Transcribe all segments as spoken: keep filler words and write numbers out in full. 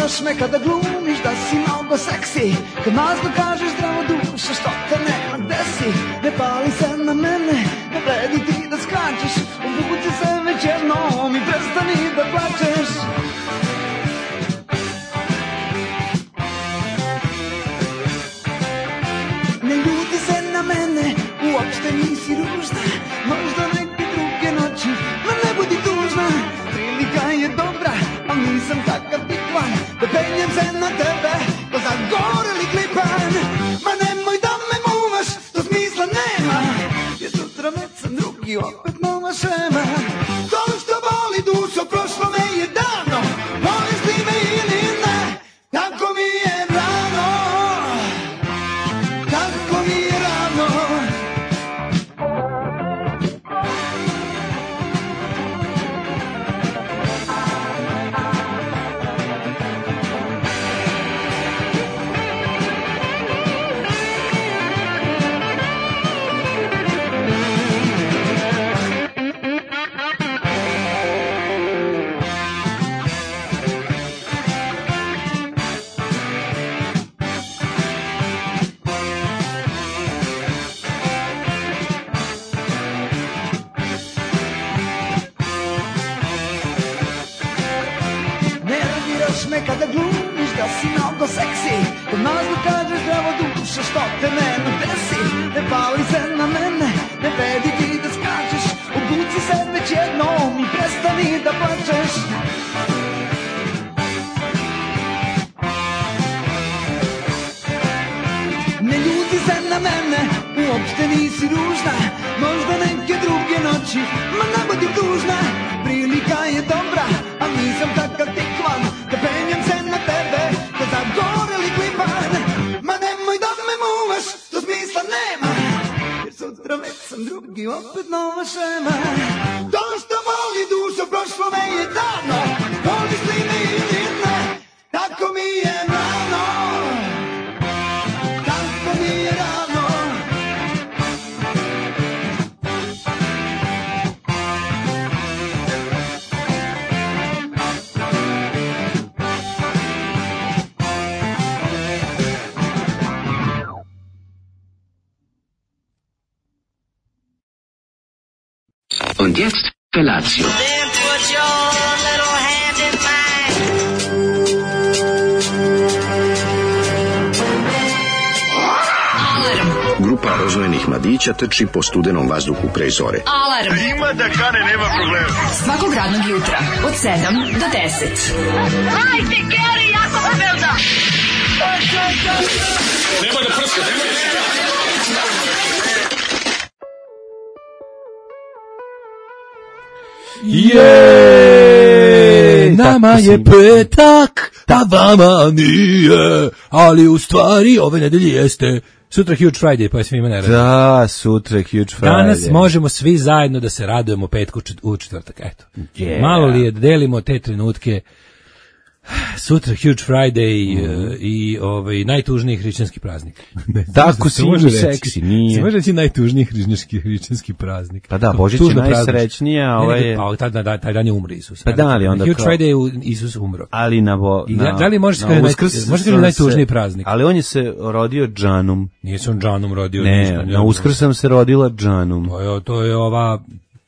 nerviraš me kada glumiš da si mnogo seksi, kad mazno kažeš zdravo dušo što te nema gde si. Ne pali se na mene, ne vredi ti da skačeš, obuci se već jednom i prestani da plačeš. Ne ljuti se na mene, uopšte nisi ružna, možda neke druge noći, ma ne budi tužna. Prilika je dobra, a nisam takav tikvan, da penjem se na tebe, ko zagoreli klipan. Ma nemoj da me muvaš, to smisla nema, jer sutra već sam drugi, opet nova šema. To što boli dušo, prošlo me je davno, voliš li me ili ne, tako mi je rano, tako mi je rano. Me kada glumiš da si mnogo seksi, kad nazno kažeš zdravo dušo što te nema gde si. Ne pali se na mene, ne vredi ti da skačeš, obuci se već jednom i prestani da plačeš. Ne ljuti se na mene, uopšte nisi ružna, možda neke druge noći, ma ne budi tužna. Prilika je dobra, a nisam takav tikvan, da penjem se na tebe, ko zagoreli klipan. Ma nemoj da me muvaš, to smisla nema, jer sutra već sam drugi, opet nova šema. To što voli dušo, prošlo me je davno, voliš li me ili ne, tako mi je rano, tako mi je rano. Und jetzt Felatio. Then put your little hand in mine. Grupa rozvojenih mladića trči po studenom vazduhu pre zore. Alarm. Ima da kane, nema problema. Svakog radnog jutra od sedam do deset. Hajde, Geri, jako se velda. Nema da prska, nema da prska. Je, nama je petak, a vama nije, ali u stvari ove nedelje jeste. Sutra Huge Friday, pa je svima ne radi. Da, sutra Huge Friday. Danas možemo svi zajedno da se radujemo petku u četvrtak, eto. Yeah. Malo li je, delimo te trenutke. Sutra Huge Friday mm. i ovaj najtužniji hrišćanski praznik. Tako si mi seksi, nije. Se može reći najtužniji hrišćanski praznik. Pa da, Božić je najsrećnija, a ovaj je... Pa taj dan, taj dan je umro Isus. Pa da, ali onda Huge kao... Friday je Isus umro. Ali na... Bo, na da li možeš kaži naj, najtužniji praznik? Ali on je se rodio Džanum. Nije se on Džanum rodio. Ne, ništa, na Uskrs sam se rodila Džanum. To je, to je ova...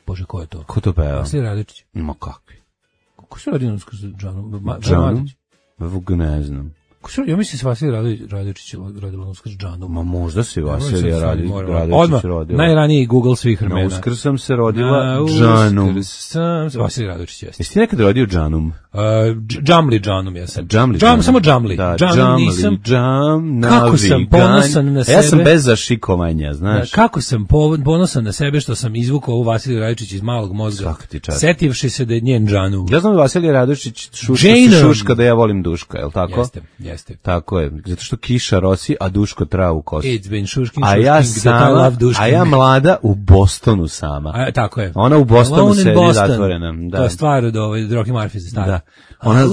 Bože, ko je to? Ko to peva? Vasilij Radojičić. Ma kakvi? Ko se rodio na Uskrs Džanum? Džanum? Vuk ne znam. Ja mislim se Vasilij Radojičić rodilo na Uskrs Džanum. Ma možda se Vasilij Radojičić rodila. Najraniji Google svih vremena. Na Uskrs sam se rodila Džanum. Vasilij Radojičić jeste. Jesi ti nekad rodio Džanum? Uh, Džamli Džanum jesam. Džamli Džam, samo Džamli. Da, Džam, Džamli, nisam. Džam, kako sam ponosan na sebe. Ja sam bez zašikovanja, znaš. Da, kako sam ponosan na sebe što sam izvukao ovu Vasilij Radojičić iz malog mozga. Setivši se da je njen Džanu. Ja znam da Vasilij Radojičić šuška, šuška da ja volim Duška, je li tako? Jeste, jeste. Tako je, zato što kiša rosi, a Duško travu kosi. It's been šušking, a ja sama, a ja mlada u Bostonu sama. A, tako je. Ona u Bostonu sedi zatvorena. Da. To je stvar od ovaj, Rocky Murphy za stari. Da. Ona,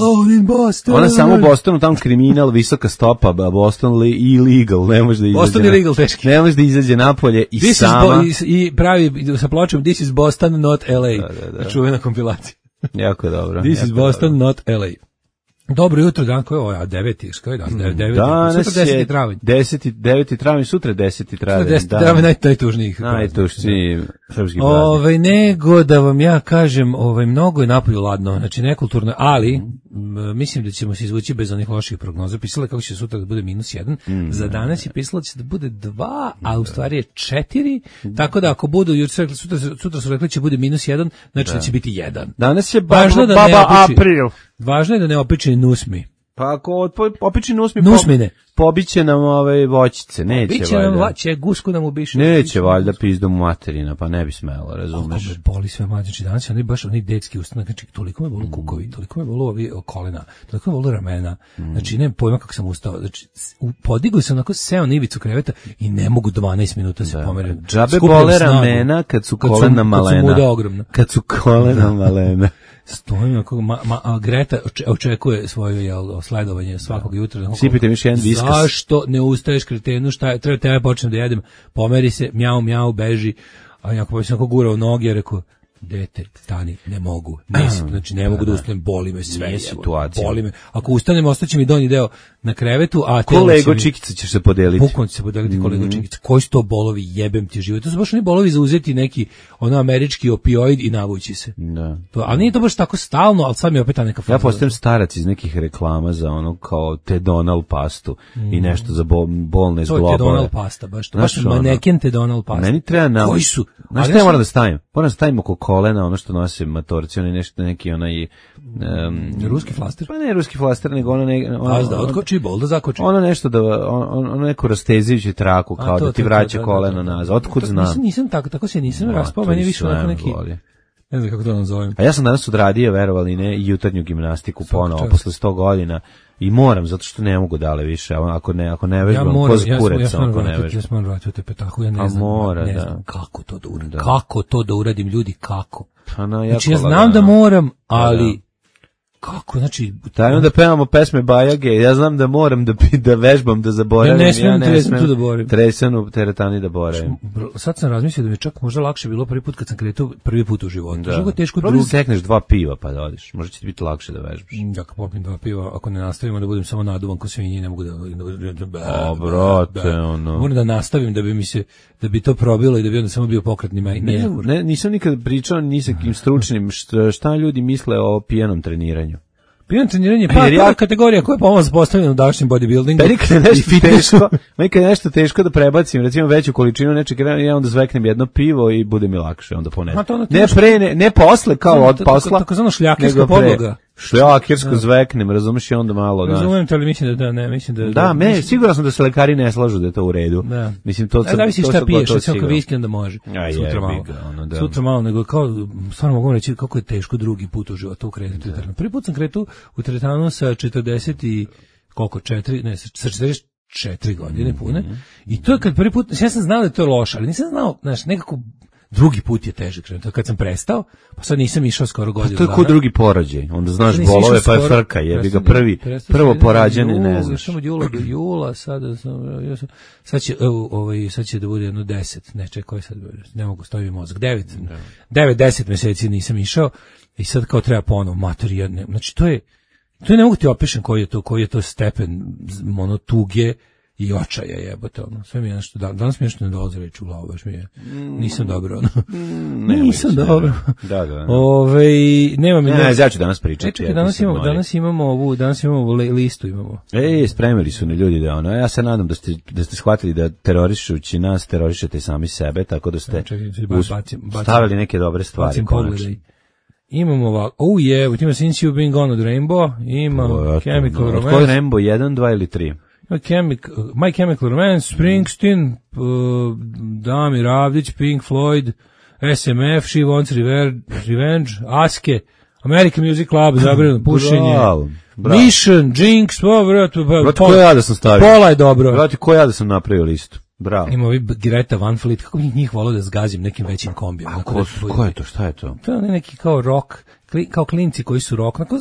ona samo u Bostonu, tamo kriminal, visoka stopa, Boston li, illegal, ne može da izađe. Boston illegal, teški. Ne može da izađe napolje i this sama. Is bo, i pravi sa pločom This is Boston, not L A. Da, da, da. Čuvena kompilacija. Jako dobro. This jako is Boston, dobro. not L A. Dobro jutro, dan koji je ovo, a deveti, što je dan, deveti, Danas sutra deseti je travanj. deseti, deveti travanj, sutra deseti travanj. Sutra deseti travanj, naj, najtužnijih. Najtužniji srpski praznik. Ovaj, nego da vam ja kažem, ovaj, mnogo je napolju ladno, znači nekulturno, ali m, mislim da ćemo se izvući bez onih loših prognoza. Pisalo je kako će sutra da bude minus jedan, mm. za danas je pisalo da će da bude dva, a u stvari je četiri, tako da ako budu, juče rekli, sutra, sutra su rekli će bude minus jedan, znači da, da će biti jedan. Danas je Važno baba, da ne baba opiči, april. Važno je da ne opiči nusmi. Pa ako opiči nusmi, Nusmine. Po, pobiće nam ove voćice, neće Biće valjda. nam, će gusku nam ubiše. Neće valjda pizdom materina, pa ne bi smelo, razumeš. Kako me boli sve mlađe, znači danas oni baš oni detski ustanak, znači toliko me bolu Mm. kukovi, toliko me bolu ovi kolena, toliko me bolu ramena, mm. znači nemam pojma kako sam ustao, znači podigao sam onako, seo na ivicu kreveta i ne mogu dvanaest minuta se pomerim. Džabe bole ramena kad su kolena malena. Kad su muda ogromna. Kad su kolena malena. Stojim ako ma, ma, a Greta očekuje svoje jel, sledovanje svakog jutra. Sipite mi još jedan viskas. Zašto ne ustaješ kretenu, šta je, treba tebe počnem da jedem, pomeri se, mjau, mjau, beži, a jako pa sam ako gurao noge, ja rekao, dete, stani, ne mogu, ne, znači ne mogu da ustanem, boli me sve, situacija. Boli me, ako ustanem, ostaće mi donji deo na krevetu, a kolego Čikica ćeš se podeliti. Bukvalno će se podeliti mm. kolego Čikica, koji su to bolovi, jebem ti život, to su baš oni bolovi za uzeti neki, ono, američki opioid i navući se. Da. To, ali nije to baš tako stalno, ali sad mi je opet ta neka ja postajem starac iz nekih reklama za ono kao Tedonal pastu mm. i nešto za bol, bolne zglobove. To je Tedonal pasta, baš to, baš maneken Tedonal pasta. Meni treba na... Koji su? Znaš šta ja moram da stavim? Moram da stavim oko kolena ono što nosim matorci, oni nešto neki onaj... Um, ruski flaster? Pa ne ruski flaster, nego ono... Ne, ono Paz da odkoči, bol da zakoči. Ono nešto da, ono, ono neku rastezijuću traku, kao to, da ti vraća to, koleno da, da, da. nazad. Otkud znam? Nisam, nisam tako, tako se nisam no, raspao, meni više onako neki... Voli. Ne znam kako to nazovem. A ja sam danas odradio, verovali ne, i jutarnju gimnastiku ponovo, posle sto godina. I moram, zato što ne mogu dale više, ako ne, ako ne vežbam, ja moram, koz kurec, ja sam, ako ja ne vežbam. Ja sam moram vratiti u te petahu, ja ne A znam, mora, ne da. znam kako to da uradim, da. kako to da uradim, ljudi, kako. Pa na, znači ja znam da moram, ali... Da. Kako, znači... Taj onda pevamo pesme Bajage, ja znam da moram da, da vežbam, da zaboravim. Ja ne smijem, ja ne smijem da boravim. Tresanu teretani da boravim. Sad sam razmislio da mi je čak možda lakše bilo prvi put kad sam kretao prvi put u životu. Da. Što teško drugi. Sekneš dva piva pa da odeš, možda će ti biti lakše da vežbaš. Ja kad popim dva piva, ako ne nastavimo da budem samo naduvan ko svinji, ne mogu da... O, brate, ono... Moram da nastavim da bi mi se, da bi to probilo i da bi onda samo bio pokretni maj. Ne, ne, nisam nikad pričao ni sa kim stručnim šta, šta ljudi misle o pijanom treniranju. Pijano treniranje, pa ja, to je kategorija koja je pomoć postavljena u današnjem bodybuildingu. Meni kad je nešto teško, meni kad je nešto teško da prebacim, recimo veću količinu nečeg, ja onda zveknem jedno pivo i bude mi lakše, onda ponesem. Ne pre, ne, ne posle kao od posla, tako zvano šljakerska podloga. Šljakersko zveknem, razumeš, i onda malo, da. Razumem te, ali mislim da da, ne, mislim da... Da, me, siguran sam da se lekari ne slažu da je to u redu. Da. Mislim, to... Da, zavisi šta piješ, recimo kao viski onda može. A sutra malo. Ono, da. Sutra malo, nego kao, stvarno mogu reći kako je teško drugi put u životu ukrenuti u teretanu. Prvi put sam kretu u teretanu sa četrdeset i koliko, četiri, ne, sa četrdeset četiri godine pune. I to je kad prvi put, ja sam znao da je to loše, ali nisam znao, znaš, nekako drugi put je teže krenuti. Kad sam prestao, pa sad nisam išao skoro godinu dana. Pa to je ko drugi porođaj. Onda znaš bolove, pa je frka, jebi ga prvi, prvo porađeni, ne znaš. Samo od jula do jula, sada sam, ja sam, sad će, evo, ovaj, sad će da bude jedno deset, ne čekaj, koji sad, ne mogu staviti mozak, devet, devet, deset meseci nisam išao i sad kao treba ponovo, mater, jedne, znači to je, to je ne mogu ti opišem koji je to, koji je to stepen, ono, tuge i očaja jebote, ono, sve mi je nešto, danas mi nešto ne dolazi reći u glavu, baš mi je, nisam dobro, ono, mm, nisam dobro. Da, da, da. Ove, nema mi... Ne, ne, ja ću danas pričati. E, čekaj, danas imamo, danas imamo ovu, danas imamo ovu listu, imamo. E, spremili su ne ljudi da ono, ja se nadam da ste, da ste shvatili da terorišući nas, terorišete sami sebe, tako da ste ja, čekaj, us, bacim, bacim, stavili neke dobre stvari, konačno. Imamo ovako, oh yeah, ima Since You've Been Gone od Rainbow, ima oh, Chemical no, Romance. Od koji Rainbow, jedan, dva ili tri? Chemical, My Chemical Romance, Springsteen, uh, Damir Avdić, Pink Floyd, S M F, She Wants Revenge, Revenge Aske, American Music Club, zabranjeno pušenje, bravo, bravo. Mission, Jinx, oh, brate, brate, ko ja da sam stavio? Pola je dobro. Brate, ko ja da sam napravio listu? Bravo. Ima ovi Greta Van Fleet, kako bih njih volio da zgazim nekim većim kombijom. A ko, da, ko je to, šta je to? To je neki kao rock, kao klinci koji su rock, onako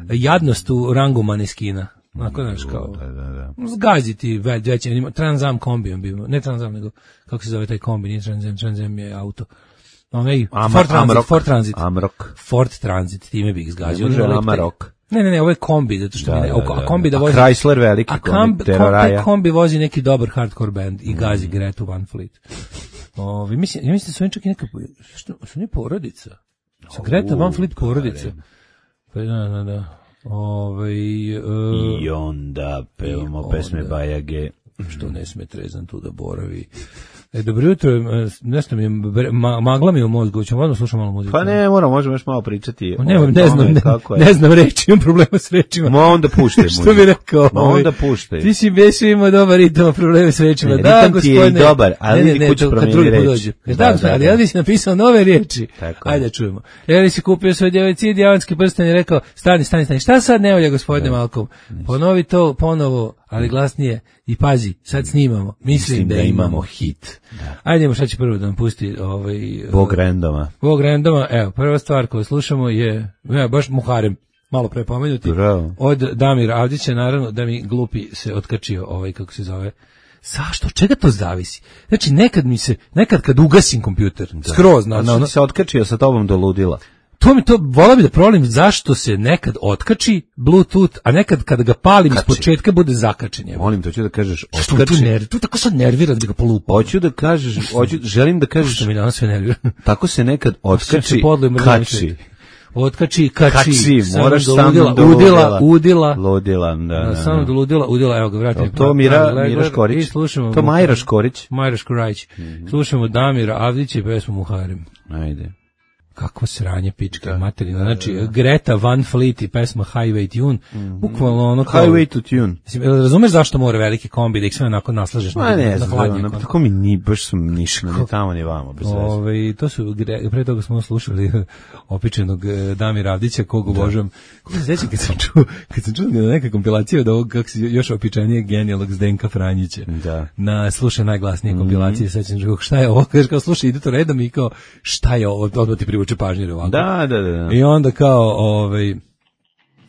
jadnost u rangu maneskina. Onako, znaš, kao, da, da, da. zgaziti veće, Transam kombijom bimo, ne Transam, nego, kako se zove taj kombi, nije Transam, Transam je auto. Onaj, Amar, Ford Transit, Amrok, Ford Transit. Amrok. Ford Transit, time bih zgazio. Ne može Amarok. Ne, ne, ne, ovo je kombi, zato što Da, mi ne, da, da, a kombi da a vozi... Chrysler veliki, a kombi, kombi, Terroraja. taj kombi vozi neki dobar hardcore band i gazi Gretu Van Fleet. Ovi, mislim, ja mislim da su oni čak i neka, što, su oni porodica? Sa Greta Van Fleet porodica. Pa da, da, da. Ove, uh, I onda pevamo i pesme onda, Bajage. Što ne sme trezan tu da boravi. E, dobro jutro, nešto mi je, ma, magla mi je u mozgu, ćemo odmah slušati malo muziku. Pa ne, moram, možemo još malo pričati. O, ne, o ne znam, ne, ne znam reći, imam problema s rečima. Ma onda puštaj muziku. Što bi rekao? Ma onda puštaj. Ti si besu imao dobar ritam, probleme s rečima. Ne, da, ritam ti je i dobar, ali ne, ne, ne, kuću kad drugi put reči. dođe. Da, Da, da, da, ali da. ja li si napisao nove riječi. Tako. Ajde, čujemo. Ja li si kupio svoj djevojci dijavanski prsten i rekao, stani, stani, stani, šta sad ne volja, gospodine Malkom? Ponovi to ponovo, ali glasnije. I pazi, sad snimamo. Mislim, Mislim da, da imamo hit. Da. Ajde, idemo šta će prvo da nam pusti ovaj, Bog randoma. Bog randoma. Evo, prva stvar koju slušamo je, ja, baš Muharem, malo pre pomenuti, Bravo. od Damira Avdića, naravno da mi glupi se otkačio ovaj, kako se zove, zašto? Od čega to zavisi? Znači, nekad mi se, nekad kad ugasim kompjuter, da. skroz, na, na, ono, se otkačio sa tobom do ludila. To mi to, vola bi da provalim zašto se nekad otkači Bluetooth, a nekad kada ga palim iz početka bude zakačen. Molim, to ću da kažeš Što otkači. tu nervi, tu tako sad nervira da ga polupa. Hoću da kažeš, hoću, želim da kažeš. Što mi danas sve nervira. Tako se nekad otkači, kači. Otkači, kači. Kači, moraš samo ludila, do udila, udila. Ludila, da, da. Samo do ludila, udila, evo ga, vratim. To Mira, Mira Škorić. To Majra Škorić. Majra Škorić. Slušamo Damira Avdića i pesmu Muharem. Ajde. Kakvo sranje pičke da, materina. Znači, da, da. Greta Van Fleet i pesma Highway Tune. Mm-hmm. Bukvalno ono kao... Highway to Tune. Mislim, razumeš zašto mora veliki kombi da ih sve onako naslažeš? Ma ne, na hladnje. Tako mi ni, baš sam ništa, ni tamo ni vamo. Bez Ove, to su, pre toga smo slušali opičenog Damira Avdića, kog obožavam. Kako se sjećam kad sam čuo, kad sam čuo na neka kompilacija od ovog, kako se još opičanije genijalnog Zdenka Franjića. Da. Na slušaj najglasnije mm-hmm. kompilacije, sećam se, šta je ovo? Kaže, kao slušaj, ide to redom i kao, šta je ovo? Odmah ti privuče pažnje ovako. Da, da, da. I onda kao, ovaj,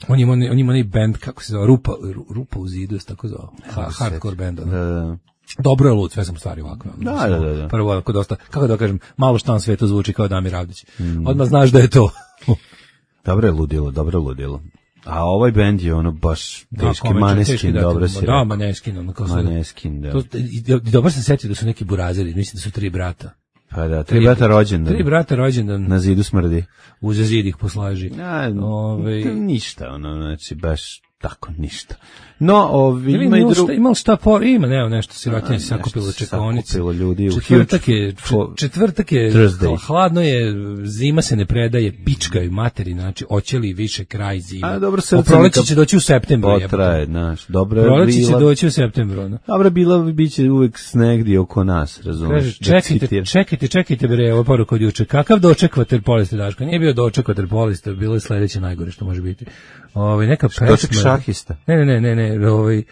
on ima, on ima onaj band, kako se zove, Rupa, Rupa u zidu, tako zove, ha, hardcore band. Da, da. Dobro je lud, sve sam stvari ovako. Da, da, da, da. Prvo, ako dosta, kako da kažem, malo šta na svetu zvuči kao Damir Avdić. Mm. Odmah znaš da je to. Dobro je ludilo, dobro je ludilo. A ovaj bend je ono baš teški, da, Maneskin, da, dobro si rekao. Da, Maneskin, ono kao Maneskin, da. To, i, i dobro sam setio da su neki burazeri, mislim da su tri brata. Pa da, tri, tri brata rođendan. Tri brata rođendan. Na zidu smrdi. Uza zid ih poslaži. A, Ove... ništa, ono, znači, baš tako ništa. No, ovi ima i drugo. Ima šta por, ima, nema nešto sirotinje se sakupilo čekaonice. Sakupilo ljudi u četvrtak je, četvrtak je, hladno je, zima se ne predaje, pičkaju materi, znači, oćeli više kraj zime. A dobro, srce. Proleće će doći u septembru. Potraje, znaš, dobro je Proleće će doći u septembru, no. Dobro, bila biće uvek snegdje oko nas, razumeš? Čekajte, čekajte, čekajte, bre, ovo poruka od juče. Kakav doček vaterpolista, Daško? Nije bio doček vaterpolista, bilo je sledeće najgore što može biti. Ovaj neka pesma. Doček šahista. Ne, ne, ne, ne, ne, ovaj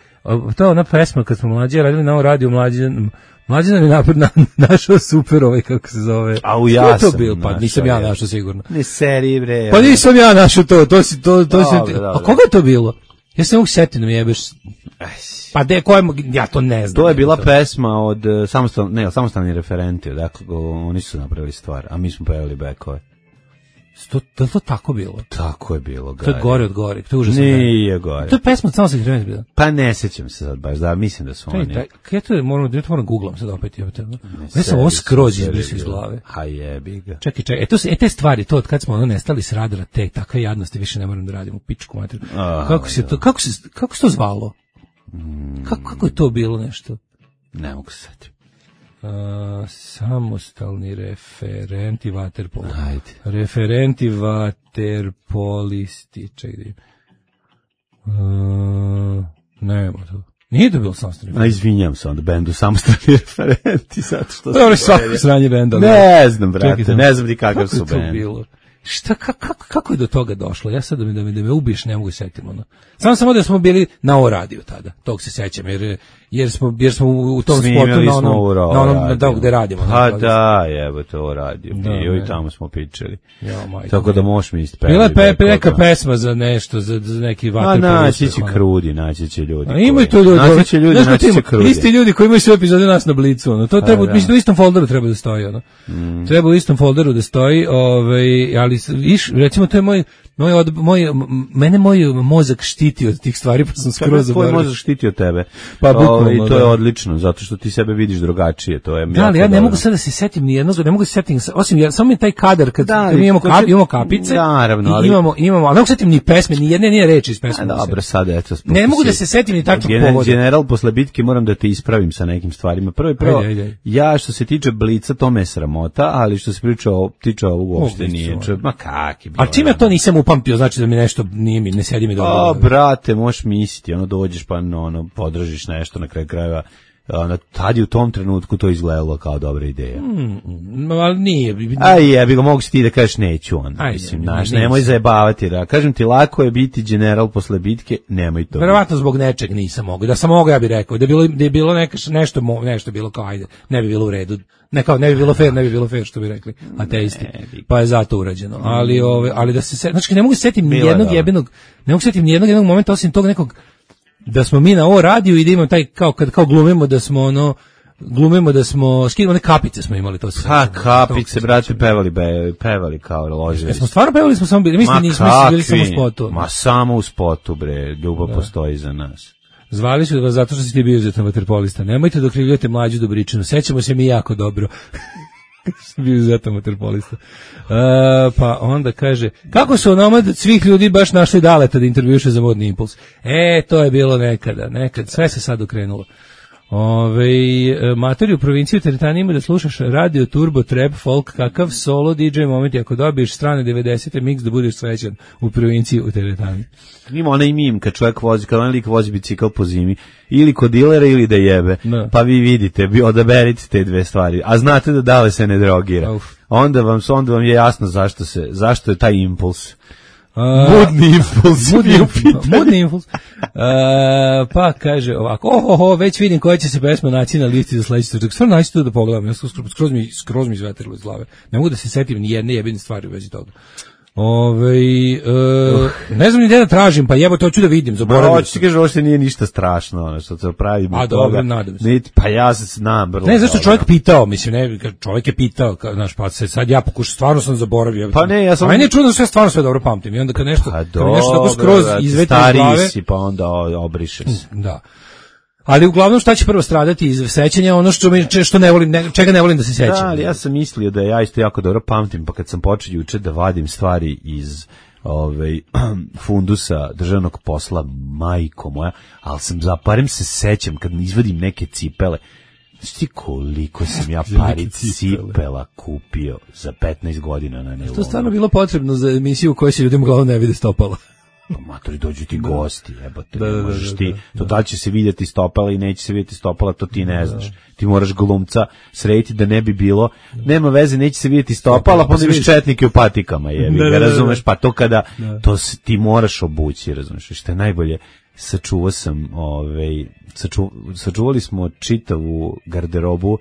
to ona pesma kad smo mlađi radili na radiju mlađan mlađan je napred na, našao super ovaj kako se zove. A u ja to bio, pa nisam ja našao sigurno. Ne seri bre. Pa nisam ja našao to, to si to to si. A koga je to bilo? Ja se mogu setiti da mi jebeš. Pa de koje ja to ne znam. To je bila pesma od samostalni, ne, samostalni referenti, dakle oni su napravili stvar, a mi smo pevali bekove. To, to, to tako bilo? Tako je bilo, Gari. To je gore od gore, to je užasno. Nije gore. To je pesma od samostalnih referenti bila. Pa ne sećam se sad baš, da, mislim da su Čaj, oni. Kaj to je, moram, da moram googlam sad opet. Ja, ja sam ovo skroz izbrisao iz glave. Ha jebi ga. Čekaj, čekaj, e, to se, e te stvari, to od kad smo ono nestali s radara, te takve jadnosti više ne moram da radimo, pičku mater. Kako se to, kako se, kako se to zvalo? Mm. Kako, kako je to bilo nešto? Ne mogu se setiti. Uh, samostalni referenti vaterpolo. Ajde. Referenti vaterpolisti. Čekaj. Uh, nema to. Nije to bilo samostalni. A izvinjam se onda bendu samostalni referenti zato što. Dobro, svako sranje benda. Ne znam, brate, čekaj, ne znam ni kakav su bend. Kako je to bilo? Šta, kako, kako je do toga došlo? Ja sad da me, da me, da me ubiješ ne mogu setiti. Ono. Samo samo da smo bili na O radiju tada, tog se sećam, jer, jer, smo, jer smo u tom snimili spotu na onom, na onom da, gde radimo. Pa da, jebo to O radiju, bio i tamo smo pričali. Ja, majko, tako da možeš mi ispevati. Bila je pe, pe, neka pesma za nešto, za, za neki vaterpolo. A naći će krudi, naći će ljudi. A imaju to ljudi, naći će ljudi, naći će krudi. Isti ljudi koji imaju sve epizode nas na Blicu, ono. To treba, mislim, u istom folderu treba da stoji, ono. Treba u istom folderu da stoji, ovaj, ali iš, recimo to je moj Moj, od, moj, mene moj mozak štiti od tih stvari, pa sam skroz zaboravio. Tvoj mozak štiti od tebe. Pa bukvalno, I to da. je odlično, zato što ti sebe vidiš drugačije. To je da, ali ja ne dobro. mogu sad da se setim ni jednog, ne mogu da se setim, osim ja, samo mi taj kadar, kad, da, kad imamo, kap, imamo kapice, naravno, ali, i imamo, imamo, ali ne mogu se setim ni pesme, ni jedne nije reči iz pesme. A, dobro, sad, eto. Ne mogu da se setim ni takvih povoda. General, posle bitke moram da te ispravim sa nekim stvarima. Prvo i prvo, ajde, ajde, ajde. Ja što se tiče Blica, to me je sramota, ali što se priča o, tiče ovog uopšte nije. Ma kak je bilo. A čim ja to nisam upamtio, znači da mi nešto nije mi, ne sedi mi dobro. A, brate, možeš misliti, ono, dođeš pa ono, podržiš nešto na kraju krajeva. Ono, tad je u tom trenutku to izgledalo kao dobra ideja. Mm, ali nije. Aj, ja bih ga mogu si ti da kažeš neću on. Ajde, mislim, naš, nemoj zajebavati. Da. Kažem ti, lako je biti general posle bitke, nemoj to. Verovatno zbog nečeg nisam mogao. Da sam mogao, ja bih rekao. Da je bilo, da je bilo neka, nešto, nešto bilo kao, ajde, ne bi bilo u redu. Ne, kao, ne bi bilo fair, ne bi bilo fair, što bi rekli ateisti. Pa je zato urađeno. Ali, ove, ali da se, znači, ne mogu se setim ni jednog jebenog, ne mogu se setim ni jednog jednog momenta, osim tog nekog, da smo mi na ovo radiju i da imamo taj, kao, kad kao glumimo da smo ono, glumimo da smo, skidimo one kapice smo imali, to se. Ha, kapice, brate, pevali, be, pevali kao ložili. Jesmo stvarno pevali, smo samo bili, mislim, nismo bili samo u spotu. Ma samo u spotu, bre, ljubav da. Postoji za nas. Zvali su vas zato što si ti bio izuzetan vaterpolista. Nemojte da okrivljujete Mlađu Dobričinu. Sećamo se mi jako dobro. Bio izuzetan vaterpolista. Uh, pa onda kaže, kako su onomad svih ljudi baš našli Daleta da intervjuše za Modni impuls? E, to je bilo nekada, nekad. Sve se sad okrenulo. Ove, matori u provinciji u teretani ima da slušaš radio, turbo, trap, folk, kakav solo D J moment, ako dobiješ strane devedesete mix da budeš srećan u provinciji u teretani. Ima onaj mim kad čovjek vozi, kad onaj lik vozi bicikl po zimi, ili kod dilera ili da jebe, no. Pa vi vidite, vi odaberite te dve stvari, a znate da Dale se ne drogira. Uf. Onda vam, onda vam je jasno zašto se, zašto je taj impuls. Uh, Modni impuls. Modni, modni impuls. Uh, pa kaže ovako, ohoho, već vidim koja će se pesma naći na listi za sledeći trenutak. Stvarno naći to da pogledam, ja skroz, skroz mi, skroz mi izvetrilo iz glave. Ne mogu da se setim ni jedne jebine stvari u vezi toga. Ove, uh, ne znam ni gde da tražim, pa jebo to ću da vidim, zaboravim. Hoće ti kažeš, ovo što nije ništa strašno, ono što se pravi. A dobro, nadam se. Niti, pa ja se znam. Brlo, ne, zašto čovjek pitao, mislim, ne, čovjek je pitao, ka, znaš, pa se sad ja pokušam, stvarno sam zaboravio. Pa ne, ja sam... Ajde, čudno, sve stvarno sve dobro pamtim. I onda kad nešto, pa kad nešto tako skroz izveti iz glave. Stari si, pa onda obriše se. Da. Ali uglavnom šta će prvo stradati iz sećanja, ono što mi što ne volim, ne, čega ne volim da se sećam. Da, ali ja sam mislio da ja isto jako dobro pamtim, pa kad sam počeo juče da vadim stvari iz ovaj fundusa državnog posla, majko moja, ali sam zaparim se sećam kad izvadim neke cipele. Znaš koliko sam ja pari cipela kupio za petnaest godina na nevu. To je stvarno bilo potrebno za emisiju u kojoj se ljudima uglavnom ne vide stopala. Pa matori, dođu ti gosti, jebote, da, ne da, možeš da, ti, da, to da li će se vidjeti stopala i neće se vidjeti stopala, to ti ne znaš. Ti moraš glumca srediti da ne bi bilo, nema veze, neće se vidjeti stopala, pa onda imaš četnike u patikama, jebi ga, razumeš, pa to kada, to ti moraš obući, razumeš, što je najbolje, sačuvao sam, ovaj, saču, sačuvali smo čitavu garderobu,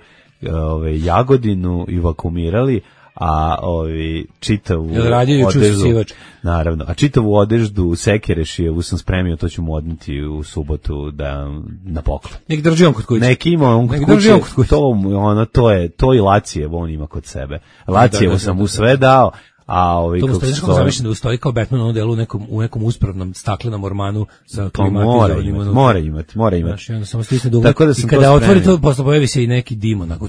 ovaj, Jagodinu i vakumirali, a ovi čitavu odeždu, naravno, a čitavu odeždu Sekerešijevu sam spremio, to ću mu odneti u subotu da na poklon. Nek drži on kod kuće. Nek ima on kod kuće, to, ono, to je, to i Lacijevo on ima kod sebe. Lacijevo sam mu sve dao, a ovi to kako stoji, zamišljam da ustoji kao Batman u onom delu u nekom, u nekom uspravnom staklenom ormanu sa klimatizovanim. Mora, mora imati, mora imati. Znači, onda samo stisne dugme i kada otvori to, posle pojavi se i neki dim onako.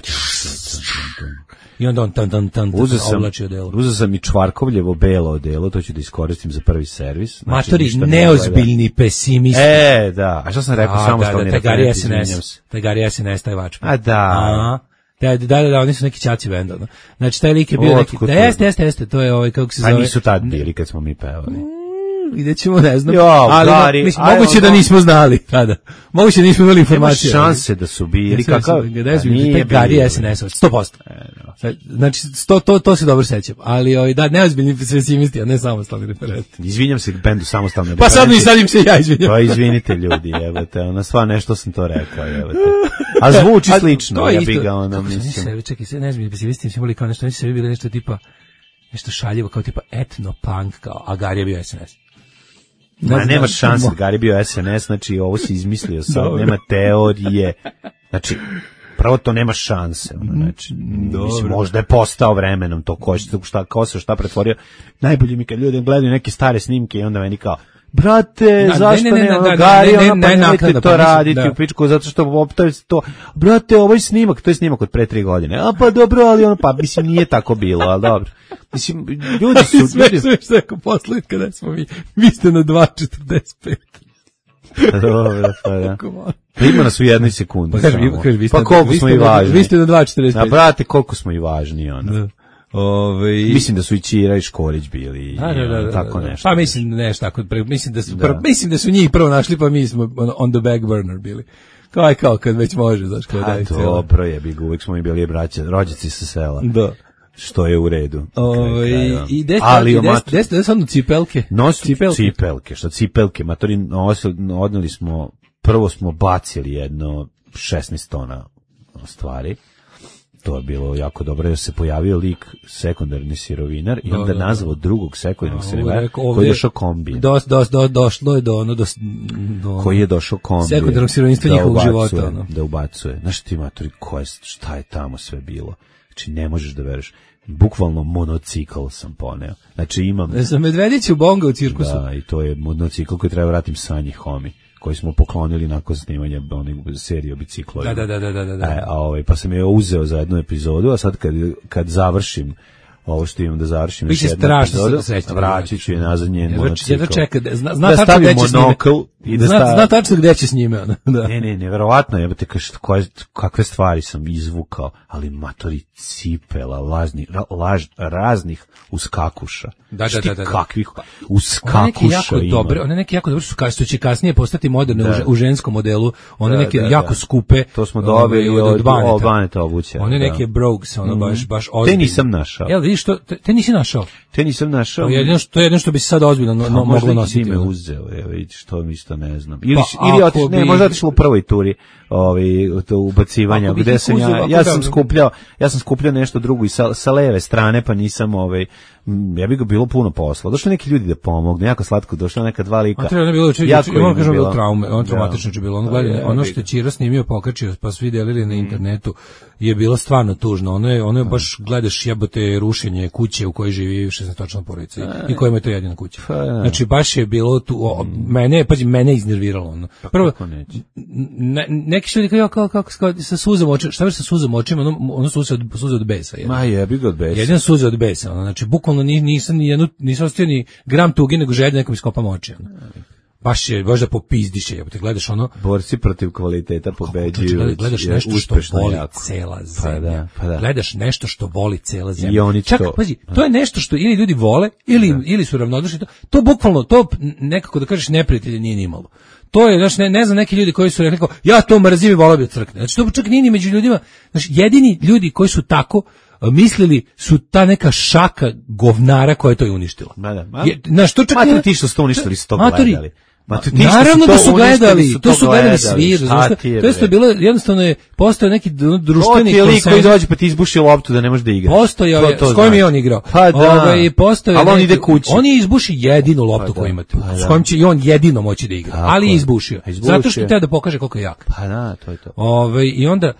I onda on tan tan tan oblači odelo. Uzeo sam i Čvarkovljevo belo odelo, to ću da iskoristim za prvi servis. Znači, matori, neozbiljni pesimisti. E, da. A što sam rekao, samo što da, Tegari S N S. Tegari S N S, taj vačman. A da. A, da, da, da, da, oni su neki ćaci benda. No. Znači, taj lik je bio neki, da jeste, jeste, jeste, to je ovaj, kako se zove. A nisu tad bili kad smo mi pevali. Vidjet ćemo, ne znam, jo, ali gari, mislim, moguće da nismo znali tada. Moguće da nismo imali informacije. Nema šanse da su bili. Kakav? Nije Gari S N S, sto posto. Znači, sto, to, to se dobro sećam. Ali oj, da, neozbiljni pesimisti, a ne samostalni referenti. Izvinjam se bendu samostalni referenti. Pa sad mi sadim se ja izvinjam. Pa izvinite ljudi, jebate, ona sva nešto sam to rekao, jebate. A zvuči a, slično, ja bih ga ona, mislim. Čekaj, sve neozbiljni pesimisti, smo bili kao nešto, oni su sebi bili nešto tipa, nešto šaljivo, kao tipa etno-punk, kao, a Gari je bio S N S. Ma ne, nemaš šanse, Gari bio S N S, znači ovo si izmislio sad, nema teorije. Znači, prvo to nema šanse. Ono, znači, mislim, možda je postao vremenom to ko, šta, ko se šta pretvorio. Najbolje mi kad ljudi gledaju neke stare snimke i onda meni kao, brate, Da, zašto ne, ne, ne, ne, ono, da, Gari, ne, ne, ono, pa ne, nemojte naknadno, to pa mislim, raditi da. u pičku, zato što optavi se to, brate, ovaj snimak, to je snimak od pre tri godine, a pa dobro, ali ono, pa mislim, nije tako bilo, ali dobro. Mislim, ljudi su, Sve ljudi, sve što je ako posle, kada smo mi, vi ste na dva četrdeset pet. dobro, pa da. Pa ima nas u jednoj sekundi. Pa kaži, samo. kaži, vi ste, Pa koliko vi smo ste i na- važni. Vi ste na dva četrdeset A pet. brate, koliko smo i važni, ono. Da. Ove, Mislim da su i Ćira i Škorić bili, Da, da, da, ono, da, tako da. nešto. Pa mislim nešto tako, pre- mislim da su Da. prvo, mislim da su njih prvo našli, pa mi smo on, on the back burner bili. Kao aj kao kad već može, znaš, kao A daj cijelo. dobro je, bi uvijek smo mi bili braća, rođaci sa sela. Da. Što je u redu. Ove, Kraja. i des, Ali i o des, mat- des, des, des, cipelke. Nos Cipelke. cipelke, što cipelke, matori nosili, odneli smo, prvo smo bacili jedno šesnaest tona stvari. To je bilo jako dobro, jer se pojavio lik sekundarni sirovinar i Da, onda da, da. nazvao drugog sekundarnog A, sirovinara rekao, koji ovdje- je došao kombijem. Dos, dos, do, došlo je do ono, do, do Koji je došao kombijem. sekundarnog sirovinstva da njihovog ubacuje, života, ono. Da ubacuje. Znaš ti, matori, ko je, šta je tamo sve bilo? Znači, ne možeš da veruješ. Bukvalno monocikl sam poneo. Znači, imam... Za Medvedića u Bonga u cirkusu. Da, i to je monocikl koji treba vratim Sanji Homi, koji smo poklonili nakon snimanja onih serije o biciklovima. Da, da, da, da, da, da. E, a ovaj, pa sam je uzeo za jednu epizodu, a sad kad, kad završim ovo što imam da završim Biće još jednu strašno epizodu, srećno da vraćat ću je nazad njen Jedva- monocikl. jedva čeka da- zna- zna da tačno stavim gde će s njime. monokl i da Zna, stavim... zna tačno gde će s njime, ono. Da. Ne, ne, nevjerovatno, jebate, kaš, koje, kakve stvari sam izvukao, ali matori cipela, lažni, ra, laž, raznih uskakuša. Da, da, Šti da, da, da. kakvih One neke uskakuša jako ima. dobre, one neke jako dobre su kao što će kasnije postati moderne Da. u, že- u ženskom modelu, one Da, neke da, jako da. skupe. To smo ovaj, dobili od, od Baneta. od Baneta obuće. One da. neke brogues, ono baš baš Te ozbiljne. nisam našao. Jel vidiš to, te, te nisi našao. Te nisam našao. To je jedino što, to je jedino što bi se sad ozbiljno no, no, A možda moglo i nositi. si me ono. uzeo, evo vidiš, to mi isto ne znam. Ili, Pa, ili ako otiš, ne, bi- možda otišlo u prvoj turi, ovaj, to ubacivanja, Ako bi gde ti sam uzeo, ja, ako ja da- sam skupljao, ja sam skupljao nešto drugo i sa, sa leve strane, pa nisam, ovaj, m, ja bi ga bilo puno posla. Došli neki ljudi da pomognu, jako slatko, došla neka dva lika. A treba je bilo juče, Jako juče, im moram je kažem bilo. bilo traume, on Da. traumatično je bilo. Ono, Pa gledaj, je, ono bi što je ga. Ćira snimio, pokačio, pa svi delili na internetu, je bilo stvarno tužno. Ono je, ono je baš gledaš jebote rušenje kuće u kojoj živi šesnaestočlana porodica i- i kojima je to jedina kuća. Pa da. Znači baš je bilo tu, o, mene, je, pazi, mene je iznerviralo. Ono. Prvo, kako neće? ne, neki su ljudi kao, kao, kao, kao, sa suzom očima, šta već sa suzom očima, ono, ono suze od, suze od besa. Jedno. Ma jebi ga od besa. Jedino suze od besa, ono, znači bukvalno ni, nisam ni jednu, nisam ostio ni gram tuge, nego želje nekom iskopam oči. Ono. Baš je, baš da popizdiše, jebote, gledaš ono, Borci protiv kvaliteta pobeđuju. Gledaš, gledaš je nešto što uspešno voli jako. cela Pa zemlja. da, pa da. Gledaš nešto što voli cela zemlja. I oni Čak, to- pazi, to je nešto što ili ljudi vole, ili, ili su ravnodušni. To, to bukvalno, to nekako da kažeš neprijatelje nije ni malo. To je, znači, ne, ne znam, neki ljudi koji su rekli kao, ja to mrzim i volao bi da crkne. Znači, to čak nije ni među ljudima. Znači, jedini ljudi koji su tako a, mislili su ta neka šaka govnara koja je to i uništila. Ma da, ma- Je, znaš, to čak Matori, nije- ti što ste uništili su to Matori, gledali. Matori, ti što naravno to da su uništili gledali, su to su gledali gledali. svi, Šta razumiješ? ti je, To je što bre? bilo, jednostavno je postao neki d- To društveni ti je lik koji konsenzus. dođe pa ti izbuši loptu da ne možeš da igraš. Postojao Ko je, to s kojim zna? je on igrao? Pa da. Ovaj, postojao je Ali on neki- ide kući. On je izbuši jedinu loptu Pa da, koju imate, pa s da. kojim će i on jedino moći da igra. Tako ali je je. izbušio. A izbušio. Zato što je teo da pokaže koliko je jak. Pa da, to je to. Ovaj, I onda,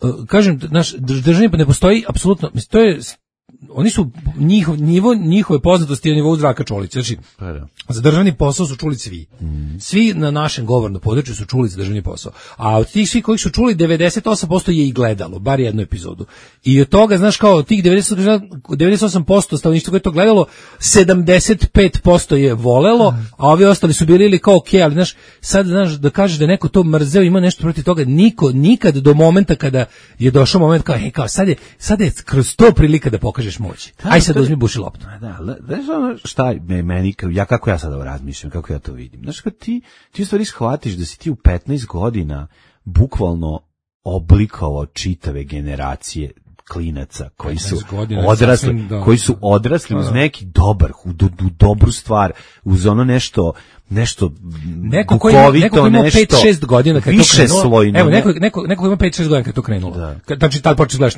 uh, kažem, naš državni ne postoji apsolutno, mislim, to je, oni su, njihov, nivo, njihove poznatosti je na nivou Zdravka Čolića. Znači, Pa da. za državni posao su čuli svi. Svi na našem govornom području su čuli za državni posao. A od tih svih kojih su čuli, devedeset osam posto je i gledalo, bar jednu epizodu. I od toga, znaš, kao od tih devedeset, devedeset osam posto stanovništva koje je to gledalo, sedamdeset pet posto je volelo, a ovi ostali su bili ili kao okej, ali znaš, sad znaš, da kažeš da neko to mrzeo, ima nešto protiv toga, niko, nikad do momenta kada je došao moment kao, hej, kao, sad je, sad je kroz to prilika da pokažeš moć. Aj sad to je- uzmi buši loptu. Pa da, le- znaš ono šta me, meni, kao- ja kako ja sada razmišljam, kako ja to vidim. Znaš, kad ti, ti u stvari shvatiš da si ti u petnaest godina bukvalno oblikovao čitave generacije klinaca koji su petnaest godina, odrasli, sasvim, da. koji su odrasli uz Da. neki dobar, u, do- u dobru stvar, uz ono nešto nešto neko ko ima, neko ko ima pet šest godina kad to krenulo. Slojno, evo, neko, neko, neko ko ima pet šest godina kad to krenulo. Da. Kad, znači, tad počneš gledaš,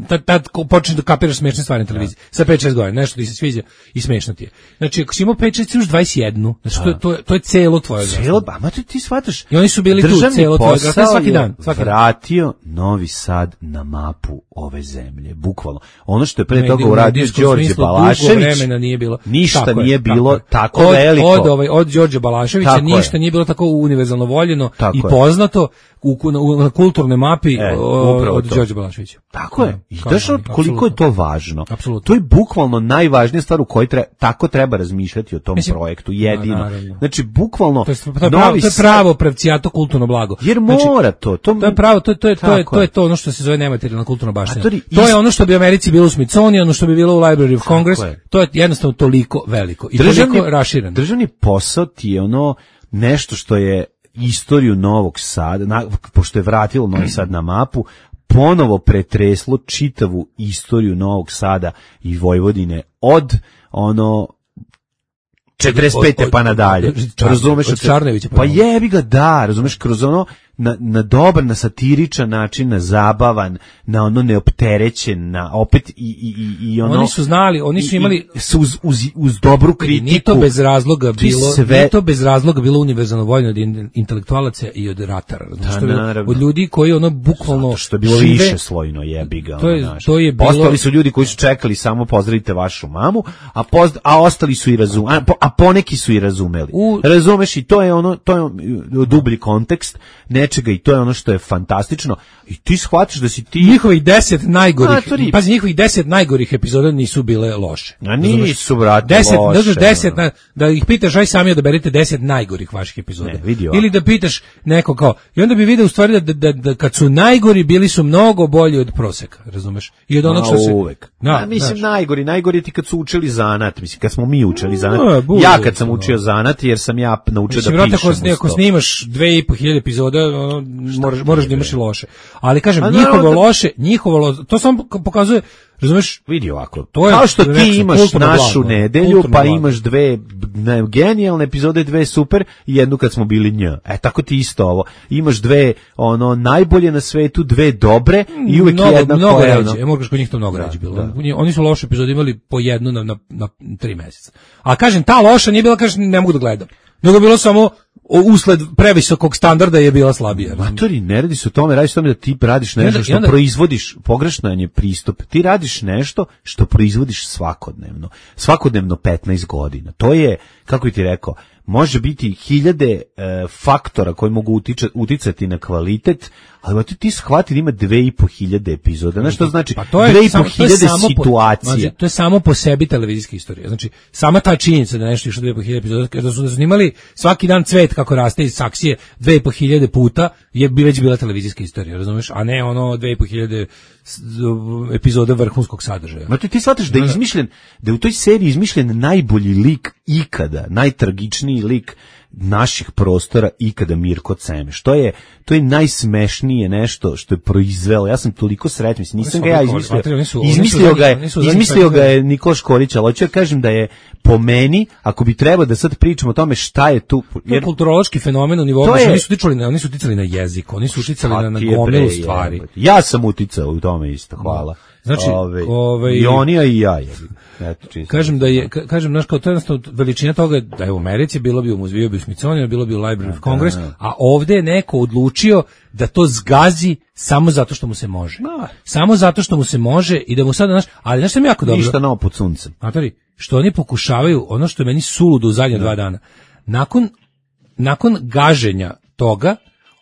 tad, tad počneš da kapiraš smešne stvari na televiziji. Da. Sa pet šest godina, nešto ti se sviđa i smešno ti je. Znači, ako si imao pet šest, još dvadeset jedan. Znači, to, to, to je celo tvoje celo, a ma ti shvataš. I oni su bili tu celo tvoje svaki dan. Svaki vratio Novi Sad na mapu ove zemlje, bukvalno. Ono što je pre toga uradio Đorđe Balašević, nije bilo. Ništa tako nije je, bilo tako, tako od, veliko. Od, ovaj, od Đorđe Balaševića tako ništa je. Nije bilo tako univerzalno voljeno tako i poznato u, u, na kulturnoj mapi e, od Đorđe Balaševića. Tako je. I daš koliko apsolutno. Je to važno. Apsolutno. To je bukvalno najvažnija stvar u kojoj treba, tako treba razmišljati o tom Mislim, projektu. Jedino. Na, znači, bukvalno... To je, to je, pravo, to je pravo pravcijato kulturno blago. Jer znači, mora to. To, to je pravo, to je, to je, to je, to je to ono što se zove nematerijalna kulturna baština. To, to je ono što bi u Americi bilo u Smithsonianu, što bi bilo u Library of Congress. Je. To je jednostavno toliko veliko i državni, toliko rašireno. Državni posao ti je ono nešto što je istoriju Novog Sada, na, pošto je vratilo Novi Sad na mapu, ponovo pretreslo čitavu istoriju Novog Sada i Vojvodine od ono četrdeset pete pa nadalje. Razumeš? Od Čarnevića pa jebi ga, da, razumeš, kroz ono na, na dobar, na satiričan način, na zabavan, na ono neopterećen, na opet i, i, i, i ono... Oni su znali, oni su imali... I, uz, uz, uz dobru kritiku. Nije to bez razloga bilo, sve... nije to bez razloga bilo univerzalno voljno od intelektualaca i od ratara. Da, naravno. Od ljudi koji ono bukvalno... Zato što je bilo žive, više slojno, jebi ga. To je, ono, to je bilo... Ostali su ljudi koji su čekali samo pozdravite vašu mamu, a, pozd... a ostali su i razumeli, a, po, a poneki su i razumeli. U... Razumeš, i to je ono, to je dublji kontekst, nečega i to je ono što je fantastično i ti shvatiš da si ti njihovih deset najgorih pazi njihovih deset najgorih epizoda nisu bile loše. A nisu brate deset, loše. deset na, da ih pitaš aj sami odaberite deset najgorih vaših epizoda. Ne, vidio, ili da pitaš neko kao i onda bi video u stvari da, da, da kad su najgori bili su mnogo bolji od proseka, razumeš? I od onog što se uvek. Da, a, mislim znaš. najgori, najgori ti kad su učili zanat, mislim kad smo mi učili zanat. No, bude, ja kad sam učio zanat jer sam ja naučio mislim, da pišem. Mislim ako snimaš dve i po hiljade epizoda, ono, moraš moraš da imaš i loše. Ali kažem, a njihovo da... loše, njihovo loše, to samo pokazuje, razumeš, vidi ovako. To je kao što ti imaš našu blago, nedelju, pa blago. Imaš dve ne, genijalne epizode, dve super i jednu kad smo bili nj. E tako ti isto ovo. Imaš dve ono najbolje na svetu, dve dobre i uvek mnogo, jedna mnogo koja ređe. Ja mogu kod njih to mnogo ređe bilo. Da. Oni su loše epizode imali po jednu na na, na tri meseca. A kažem, ta loša nije bila, kažem, ne mogu da gledam. Nego bilo samo usled previsokog standarda je bila slabija. Matori, ne radi se o tome, radi se o tome da ti radiš nešto što onda... proizvodiš, pogrešan je pristup, ti radiš nešto što proizvodiš svakodnevno, svakodnevno petnaest godina. To je, kako ti rekao, može biti hiljade e, faktora koji mogu utiče, uticati na kvalitet, ali ti, ti shvati da ima dve i po hiljade epizoda. Znaš što znači? Pa to je dve i po hiljade situacija. Po, to je samo po sebi televizijska istorija. Znači, sama ta činjenica da nešto išlo dve i po hiljade epizoda, da su, da su snimali svaki dan cvet kako raste iz saksije dve i po hiljade puta, je bi već bila televizijska istorija, razumeš? A ne ono dve i po hiljade epizoda vrhunskog sadržaja. Ma ti, ti shvataš da je izmišljen, da je u toj seriji izmišljen najbolji lik ikada, najtragičniji lik naših prostora ikada Mirko Cemeš. To je to je najsmešnije nešto što je proizvelo. Ja sam toliko srećan, mislim, nisam ga ja izmislio. Izmislio ga je, izmislio ga je Nikola Škorić, ali hoću da kažem da je po meni, ako bi trebalo da sad pričamo o tome šta je tu, jer to je kulturološki fenomen u nivou, oni su uticali na, oni su uticali na jezik, oni su uticali na, na gomilu stvari. Ja sam uticao u tome isto, hvala. Znači, ove, ovaj i oni a i ja je. Eto, kažem da je, kažem, znaš, kao to je jednostavno veličina toga da je u Americi bilo bi u muzeju, bi u Smithsonianu, bilo bi u Library of Congress, a ovde je neko odlučio da to zgazi samo zato što mu se može. No. Samo zato što mu se može i da mu sada, znaš, ali znaš što mi jako dobro. Ništa novo pod suncem. Matori, što oni pokušavaju, ono što je meni suludo u zadnja dva dana, nakon, nakon gaženja toga,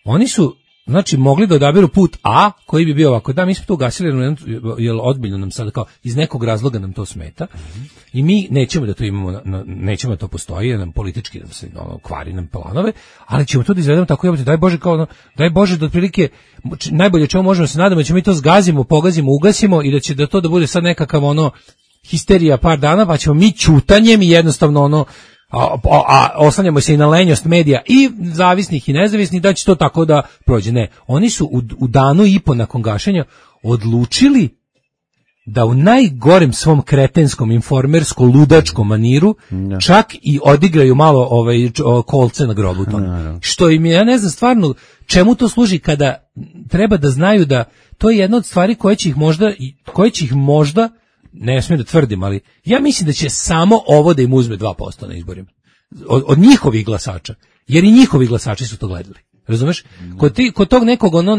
oni su znači mogli da odaberu put A koji bi bio ovako, da mi smo to ugasili jer odbiljno nam sad kao iz nekog razloga nam to smeta mm-hmm. i mi nećemo da to imamo, na, na, nećemo da to postoji, jer nam politički nam se ono, kvari nam planove, ali ćemo to da izvedemo tako, jebate, daj Bože kao ono, daj Bože da otprilike najbolje čemu možemo se nadamo da ćemo mi to zgazimo, pogazimo, ugasimo i da će da to da bude sad nekakav ono histerija par dana, pa ćemo mi ćutanjem i jednostavno ono A, a, a oslanjamo se i na lenjost medija i zavisnih i nezavisnih da će to tako da prođe. Ne, oni su u, u danu i po nakon gašenja odlučili da u najgorem svom kretenskom, informersko-ludačkom maniru no. čak i odigraju malo ovaj, kolce na grobu tome. No, no. Što im je, ja ne znam stvarno čemu to služi kada treba da znaju da to je jedna od stvari koje će ih možda, koje će ih možda, ne smijem da tvrdim, ali ja mislim da će samo ovo da im uzme dva posto na izborima. Od, od njihovih glasača. Jer i njihovi glasači su to gledali. Razumeš? Kod, ti, kod tog nekog ono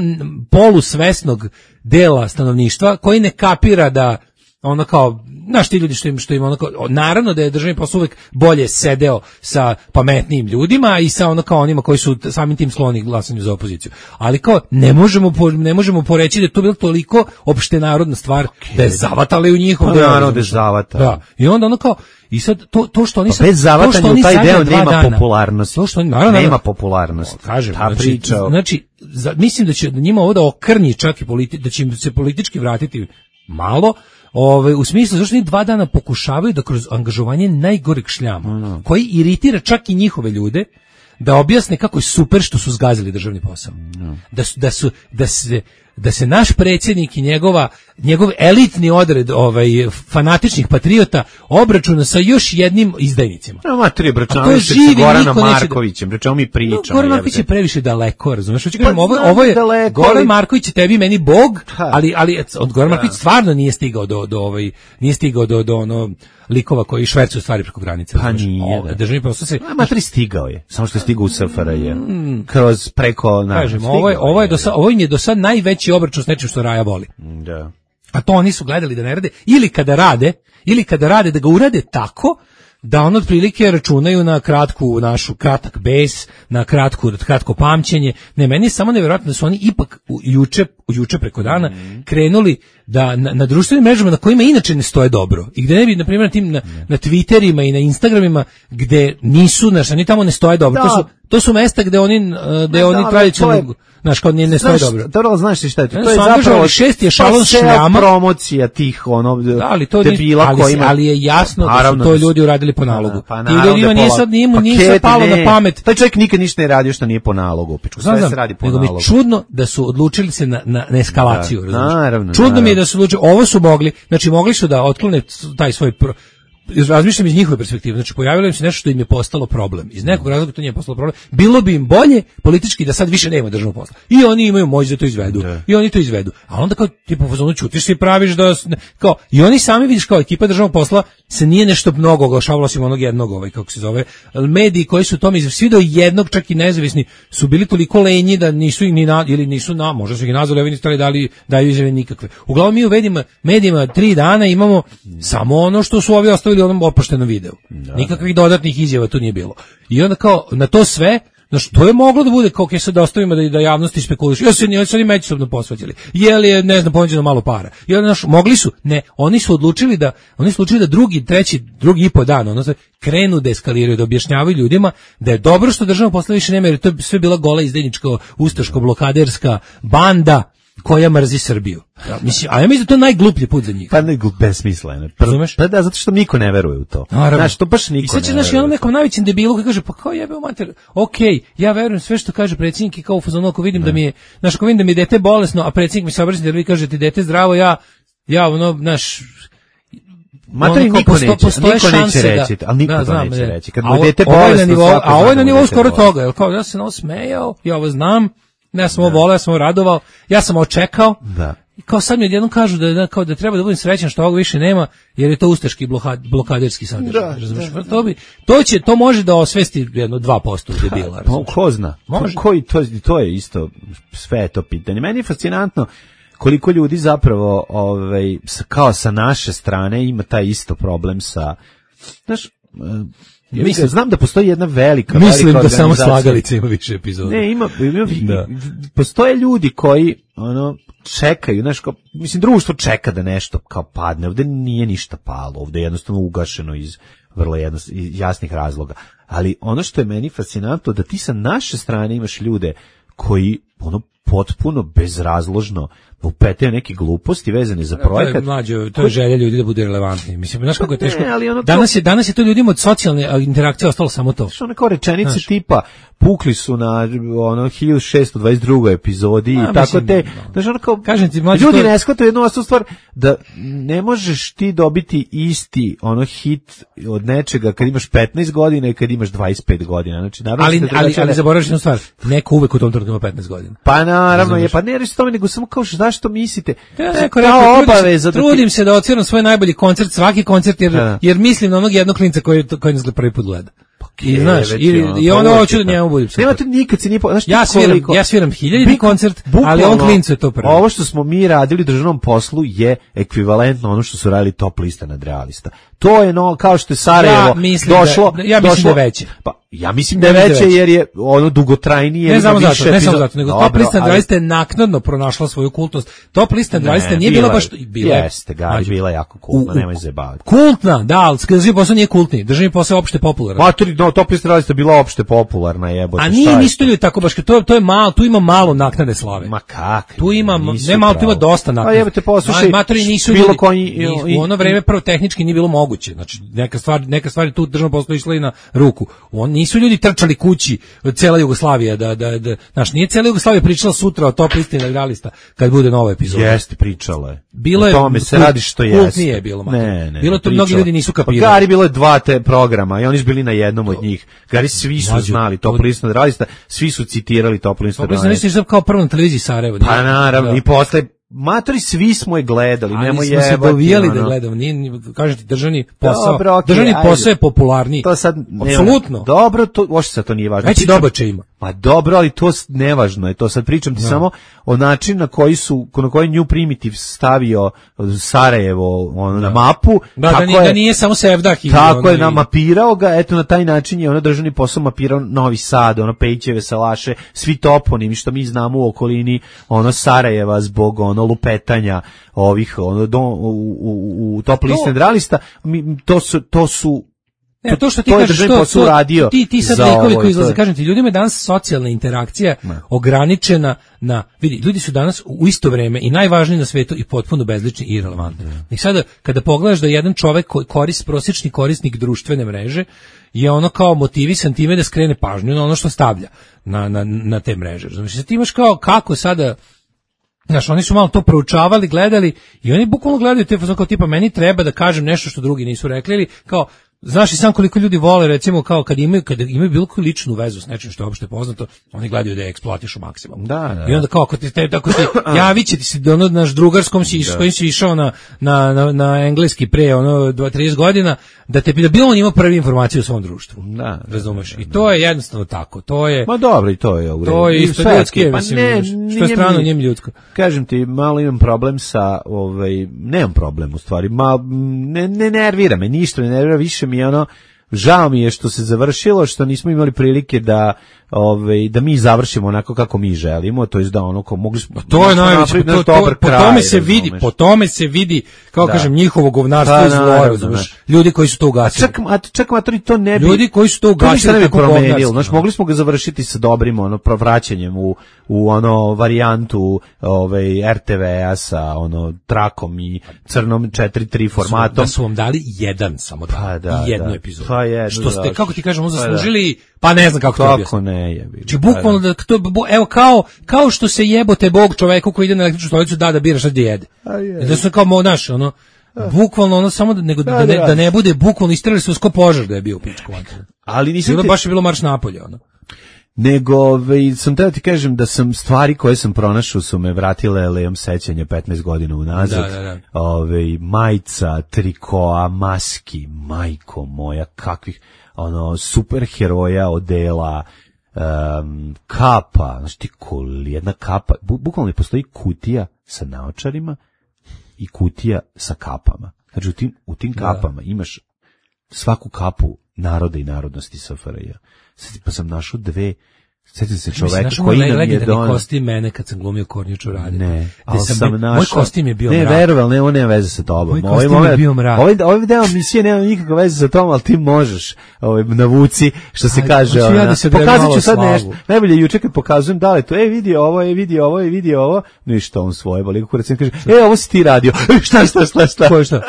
polusvesnog dela stanovništva koji ne kapira da ono kao, znaš ti ljudi što im, što im ono kao, naravno da je državni posao uvek bolje sedeo sa pametnijim ljudima i sa ono kao onima koji su samim tim skloni glasanju za opoziciju. Ali kao, ne možemo, po, ne možemo poreći da je to bilo toliko opštenarodna stvar okay. da je zavatali u njihov pa, deo. Naravno da je zavatali. Da. I onda ono kao, i sad to, to što oni sad... Pa bez zavatanja u taj deo nema dana, popularnosti. To što oni, naravno, nema popularnosti. Kažem, ta znači, priča. Znači, za, mislim da će njima ovo da okrnji čak i politi, da će im se politički vratiti malo, Ove, u smislu zašto oni dva dana pokušavaju da kroz angažovanje najgoreg šljama, mm. koji iritira čak i njihove ljude, da objasne kako je super što su zgazili državni posao. Mm. Da su, da su, da se, da se naš predsjednik i njegova, njegov elitni odred ovaj, fanatičnih patriota obračuna sa još jednim izdajnicima. No, ma tri obračunavaju se sa Goranom Markovićem, da... čemu mi pričamo. No, Goran Marković je previše daleko, razumiješ? Pa, ovo, ovo je, daleko, Goran ali... Marković je tebi meni bog, ali, ali od Goran Marković stvarno nije stigao do, do, ovaj, nije stigao do, do ono, likova koji švercuju stvari preko granice. Pa nije. O, državni posao se... A matri stigao je, samo što je stigao u S F R J. Mm. Kroz preko... Na, Kažem, ovo, je, ovo, je do sad, ovo im je do sad najveći obračun s nečim što Raja voli. Da. A to oni su gledali da ne rade, ili kada rade, ili kada rade da ga urade tako da on otprilike računaju na kratku našu kratak bes, na kratku kratko pamćenje. Ne, meni je samo nevjerojatno da su oni ipak u, juče, u juče preko dana mm. krenuli da na, na društvenim mrežama na kojima inače ne stoje dobro i gde ne bi, na primjer, na tim na, na Twitterima i na Instagramima gde nisu, znaš, oni tamo ne stoje dobro. Da. To su to su mesta gde oni gde da, oni tradicionalno, znaš, kao ne, ne stoje dobro. Dobro, znaš ti šta je to? To je zapravo šest je šalon šljama, promocija tih ono da, ali to debila ali, kojima, ali je jasno pa, da su to ljudi uradili po nalogu. Pa, i ljudima nije sad nije mu nije palo na pamet. Taj čovjek nikad ništa ne radio što nije po nalogu. Pičku, sve znam, se radi po nalogu. Nego mi čudno da su odlučili se na na, na eskalaciju, da, naravno. Čudno naravno. mi je da su odlučili, ovo su mogli, znači mogli su da otklone taj svoj pro, razmišljam iz njihove perspektive, znači pojavilo im se nešto što im je postalo problem. Iz nekog razloga to nije postalo problem. Bilo bi im bolje politički da sad više nema državnog posla. I oni imaju moć da to izvedu. Da. I oni to izvedu. A onda kao tipa fazonu ćutiš se i praviš da kao i oni sami vidiš kao ekipa državnog posla se nije nešto mnogo oglašavala osim onog jednog ovaj kako se zove. Mediji koji su tome svi do jednog čak i nezavisni su bili toliko lenji da nisu ih ni na, ili nisu na, možda su ih nazvali, ovi nisu dali daju izjave nikakve. Uglavnom mi u medijima, medijima tri dana imamo samo ono što su ovi ostavili u onom oproštenom videu. Da. Nikakvih dodatnih izjava tu nije bilo. I onda kao na to sve, znači to je moglo da bude kao kaj sad ostavimo da da javnosti spekulišu. Ja se ni oni međusobno posvađali. Je li je ne znam ponuđeno malo para. I onda naš mogli su, ne, oni su odlučili da oni su odlučili da drugi, treći, drugi i po dan, ono se krenu da eskaliraju, da objašnjavaju ljudima da je dobro što državno posla više nema jer to je sve bila gola izdajnička ustaško blokaderska banda koja mrzi Srbiju. Ja, mislim, a ja mislim da to je najgluplji put za njih. Pa ne besmisleno. Razumeš? Pa da, zato što niko ne veruje u to. Znaš, to baš niko I sad će, ne veruje. I sad će onom nekom najvećem debilu koji kaže, pa kao jebe u mater, okej, okay, ja verujem sve što kaže predsjednik i kao u fazonu, ako vidim ne. da mi je, znaš, ako vidim da mi je dete bolesno, a predsjednik mi se obraća da vi kažete dete zdravo, ja, ja, ono, znaš, Materi niko posto, neće, niko neće reći, ali niko da, znam, neće reći. Kad mu dete bolesno, a ovo je na nivou skoro toga, jer kao ja sam ovo smejao, ja ovo znam, ja sam ovo volao, ja sam ovo radovao, ja sam ovo čekao. Da. I kao sad mi odjednom kažu da, da, kao da treba da budem srećan što ovog više nema, jer je to ustaški blokad, blokaderski sadržaj. Da, da, to, bi, to, će, to može da osvesti jedno dva posto debila. Pa, ko zna? Može. Koji, to, to je isto, sve je to pitanje. Meni je fascinantno koliko ljudi zapravo ovaj, kao sa naše strane ima taj isto problem sa, znaš, ja mislim, znam da postoji jedna velika mislim velika da samo Slagalica ima više epizoda. Ne, ima, ima da. Postoje ljudi koji ono čekaju, znaš, kao, mislim društvo čeka da nešto kao padne. Ovde nije ništa palo, ovde je jednostavno ugašeno iz vrlo jednost, iz jasnih razloga. Ali ono što je meni fascinantno da ti sa naše strane imaš ljude koji ono potpuno bezrazložno upetaju neke gluposti vezane za projekat. To je mlađo, to je želja ljudi da budu relevantni. Mislim, znaš kako je teško. Ne, ali ono to- Danas je danas je to ljudima od socijalne a, interakcije ostalo samo to. Što one kao rečenice Znaš. tipa pukli su na ono hiljadu šessto dvadeset drugoj epizodi A, i tako mislim, te, no. znaš, ono kao, Kažem ti, mlađe, ljudi to je- ne shvataju jednu osnovnu stvar, da ne možeš ti dobiti isti ono hit od nečega kad imaš petnaest godina i kad imaš dvadeset pet godina. Znači, naravno Ali se ali drugačije- ali zaboraveš jednu stvar. Neko uvek u tom trenutku ima petnaest godina. Pa naravno je, Razumeš? pa ne reći tome, nego samo kao zašto mislite? Ja To je neko kao rekao, trudim se- obaveza da ti- trudim se da odsviram svoj najbolji koncert, svaki koncert, jer, Da. jer mislim na onog jednog klinca koji, koji nas prvi put gleda. I E, znaš, već i, je ono, i pa ono uvek hoću je da njemu tako. budem super. Nema tu nikad se nije, po- znaš ti Ja sviram, koliko- ja sviram hiljaditi Bik- koncert, ali bukvalno, on klincu je to prvi. Ovo što smo mi radili u državnom poslu je ekvivalentno ono što su radili top lista nadrealista. To je no, kao što je Sarajevo Ja mislim došlo. da- ja mislim došlo, da je veće. Pa, ja mislim da je Ja mislim da je veće veće. jer je ono dugotrajnije. Ne ima samo zato, više ne samo epizoda. zato, nego Dobro, top lista ali- dvadeset je naknadno pronašla svoju kultnost. Top lista dvadeset Ne, nije bila bila baš je- bila. je- jeste, ga, Mlađe, bila je jako u- kultna, u- nemoj zajebavati. Kultna, da, ali državni posao nije kultni. Državni posao je opšte popularan. Matori, no, top lista nadrealista bila opšte popularna, jebote. A šta nije je nisu ljudi tako baš, to, to je malo, tu ima malo naknade slave. Ma kak? Tu ima, nisu ne malo, tu ima pravo. dosta naknade. A jebote, poslušaj, Ma- matori nisu bilo ljudi, koji... nisu- u ono vreme prvo tehnički nije bilo moguće. Znači, neka stvar, neka stvari tu državno posao išla i na ruku. On, nisu ljudi trčali kući, cela Jugoslavija, da, da, da, znaš, nije cela Jugoslavija pričala sutra o top listi nadrealista kad bude nova epizoda. Jeste, pričala je. Bilo O je- tome se kult- radi što jeste. kultnije je bilo, Mato. Ne, ne. Bilo to, pričala. mnogi ljudi nisu kapirali. Pa Gari bilo je dva te programa i oni su bili na jednom od njih. Gari svi su Mlađo, znali to- top listu nadrealista, svi su citirali top listu Top lista nadrealista. nadrealista je kao prvo na televiziji Sarajevo. Pa nije- naravno, da. i posle matori svi smo je gledali, Ali nemoj smo se jebati. dovijali da ono. gledamo, nije, nije- kažem ti, državni posao, Dobro, okej, državni ajde. posao je popularniji. To sad nema- Apsolutno. Dobro, to uopšte sad to nije važno. Veći Pričam- dobače ima. Pa dobro, ali to s- nevažno je. To sad pričam ti samo o načinu na koji su na koji New Primitive stavio Sarajevo ono na mapu. Da, da, tako nije, je, da nije samo Sevdah i Tako ono je i- namapirao ga, eto na taj način je ono državni posao mapirao Novi Sad, ono Pejićeve, Salaše, svi toponimi što mi znamo u okolini ono Sarajeva zbog ono lupetanja ovih ono do, u, u, u top liste nadrealista, mi- to su to su Ne, to što ti to je kažeš, državni to, posao to, uradio ti, ti sad za likovi ovo i koji to izlaze, je- kažem ti, ljudima je danas socijalna interakcija ograničena na, vidi, ljudi su danas u isto vreme i najvažniji na svetu i potpuno bezlični i irelevantni. I sada, kada pogledaš da jedan čovek koji korist, prosječni korisnik društvene mreže, je ono kao motivisan time da skrene pažnju na ono što stavlja na, na, na te mreže. Znači, ti imaš kao, kako sada, znaš, oni su malo to proučavali, gledali i oni bukvalno gledaju te fazon kao tipa meni treba da kažem nešto što drugi nisu rekli ili kao znaš i sam koliko ljudi vole recimo kao kad imaju kad imaju bilo koju ličnu vezu s nečim što je opšte poznato, oni gledaju da je eksploatišu maksimalno. Da, da. I onda kao ako ti te tako ti javit će ti se ono naš drugarskom si s kojim si išao na na na, na engleski pre ono dvadeset trideset godina da te da bilo on ima prvi informaciju o svom društvu. Da, da, razumeš? I to je jednostavno tako. To je Ma dobro, i to je u redu. to je I isto sve, ljudski, pa mislim, ne, što je nije strano mi- njim ljudsko. Kažem ti, malo imam problem sa, ovaj, nemam problem u stvari, ma, ne, ne nervira me, ništa ne nervira, više mi je ono, žao mi je što se završilo, što nismo imali prilike da, ovaj, da mi završimo onako kako mi želimo, to jest da ono ko mogli smo To je smo najveće, napraviti to, naš to, dobar po kraj, tome se vidi, razumeš. po tome se vidi, kao Da. kažem, njihovo govnarstvo Pa, i zlo, naravno, razumeš, znaš. ljudi koji su to A ugasili. čak, a čak matori to ne bi... Ljudi koji su to to ništa ugasili ne bi tako promenilo, govnarski, znaš, ono. mogli smo ga završiti sa dobrim ono vraćanjem u u ono varijantu ovaj er te ve-a sa ono trakom i crnom četiri tri formatom. Da su vam dali jedan samo da, Pa da, i jednu da. epizodu. Pa jednu, Što ste, da. kako ti kažemo, Pa da. zaslužili, pa ne znam kako to Kako objasniti. ne je bilo. Znači, bukvalno da, to, bu- evo, kao, kao što se jebote Bog čoveku koji ide na električnu stolicu da da bira šta da jede. I da su kao, mo, znaš, ono, bukvalno ono samo da, nego, da, Da, ne, da. da ne bude bukvalno istrali su sko požar da je bio u pičku materinu. Ali nisam Bilo ti- baš je bilo marš napolje, ono. nego ovaj, sam teo ti kažem da sam stvari koje sam pronašao su me vratile lejom sećanja petnaest godina unazad. Da, da, da. Ovaj, majica, trikoa, maski, majko moja, kakvih ono superheroja, odela, um, kapa, znači ti kol, jedna kapa, bu, bukvalno postoji kutija sa naočarima i kutija sa kapama. Znači u tim, u tim kapama imaš svaku kapu naroda i narodnosti es ef er je. Sad pa sam našao dve Sjetite se čoveka Mislim, koji znaš, nam je legendarni donao. kostim mene kad sam glumio Kornjiću radi. Ne, ali sam, sam bio- našao. Moj kostim je bio ne, mrak. veroval, ne, on nema veze sa tobom. Moj kostim je bio mrak. Ovaj, ovaj deo emisije nema nikakve veze sa tobom, ali ti možeš ovaj, navuci, što se Ajde, kaže. hoću ja ona, da se odredim pokazat malo ću sad slavu. nešto. Najbolje juče kad pokazujem da li to, e, vidi ovo, e, vidi ovo, e, vidi ovo. Ništa, on svoje, boli kurac i kaže, e, ovo si ti radio. šta, šta, šta, šta? Ko je šta?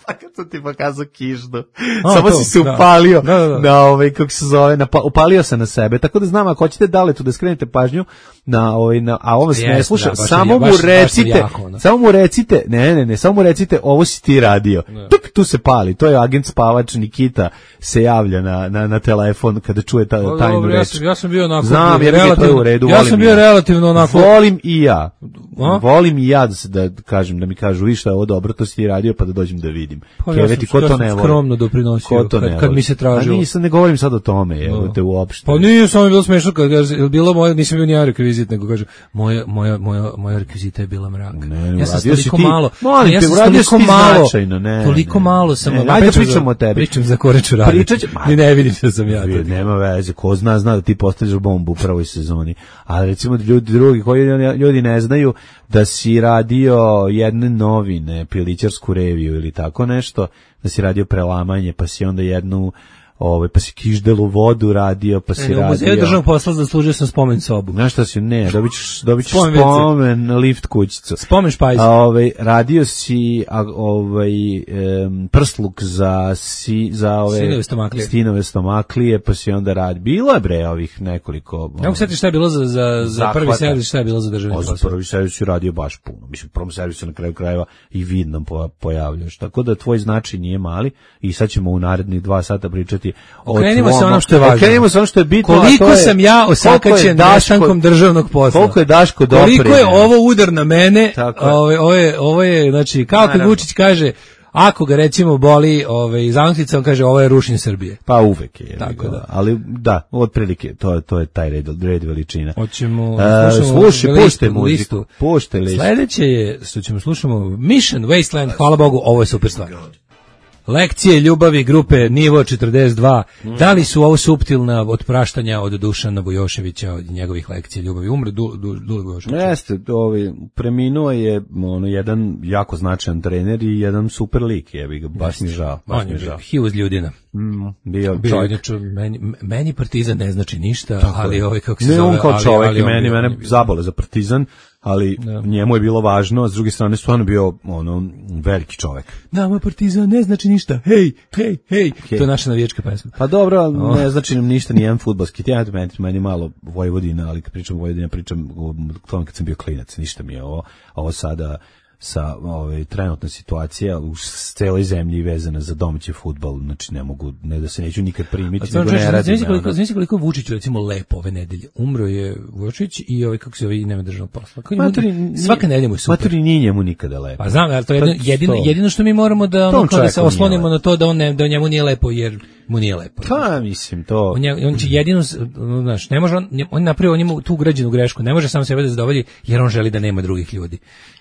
Pa kad sam ti pokazao kiždu. A, Samo to, si se da. upalio Da, da, da. na ovaj, kako se zove, na, pa- upalio se na sebe. Tako da znam, ako hoćete Daletu da skrenete pažnju na ovaj, na, a ovo se ne Jeste, sluša, da, baš je- samo baš- mu baš je recite, jako, ono. samo mu recite, ne, ne, ne, samo mu recite, ovo si ti radio. Tuk, tu se pali, to je agent spavač Nikita se javlja na, na, na telefon kada čuje ta, Pa tajnu dobro, ja reč. sam, ja sam bio onako... Znam, jer mi je to relativno- u redu, Ja volim sam i bio ja. relativno onako... Volim i ja. A? Volim i ja da, se, da kažem, da mi kažu, vi šta je ovo dobro, to si ti radio, pa da dođem da vidim. Pa ja Keveti, sam- ko ja to sam ne voli? skromno doprinosio Ko to kad- ne kad voli? mi se tražilo. A nisam, ne govorim sad o tome, evo te uopšte. Pa nije, samo je bilo smešno kad kaže, je bilo moje, nisam bio ni ja rekvizit, nego kaže, moja, moja, moja, moja rekvizita je bila mrak. Ne, ne, ja sam uradio si toliko ti- malo, Molim ja te, sam uradio si toliko ti malo, značajno, ne, toliko ne. malo sam, Ne, a ajde pričam pričamo za- o tebi. Pričam za Koreču radi. Pričat će- Ni ne vidim da sam ja to. Nema veze, ko zna, zna da ti postavljaš bombu u prvoj sezoni. Ali recimo ljudi drugi koji ljudi ne znaju da si radio jedne novine, Pilićarsku reviju ili tako nešto, da si radio prelamanje, pa si onda jednu ovaj pa si Kiždelu vodu radio, pa si Ne, u radio. muzeju državnog posla zaslužio sam spomen sobu. Znaš šta si, ne, dobit ćeš, dobit ćeš Spomen spomen, lift kućicu. Spomen špajz. A, ovaj, radio si a, ovaj, em, prsluk za, si, za ove Sinove stomaklije. stinove stomaklije, pa si onda radi. Bilo je bre ovih nekoliko. Ne mogu se setiti šta je bilo za, za, za Zahvata. prvi servis, šta je bilo za državni O, za posao. prvi servis si radio baš puno. Mislim, u prvom servisu na kraju krajeva i vidno po, pojavljaš. Tako da tvoj značaj nije mali i sad ćemo u narednih dva sata pričati o Okrenimo se tvom- onom što je važno. Okrenimo se ono što je bitno. a Koliko to je, sam ja koliko je osakaćen Daško- nestankom državnog posla. Koliko je Daško doprineo. Koliko je ovo udar na mene. Tako je. Ovo, ovo je, ovo je, znači, kao kad Naravno. Vučić kaže, ako ga recimo boli ovaj, zanostica, on kaže, ovo je rušenje Srbije. Pa uvek je. Tako Tako da. Ali da, otprilike, to, to je taj red, red veličina. Hoćemo, E, slušamo slušaj, listu, puštaj muziku. listu. Puštaj listu. Sledeće je, što ćemo slušamo, Mission Wasteland, hvala Bogu, ovo je super stvar. Lekcije ljubavi grupe Nivo četrdeset dva. Da li su ovo suptilna otpraštanja od Dušana Vujoševića, od njegovih lekcija ljubavi? Umre du, du, du, Vujošević. Jeste, ovaj, preminuo je ono, jedan jako značajan trener i jedan super lik, jebi ga, baš mi žao. Baš On mi je žao. he was ljudina. Mm, bio Bio čovjek. inače, meni, meni Partizan ne znači ništa, Tako ali je. ovaj kako se Ne zove, on kao ali- čovjek ali i on meni, bio- on je mene bio- zabole za Partizan, ali Da. njemu je bilo važno, a s druge strane stvarno bio ono veliki čovjek. Nama Partizan ne znači ništa. Hej, hej, hej. To je naša navijačka pesma. Pa dobro, ali ne znači nam ništa, ni jedan fudbalski teatr, meni, meni malo Vojvodina, ali kad pričam o Vojvodina, pričam o tome kad sam bio klinac, ništa mi je ovo, ovo sada sa ove, trenutna situacija u celoj zemlji vezana za domaći fudbal, znači ne mogu, ne da se neću nikad primiti, nego ne radim. Znači koliko, ono. znači koliko je Vučić recimo lepo ove nedelje. Umro je Vučić i ovaj kako se zove i nema državnog posla. Kako Maturi, njemu- svaka nedelja mu je super. Maturi nije njemu nikada lepo. Pa znam, ali to je jedino, Pa jedino, to. jedino što mi moramo da, ono, Tom kao da se čovjeku nije oslonimo lepo. na to da on ne, da njemu nije lepo jer mu nije lepo. Pa, mislim, to... On, je, on će jedino, s- ono, znaš, ne može on, on napravio on ima tu ugrađenu grešku, ne može sam sebe da zadovolji jer on želi da nema drugih ljudi.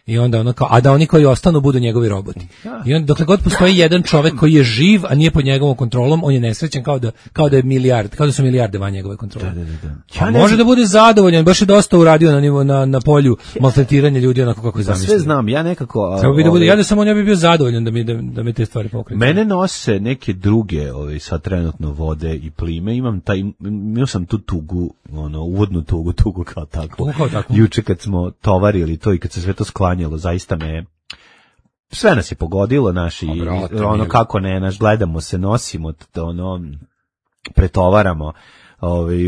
I onda ono kao, a da oni koji ostanu budu njegovi roboti. I onda dokle god postoji jedan čovjek koji je živ, a nije pod njegovom kontrolom, on je nesrećan kao da kao da je milijard, kao da su milijarde van njegove kontrole. Da, da, da. A Ja ne može znam- da bude zadovoljan, baš je dosta uradio na nivo na na polju maltretiranja ljudi onako kako je Pa zamislio. sve znam, ja nekako... a, Samo bi da bude, ovaj, ja da sam on ja bi bio zadovoljan da mi da, da me te stvari pokreću. Mene nose neke druge, ovaj, sad trenutno vode i plime, imam taj, imao sam tu tugu, ono, uvodnu tugu, tugu kao tako. Tugu kao takvu. Juče kad smo tovarili to i kad se sve to sklanjalo, zaista me, sve nas je pogodilo, naši, A, brate, ono, mili. kako ne, naš, gledamo se, nosimo, t- ono, pretovaramo, ovaj,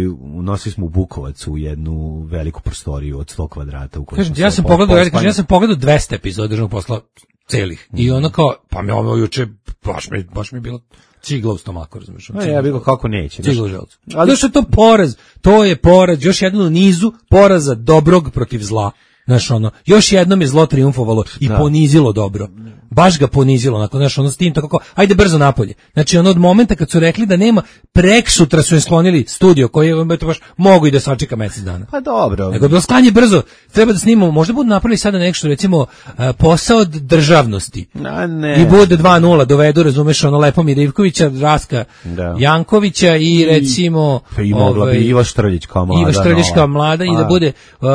nosili smo u Bukovac u jednu veliku prostoriju od sto kvadrata u kojoj Kažem smo ti, ja se sam po- pogledao, ja kažem, pospanje. ja sam pogledao dvesta epizoda državnog posla celih. I ono kao, pa me ovo juče baš mi baš mi je bilo cigla u stomaku, razumiješ? A ja bih ga kako neće. znaš. Cigla u želucu. Ali- Ali što je to poraz, to je poraz, još jedan u nizu poraza dobrog protiv zla. Znaš, ono, još jednom je zlo triumfovalo i Da. ponizilo dobro. Baš ga ponizilo, onako, znaš, ono s tim tako, ajde brzo napolje. Znači, ono od momenta kad su rekli da nema, preksutra su je sklonili studio koji je, eto, baš mogu i da sačeka mesec dana. Pa dobro. Nego je bilo sklanje brzo, treba da snimamo, možda budu napravili sada nešto, recimo, a, posao od državnosti. A ne. I bude dva nula, dovedu, razumeš, ono Lepomir Ivkovića, Raska Da. Jankovića i recimo... Pa i mogla ovaj, bi Iva Štrljić kao mlada. Iva Štrljić kao nova. mlada i A. da bude uh,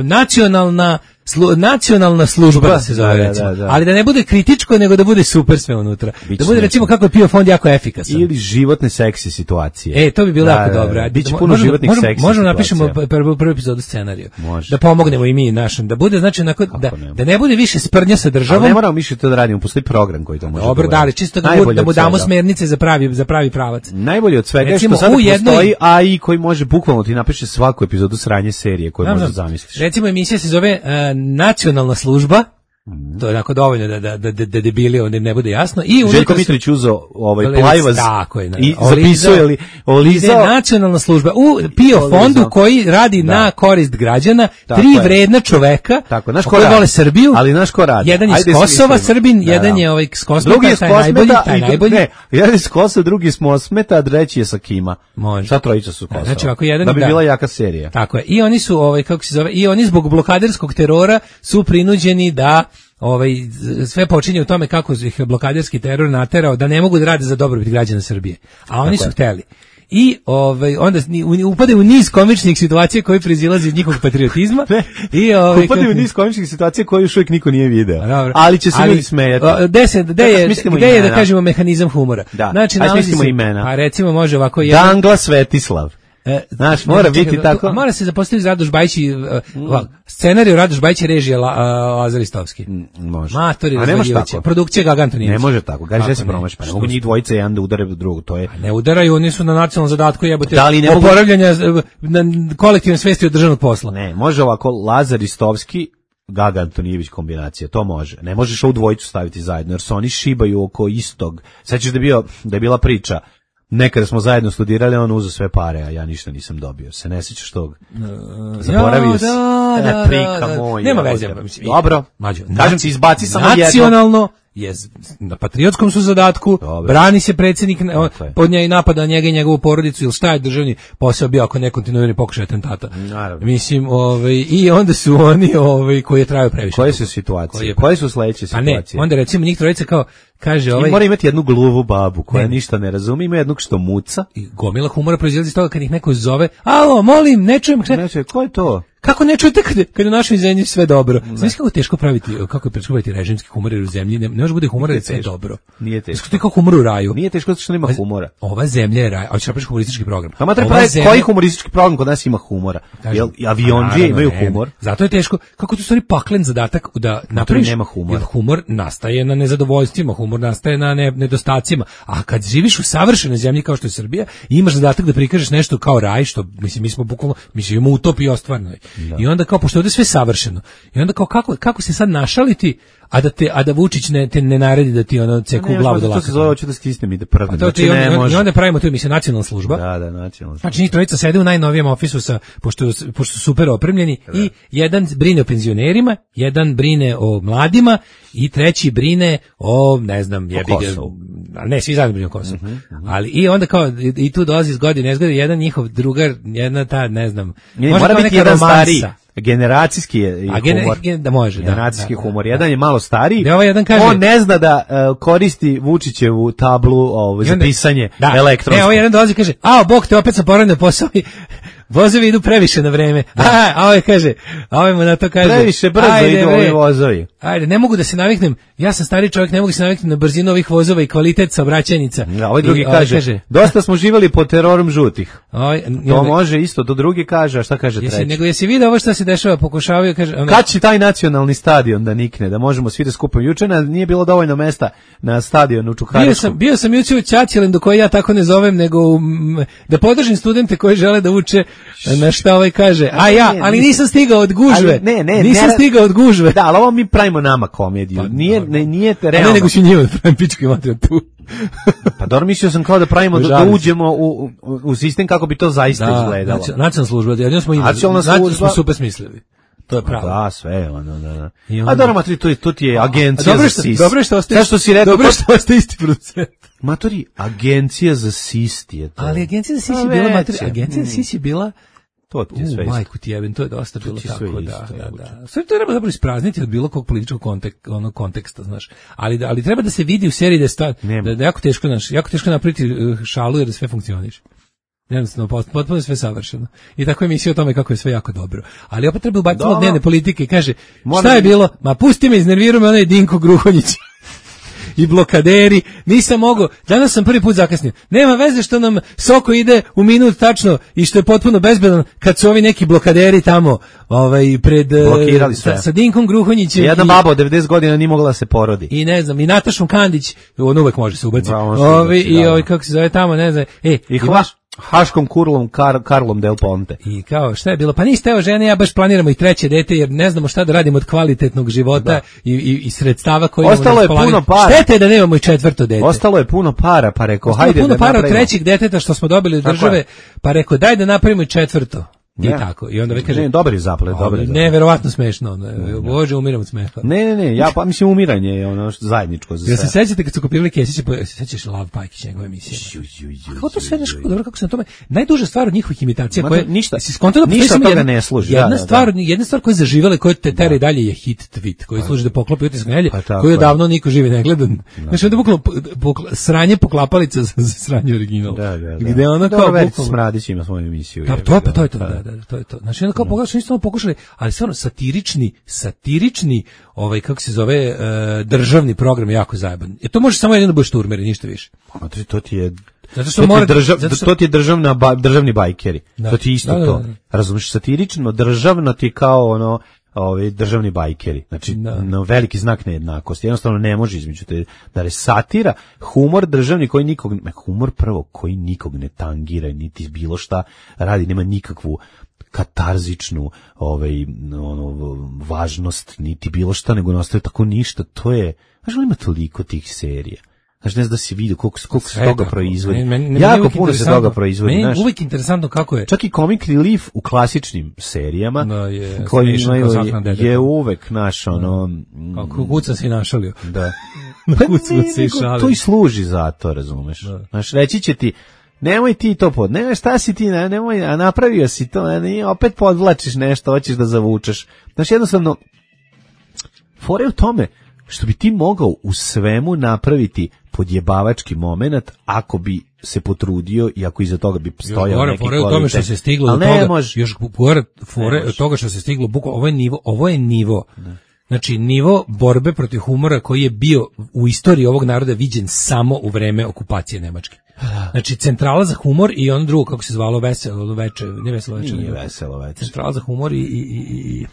nacionalna Slu, nacionalna služba da se zove, Da, da, recimo. da. Ali da ne bude kritičko, nego da bude super sve unutra. Biće Da bude, recimo, nešto. kako je Pio fond jako efikasan. Ili životne seksi situacije. E, to bi bilo Da, jako da, da. dobro. Ajde, Biće mo- puno možemo- životnih možemo- seksi Možemo situacija. napišemo prvu, prvu epizodu scenariju. Može. Da pomognemo i mi našem. Da bude, znači, onako, da, ne? da ne bude više sprnja sa Ali državom. ne moramo više to da radimo, postoji program koji to može. Dobro, da da, ali uradi. čisto da, mu, Najbolje da mu od damo svega. smernice za pravi, za pravi pravac. Najbolje od svega je Recimo, što sada u jednoj- postoji A I koji može bukvalno ti napiše svaku epizodu sranje serije koju Znam, možeš znam. zamisliš. Recimo, emisija se zove uh, Nacionalna služba. To je onako dovoljno da, da, da, da debili onda im ne bude jasno. I unutra Željko su- Mitrović uzeo ovaj Olivac, plajvaz tako je, i Olizao- zapisuje li Ide olizao. nacionalna služba u Pio Olizao. fondu koji radi Da. na korist građana, Tako tri je. vredna čoveka Tako, znaš ko koji radi? vole Srbiju. Ali znaš ko radi? Jedan je iz Ajde, Kosova, smislimo. Srbin, Da, jedan da. je ovaj iz Kosmeta, Drugi je s taj najbolji, Kosmeta taj i dru- najbolji. ne, jedan je s Kosova, drugi je s Mosmeta, a treći je sa Kima. Može. Sva trojica su s Kosova. Znači, ako jedan- da bi da. bila jaka serija. Tako je. I oni su, ovaj, kako se zove, i oni zbog blokaderskog terora su prinuđeni da ovaj sve počinje u tome kako ih je blokaderski teror naterao da ne mogu da rade za dobrobit građana Srbije. A oni Tako su je. hteli. I ovaj onda ni- u- upadaju u niz komičnih situacija koje proizilaze iz njihovog patriotizma. I ovaj Upadaju u kako- niz komičnih situacija koje još uvijek niko nije video. Pa dobro. Ali će se Ali, ljudi smejati. a, Gde se, gde Kako je, smislimo gde je da imena? kažemo mehanizam humora? Da. Znači, Ajde nalazi smislimo se- imena. Pa recimo može ovako jedan. Dangla Svetislav. E, Znaš, mora čekaj, biti tu- tako. a Mora se zapostaviti Radoš Bajić i uh, ovako, scenariju Radoš Bajić i režija La, a, Lazar Istovski. Može. Matori, A ne može razvaljivaće. tako. Produkcija Gaga Antonijević. Ne može tako. Gaži da se Kako ne? promaši. Pa ne Što mogu se- njih dvojice jedan da udare drugog. To je... Ne udaraju, oni su na nacionalnom zadatku jebote. Da li ne mogu- oporavljanja e, na kolektivne svesti od državnog posla. Ne, može ovako Lazar Istovski, Gaga Antonijević kombinacija, to može. Ne možeš ovu dvojicu staviti zajedno, jer se oni šibaju oko istog. Sećaš da je, bio, da je bila priča, nekada smo zajedno studirali, on uzeo sve pare, a ja ništa nisam dobio. Se ne sećaš tog? Zaboravio si. Da, da, E, da, prika da, da. moja, Nema jebote. veze. mislim, Dobro. Mađo, Kažem ti, izbaci samo jedno. Nacionalno je z- na patriotskom su zadatku, Dobro. brani se predsjednik, ne, on- Tako je. pod njega i napada na njega i njegovu porodicu, ili šta je državni posao bio ako ne kontinuirani pokušaj atentata. Naravno. Mislim, ovaj, i onda su oni ovaj, koji je trajao previše. Koje dugo. su situacije? Koji je- Koje su sledeće Pa ne, situacije? onda recimo njih trojica kao, kaže ovaj... I mora imati jednu gluvu babu koja Ne. ništa ne razumije, ima jednog što muca. I gomila humora proizilazi iz toga kad ih neko zove, alo, molim, ne čujem, šta- Znači, ko je to? kako ne čujete kad, kad je u našoj zemlji sve dobro? Znaš kako je teško praviti, kako je teško praviti režimski humor jer u zemlji ne, ne može bude humor jer je sve teško. dobro. Nije Znaš teško. kako ti kao humor u raju? Nije teško zato što nema humora. Ova zemlja je raj, a ćeš napraviš humoristički program. Pa mater Ova pravi, zemlja- koji humoristički program kod nas ima humora? Kažem, Jel, i pa avionđije naravno, imaju ne, humor? Zato je teško, kako ti u stvari paklen zadatak da napraviš, nema humora. jer humor nastaje na nezadovoljstvima, humor nastaje na ne, nedostacima, a kad živiš u savršenoj zemlji kao što je Srbija, imaš zadatak da prikažeš nešto kao raj, što, mislim, mi smo bukvalno, mi živimo u utopiji ostvarnoj. I onda kao, pošto je ovde sve savršeno, i onda kao, kako, kako se sad našaliti, a da te a da Vučić ne te ne naredi da ti ono ceku Ne, glavu do to lakata. se zove, hoću da stisnem i da prdnem. Pa to ti Znači, i ne onda, može. i onda pravimo tu emisiju nacionalna služba. Da, da, nacionalno. Znači njih trojica sede u najnovijem ofisu sa, pošto, pošto su super opremljeni i jedan brine o penzionerima, jedan brine o mladima i treći brine o, ne znam, jebi ga, Kosovu. ali ne, svi zajedno brinu o Kosovu. Ali i onda kao, i, i tu dolazi iz godine, ne zgodi, jedan njihov drugar, jedna ta, ne znam, Ne, možda mora kao biti neka jedan romansa. stariji. Generacijski je A gene- humor. gen- da može, da, Generacijski da, humor. da, Jedan da. je malo stariji. Da, ovaj jedan kaže- On ne zna da uh, koristi Vučićevu tablu ovo, I za onda- pisanje da. elektronsko. Ne, ovaj jedan dolazi i kaže, a, bog te, opet sam poravnio posao i vozovi idu previše na vreme. A, a ovaj kaže, a ovaj mu na to kaže, Previše brzo ajde, idu bre, ovi vozovi. Ajde, ne mogu da se naviknem, ja sam stari čovjek, ne mogu se naviknem na brzinu ovih vozova i kvalitet saobraćajnica. Da, ovaj drugi I kaže, dosta smo živjeli pod terorom žutih. ovaj, i To onda- može isto, to drugi kaže, a šta kaže jesi, treći? nego jesi vidio ovo što se dešava, pokušavaju, kaže, onda- Kad će taj nacionalni stadion da nikne, da možemo svi da skupimo? Juče na- nije bilo dovoljno mesta na stadionu u bio Čukaričku. sam, bio sam juče u Ćaćilendu koji ja tako ne zovem, nego u, m, da podržim studente koji žele da uče na šta ovaj kaže. A ja, ne, ali nisam- nisam stigao od gužve. Ali ne, ne, nisam ne- stigao od gužve. Da, ali ovo mi pravimo nama komediju. Pa, nije, dobro. ne, nije A realno. ne, nego ću njima da pravim pičku i materiju tu. Pa dobro, mislio sam kao da pravimo, da, da Žalim se. uđemo u, u, u sistem kako bi to zaista izgledalo. nacio- nacionalna služba, jedino smo, im, Nacionalna nacionalna služba- smo super smislili. to je pravo. Da, sve, ono, da, da. onda... A dobro, maturi, to, to ti je agencija dobro za što, sis. dobro što ostaje, što si rekao, dobro što ostaje isti producent. Matori, agencija za sist je to. Ali agencija za sis je bila, matori, agencija za sis je bila, to ti je sve u, isto. majku ti jebem, to je dosta bilo tako, isto, da, da, da. Sve to treba dobro isprazniti od bilo kog političkog kontek, ono, konteksta, znaš. Ali, ali treba da se vidi u seriji da je sta, da, da jako teško, znaš, jako teško napraviti šalu jer da sve funkcioniše. Jednostavno, potpuno je sve savršeno. I tako emisija o tome kako je sve jako dobro. Ali opet treba ubaciti malo dnevne politike i kaže, Možda šta je bilo? Ma pusti me, iznervirao me onaj Dinko Gruhonjić. I blokaderi, nisam mogao, danas sam prvi put zakasnio. Nema veze što nam Soko ide u minut tačno i što je potpuno bezbedan kad su ovi neki blokaderi tamo ovaj, pred, blokirali sve. Sa, sa Dinkom Gruhonjićem. Jedna baba od devedeset godina nije mogla da se porodi. I ne znam, i Natašom Kandić, on uvek može se ubaciti. Ovi, I ovaj, kako se zove tamo, ne znam. E, I hvaš. Haškom kurlom Kar, Karlom Del Ponte. I kao, šta je bilo? Pa niste, evo žene, ja baš planiramo i treće dete, jer ne znamo šta da radimo od kvalitetnog života i, i, i sredstava koje imamo. Ostalo je puno para. Štete je da nemamo i četvrto dete. Ostalo je puno para, pa rekao, Ostalo hajde puno da para napravimo. Od trećeg deteta što smo dobili od države, pa rekao, daj da napravimo i četvrto. I ja. Tako. I onda vi kaže, ne, dobar je zaplet, dobar je zaplet. Neverovatno smešno, ono, bože, umiram od smeha. Ne, ne, ne, ja pa mislim umiranje je ono zajedničko za sve. Ja se sećate kad su kopirali Kesića, se sećaš Lav Pajkić njegove emisije. Kako to sve nešto dobro kako se na tome. Najduža stvar od njihovih imitacija koje ništa, si skontao da ništa toga ne služi. Jedna da, stvar, da, da. jedna stvar koja je zaživela, koja te tera i dalje je hit tweet, koji služi da poklopi utisak nedelje, koji odavno niko živi ne gleda. Znači da bukvalno sranje poklapalica za sranje original. Gde ona kao bukvalno Smradić ima svoju emisiju. Da, to je to je to, da, da, to je to. Znači kao pogledaj, nisu pokušali, ali stvarno satirični, satirični, ovaj kako se zove, uh, državni program je jako zajeban. Je to može samo jedino da budeš turmeri, ništa više. A to ti je zato što to, mora, ti držav, zato što... to ti je državna ba, državni bajkeri. Da. To ti je isto da, da, to. da, da. Razumiješ, satirično, državno ti kao ono ovi državni bajkeri. Znači, da. Na veliki znak nejednakosti. Jednostavno ne može između te, da je satira, humor državni koji nikog, humor prvo koji nikog ne tangira, niti bilo šta radi, nema nikakvu katarzičnu ovaj, ono, važnost, niti bilo šta, nego nastaje tako ništa. To je, znaš li ima toliko tih serija? Znaš, ne znam da si vidio koliko, koliko se toga proizvodi. Meni, meni, jako puno se toga proizvodi. Meni znaš. Uvijek interesantno kako je. Čak i comic relief u klasičnim serijama, no, je, koji imaju, je uvek naš, ono... Kako kuca si našalio. Da. Kuca si šalio. To i služi za to, razumeš. Da. Znaš, reći će ti, nemoj ti to pod, nemoj šta si ti, ne, nemoj, a napravio si to, a ne, opet podvlačiš nešto, hoćeš da zavučeš. Znaš, jednostavno, fore u tome, što bi ti mogao u svemu napraviti podjebavački moment ako bi se potrudio i ako iza toga bi stojao neki kvalitet. Fore u tome što se stiglo do toga, može. Još fore, fore od toga što se stiglo, bukvalno, ovo je nivo, ovo je nivo. Ne. Znači, nivo borbe protiv humora koji je bio u istoriji ovog naroda viđen samo u vreme okupacije Nemačke. Znači, centrala za humor i on drugo, kako se zvalo, veselo veče, ne veselo veče. Nije veselo veče. Centrala za humor i... i, i, i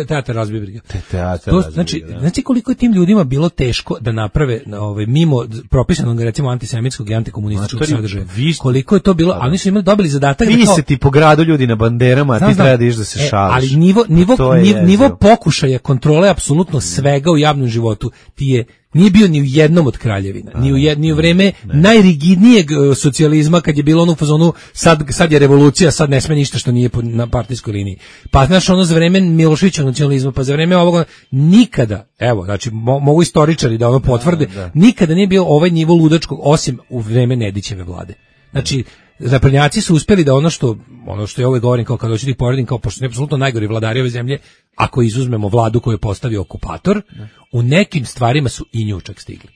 teatar razbibriga. Teatar to, znači, da. Znači koliko je tim ljudima bilo teško da naprave ovaj, mimo propisanog recimo antisemitskog i antikomunističkog sadržaja. Koliko je to bilo, ali nisu imali dobili zadatak vi da kao, se ti po gradu ljudi na banderama, a ti znam, treba da iš da se šališ. E, ali nivo, nivo, nivo, nivo pokušaja kontrole apsolutno svega u javnom životu ti je nije bio ni u jednom od kraljevina, ni u, jed, ni u vreme ne. najrigidnijeg uh, socijalizma kad je bilo ono u fazonu sad, sad je revolucija, sad ne sme ništa što nije po, na partijskoj liniji. Pa znaš ono za vreme Miloševićevog nacionalizma, pa za vreme ovoga nikada, evo, znači mo, mogu istoričari da ono potvrde, da, da. nikada nije bio ovaj nivo ludačkog osim u vreme Nedićeve vlade. Znači zapadnjaci su uspeli da ono što ono što ja uvek govorim kao kad hoću da ih poredim kao pošto je apsolutno najgori vladari ove zemlje, ako izuzmemo vladu koju je postavio okupator, ne. u nekim stvarima su i nju čak stigli.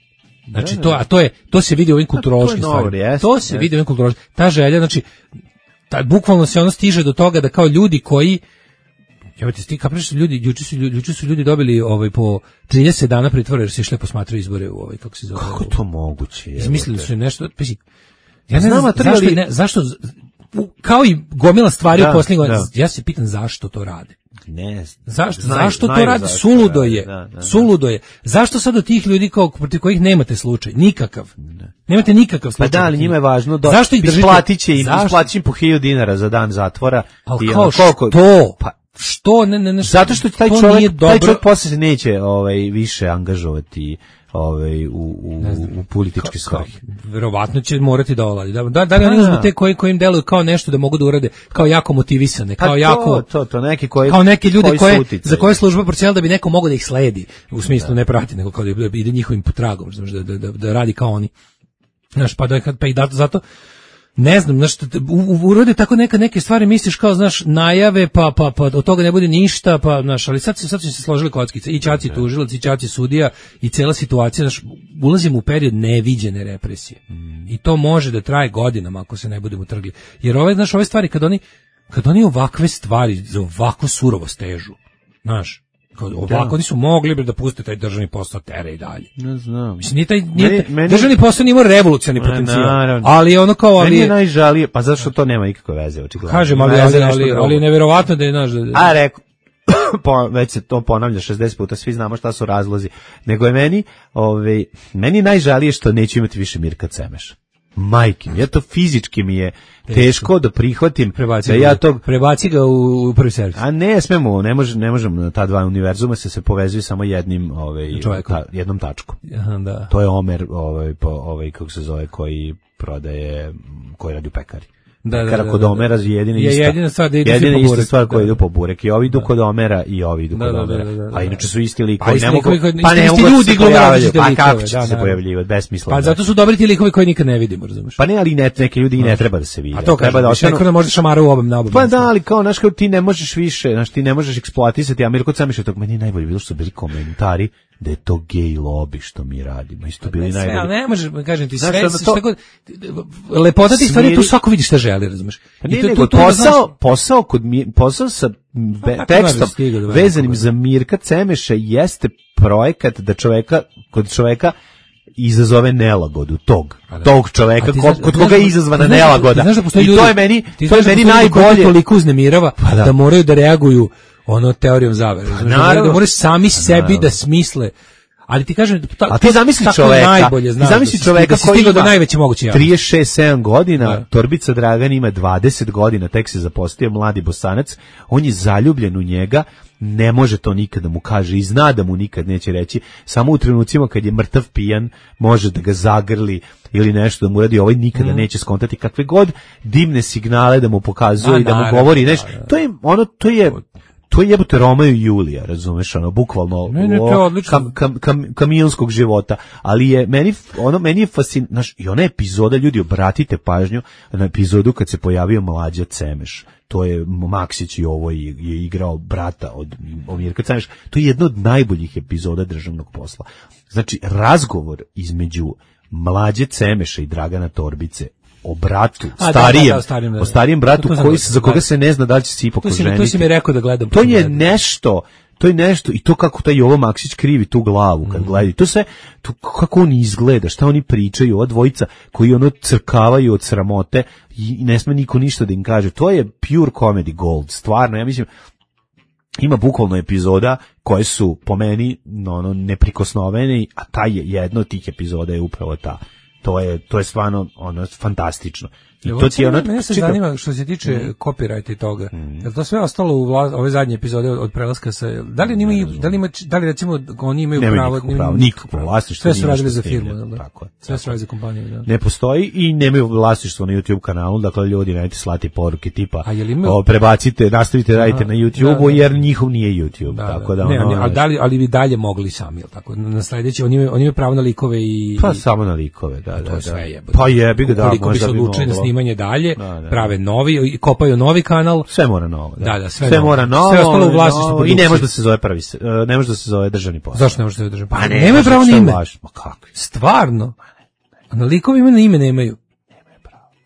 Znači to, a to je to se vidi u ovim kulturološkim stvarima. Jest, to se jest. vidi u ovim kulturološkim. Ta želja, znači ta, bukvalno se ono stiže do toga da kao ljudi koji ja ti sti kapiš ljudi juče su ljudi juče su ljudi dobili ovaj po trideset dana pritvora jer su išli posmatrati izbore u ovaj kako se zove. Kako to moguće? Izmislili su nešto, pa ja ne znam zašto, ne, zašto kao i gomila stvari da, u posljednjih godina, ja se pitam zašto to rade. Ne, zašto, znaju, zašto znaju to rade? Zašto suludo je. Da, da, suludo je. Zašto sad od tih ljudi kao protiv kojih nemate slučaj? Nikakav. Ne. Nemate nikakav slučaj. Pa da, ali njima je važno da zašto ih držite? Isplatit će im, isplatit po hiljadu dinara za dan zatvora. Ali kao koliko? To? Pa što ne ne ne zato što taj čovjek taj čovjek posle se neće ovaj više angažovati ovaj u u, u političke svrhe. Verovatno će morati da oladi. Da da, da li oni uzmu te koji kojim deluju kao nešto da mogu da urade, kao jako motivisane, kao pa to, jako to to neki koji kao neke ljude koji koje utice, za koje služba procijela da bi neko mogao da ih sledi, u smislu da. ne prati, nego kao da ide njihovim tragom, da, da, da, da radi kao oni. Znaš, pa da pa i da, zato ne znam, znaš, urode tako neka neke stvari, misliš kao, znaš, najave, pa, pa, pa od toga ne bude ništa, pa, znaš, ali sad, sad su se složili kockice, i Čaci tužilac, i Čaci sudija, i cela situacija, znaš, ulazimo u period neviđene represije. Mm. I to može da traje godinama ako se ne budemo trgli. Jer ove, znaš, ove stvari, kad oni, kad oni ovakve stvari za ovako surovo stežu, znaš, ovako, da. Oni su mogli bi da puste taj državni posao tere i dalje. Ne znam. Mislim, nije taj, nije meni, taj, meni, državni posao nije imao revolucionarni potencijal. Naravno. Ali je ono kao... Ali meni je najžalije, pa zašto to nema nikakve veze, očigledno. Kažem, ali, ali, ali, ali je nevjerovatno da je naš... Da, a, rekao, po, već se to ponavlja šezdeset puta, svi znamo šta su razlozi. Nego je meni, ovaj, meni najžalije što neću imati više Mirka Cemeša. Majke, ja to fizički mi je teško da prihvatim prebaci da ja tog prebaci ga u, u prvi servis. A ne smemo, ne može, ne možemo, ta dva univerzuma se se povezuju samo jednim, ovaj ta, jednom tačkom. Aha, da. To je Omer, ovaj po ovaj kako se zove, koji prodaje, koji radi u pekari. Da, da, Kada da, kod da, Omera je jedina ista. Je jedina stvar da ide jedina po ista burek, stvar koja da. ide po burek. I ovi idu da. kod Omera i ovi idu da, kod da, Omera. da, da, da. A inače su isti likovi. Pa isti ne mogu, likovi, pa ne isti mogu ljudi glumaju različite pa likove. kako će da, se da. pojavljivati, besmisleno. Pa zato su dobri ti likovi koji nikad ne vidimo, razumeš? Pa ne, ali ne, neke ljudi i ne treba da se vide. A to treba da ostanu. Neko da može šamara u obam na obam. Pa da, ali kao, znaš, kao ti ne možeš više, znaš, ti ne možeš eksploatisati, a Mirko Cemeš je tog, meni najbolje bilo što su bili komentari da je to gej lobby što mi radimo. Isto bili najbolji. Sve, ne možeš, kažem ti, znaš, sve, to, šta god, lepota ti stvari, tu svako vidi šta želi, razumeš? Pa nije, nego posao, posao, kod, posao sa be, tekstom vezanim za Mirka Cemeša jeste projekat da čoveka, kod čoveka izazove nelagodu tog, tog čoveka kod, kod koga je izazvana znaš, nelagoda. Znaš da I ljudi, to je meni, to je meni da najbolje. Toliko uznemirava pa da. da moraju da reaguju ono teorijom zavere. Pa da, da moraju sami pa sebi naravno. Da smisle. Ali ti kažem, ta, a ti zamisli čoveka, najbolje, znaš, ti zamisli da čoveka da koji ima do najveće moguće javnosti. trideset šest sedam godina, da. Torbica Dragan ima dvadeset godina, tek se zaposlio, mladi Bosanac, on je zaljubljen u njega, ne može to nikada mu kaže i zna da mu nikad neće reći, samo u trenucima kad je mrtav pijan može da ga zagrli ili nešto da mu radi, ovaj nikada mm. neće skontati kakve god dimne signale da mu pokazuje a, i da naravno, mu govori nešto. Da, da. To je ono, to je to je jebote Romeo i Julija, razumeš, ono, bukvalno ne, ne, o, kam, kam, kam, kamionskog života, ali je meni, ono, meni je fascinantno, znaš, i ona epizoda, ljudi, obratite pažnju na epizodu kad se pojavio Mlađa Cemeš, to je Maksić i ovo je, je igrao brata od Mirka Cemeša, to je jedna od najboljih epizoda državnog posla. Znači, razgovor između Mlađe Cemeša i Dragana Torbice o bratu, A, starijem, da, da, da, starijem, da. o starijem bratu to, to koji, znam, za koga da. se ne zna da li će se ipak oženiti. To si mi rekao da gledam. To je nešto, to je nešto, i to kako taj Jovo Maksić krivi tu glavu kad mm. gleda, to sve, to kako on izgleda, šta oni pričaju, ova dvojica koji ono crkavaju od sramote i ne sme niko ništa da im kaže, to je pure comedy gold, stvarno, ja mislim, ima bukvalno epizoda koje su po meni ono, neprikosnovene, a taj je, jedna od tih epizoda je upravo ta. To je to je stvarno ono fantastično. I to ti je ono, mene se zanima što se tiče mm. copyrighta i toga. Mm. Jel to sve ostalo u vla, ove zadnje epizode od, od prelaska sa da li imaju da li ima da li recimo oni imaju Nema pravo pravo nikakvo vlasništvo. Sve su radili za firmu, da? Tako je. Sve su radili za kompaniju, da. Ne postoji i nemaju vlasništvo na YouTube kanalu, dakle ljudi nemojte slati poruke tipa imaju... o, prebacite, nastavite radite na YouTubeu da, da. Jer njihov nije YouTube, da, tako da, da ne, ono, ali da li ali bi dalje mogli sami, jel tako? Na sledeći oni imaju oni imaju pravo na likove i pa samo na likove, da, da, da. Pa jebi ga, da, koliko bi se odlučili na snimanje dalje, da, da. Prave novi, kopaju novi kanal. Sve mora novo. Da, da, da sve, sve novo. mora novo. Sve ostalo u vlasništvu i ne može da se zove prvi, ne može da se zove državni posao. Zašto ne može da se zove državni posao? Pa ne, nemaju pravo na ime. Ma kako? Stvarno. A na likovima na ime nemaju.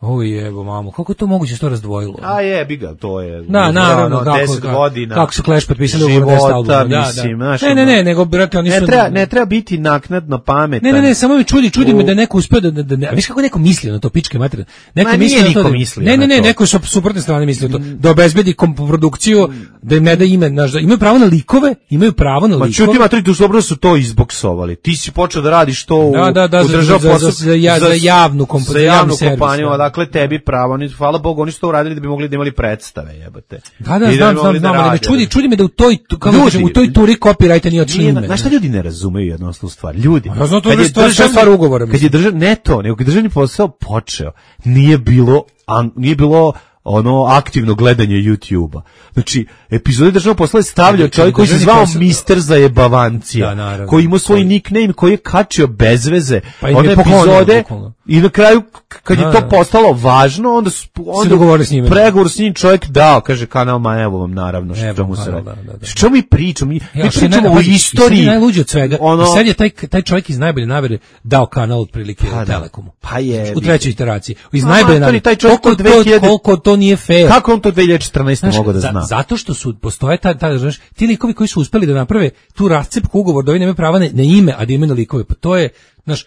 Oj jebo mamo, kako je to moguće što razdvojilo? A jebi ga, to je. Da, naravno, kako deset godina. Kako su Clash potpisali ugovor deset albuma, da, mislim, da. Naš, ne, ne, ne, nego brate oni su ne treba, ne treba biti naknadno pametan. Ne, ne, ne, samo me čudi, čudi u... me da neko uspeo da da, da, da viš kako neko misli na to pičke materine. Neko Ma, misli na to. Da, misli ne, ne, ne, neko sa suprotne strane misli na to. Da obezbedi produkciju, da im ne da ime, znaš, da imaju pravo na likove, imaju pravo na likove. Ma čuti matri, tu dobro su to izboksovali. Ti si počeo da radiš to u da, da, da, u državu za, za, za, za, za javnu kompaniju, za javnu kompaniju, da odakle tebi pravo, oni, hvala Bogu, oni su to uradili da bi mogli da imali predstave, jebote. Da, da, I znam, bi znam, mogli znam, da ali me rade. čudi, čudi me da u toj, kako Ljudi, kažem, u toj turi copyrighta nije otišlo Nije, ime. znaš šta ljudi ne razumeju jednostavnu stvar? Ljudi, Ja znam, to kad je je stvar- državni- stvar ugovora, kad je držav, ne to, nego kad je državni posao počeo, nije bilo, an, nije bilo ono aktivno gledanje YouTubea. Znači, epizode državnog posla je stavljao Kad je čovjek koji se državni zvao posao- mister Zajebavancija, Da, naravno. koji ima svoj Koji- nickname, koji je kačio bez veze Pa i one je poklonio, epizode bukvalno. i na kraju, k- kad je Da, to da. postalo važno, onda su onda dogovorili s njime. pregovor s njim čovjek dao, kaže kanal, ma evo vam naravno što Evo, mu se kanal, radi. da, da, da. Što mi pričamo? Mi, mi Ja, što je pričamo naj- o pazi, i sad istoriji. je najluđe od svega. Ono, I sad je taj, taj čovjek iz najbolje namere dao kanal otprilike Pa da. Telekomu. Pa je, U trećoj iteraciji. Iz A, najbolje matori, namere. taj čovjek Koliko to to, dve hiljade koliko to nije fair. kako on to dve hiljade četrnaeste Znaš, mogao da za- zna? zato što su postoje ta, ta znaš, ti likovi koji su uspeli da naprave tu rascepku ugovor da oni nemaju prava na, na ime, a da imaju na likove. Pa to je, znaš,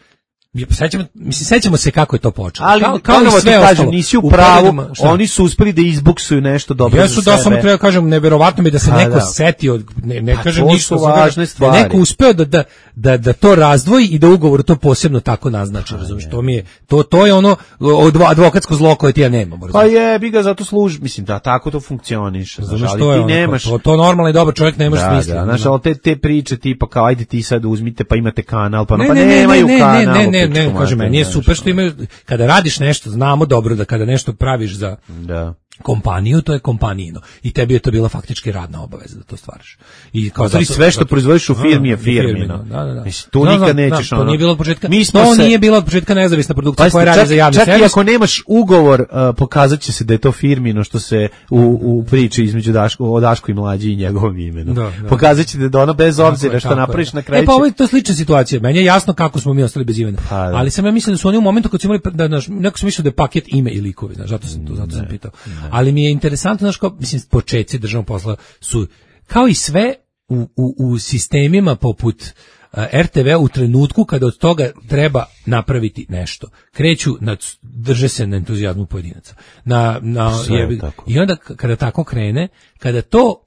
sećamo, mislim, sećamo se kako je to počelo. Ali kao, kao i ponovo ti sve kažem, ostalo. nisi u U pravu, periodima, šta? oni su uspeli da izbuksuju nešto dobro Jesu, za da, sebe. samo treba kažem, neverovatno mi da se Pa neko da. setio, ne, ne Pa kažem to ništa, su samo važne kažem, da je stvari. neko uspeo da, da, da, da to razdvoji i da ugovor to posebno tako naznači, razumiješ, to mi je, to, to je ono odvo- advokatsko zlo koje ti ja nemam, Pa razumiješ. je, bi ga zato služi, mislim da tako to funkcioniše, znaš, Razumeš, ali to je ti ono, nemaš. to, to normalno i dobar čovjek ne može Da, smisliti. da, znaš, ali te, te priče tipa kao ajde ti sad uzmite pa imate kanal, pa, Ne, pa ne, ne, nemaju ne, ne, kanal. ne, ne, pičku ne, kaže materinu, meni je znaš, super što imaju, kada radiš nešto, znamo dobro da kada nešto praviš za Da. kompaniju, to je kompanijino. I tebi je to bila faktički radna obaveza da to stvaraš. I kao Znači, zato- sve što zato- proizvodiš u firmi je Da, firmino. Da, da, da. Mislim, tu Znam, nikad znam, nećeš, znam, ono- To nije bilo od početka. Mi smo to se- nije bila od početka nezavisna produkcija Pazite, koja radi čak, za javni čak i servis. ako nemaš ugovor, uh, pokazat će se da je to firmino što se u, u priči između Daško, o Daško i Mlađi i njegovom imenu. Da, da. Pokazat će da ono bez Tako obzira je, što tako napraviš je. na kraju E pa će- ovo je to slična situacija. Meni je jasno kako smo mi ostali bez imena. Pa, da. Ali sam ja mislio da su oni u momentu kad su imali da znaš, neko sam mislio da je paket ime i likovi, znaš, zato sam to zato sam pitao. Ali mi je interesantno, znaš, kao, mislim, početci državnog posla su kao i sve u, u, u sistemima poput uh, er te ve u trenutku kada od toga treba napraviti nešto. Kreću, na, drže se na entuzijazmu pojedinaca. Na, na, Sve je jebi- tako. I onda k- kada tako krene, kada to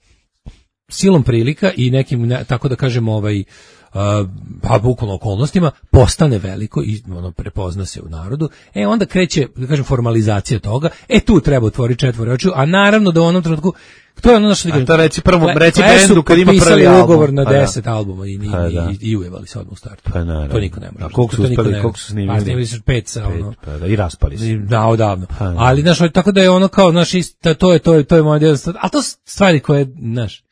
silom prilika i nekim, ne, tako da kažemo, ovaj, Uh, pa bukvalno okolnostima postane veliko i ono prepozna se u narodu, e onda kreće, da kažem, formalizacija toga, e tu treba otvoriti četvore očiju, a naravno da u onom trenutku to je ono što A to reci prvo, Cle- reci Cle su bendu kad ima prvi potpisali album. ugovor na Pa da. deset albuma i, i, Pa da. i, i ujevali se odmah u startu. Pa naravno. To niko ne može. A koliko su To niko uspeli, ne koliko može. su snimili? Pa snimili su pet sa ono. Pa da, i raspali se. Da, odavno. Pa, da. Ali znaš, tako da je ono kao, znaš, ista- to je to je to je moja djela, a to su stvari koje, znaš,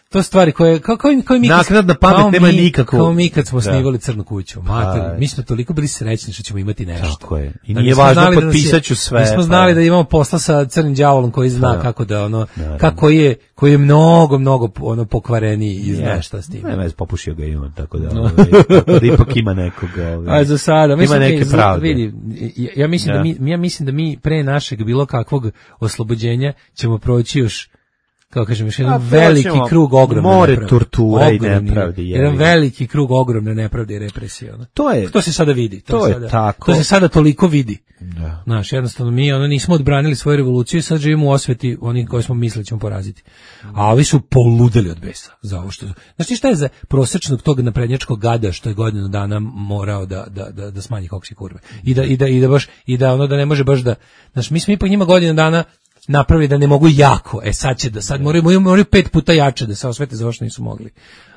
to su stvari koje kao kao, kao i mi kad- Naknadna pamet kao nema mi- nikakvu- Kao mi kad smo Da. snimali Crnu kuću, mater, Pa. mi smo toliko bili srećni što ćemo imati nešto. Tako je. I Da nije nismo važno, znali da nas je- potpisat ću sve, Mi smo pa. znali da imamo posla sa crnim đavolom koji zna Pa. kako da ono Naravno. kako je koji je mnogo mnogo ono pokvareniji i zna šta s tim. Ne, vez popušio ga i on, tako da, ovaj, tako da ipak ima nekoga. Ovaj, A za sada, ima mislim, neke za- pravde. vidi, ja, ja mislim da. Da. mi ja mislim da mi pre našeg bilo kakvog oslobođenja ćemo proći još, kako kažem, još jedan A, veliki proćemo krug ogromne more nepravde. torture i Ogromni, nepravde, jebi jedan ga. veliki krug ogromne nepravde i represije. Ono. To je- to se sada vidi. To, to je je sada, tako. To se sada toliko vidi. Da. Znaš, jednostavno mi ono nismo odbranili svoju revoluciju i sad živimo u osveti onih koje smo mislili ćemo poraziti. A ovi su poludeli od besa za ovo što... Znaš ti šta je za prosečnog tog naprednjačkog gada što je godinu dana morao da, da, da, da smanji koksi kurve. I da, i da, i da baš, i da ono da ne može baš da... Znaš, mi smo ipak njima godinu dana napravili da ne mogu jako. E sad će da, sad moraju, moraju, moraju pet puta jače da se osvete za ovo što nisu mogli.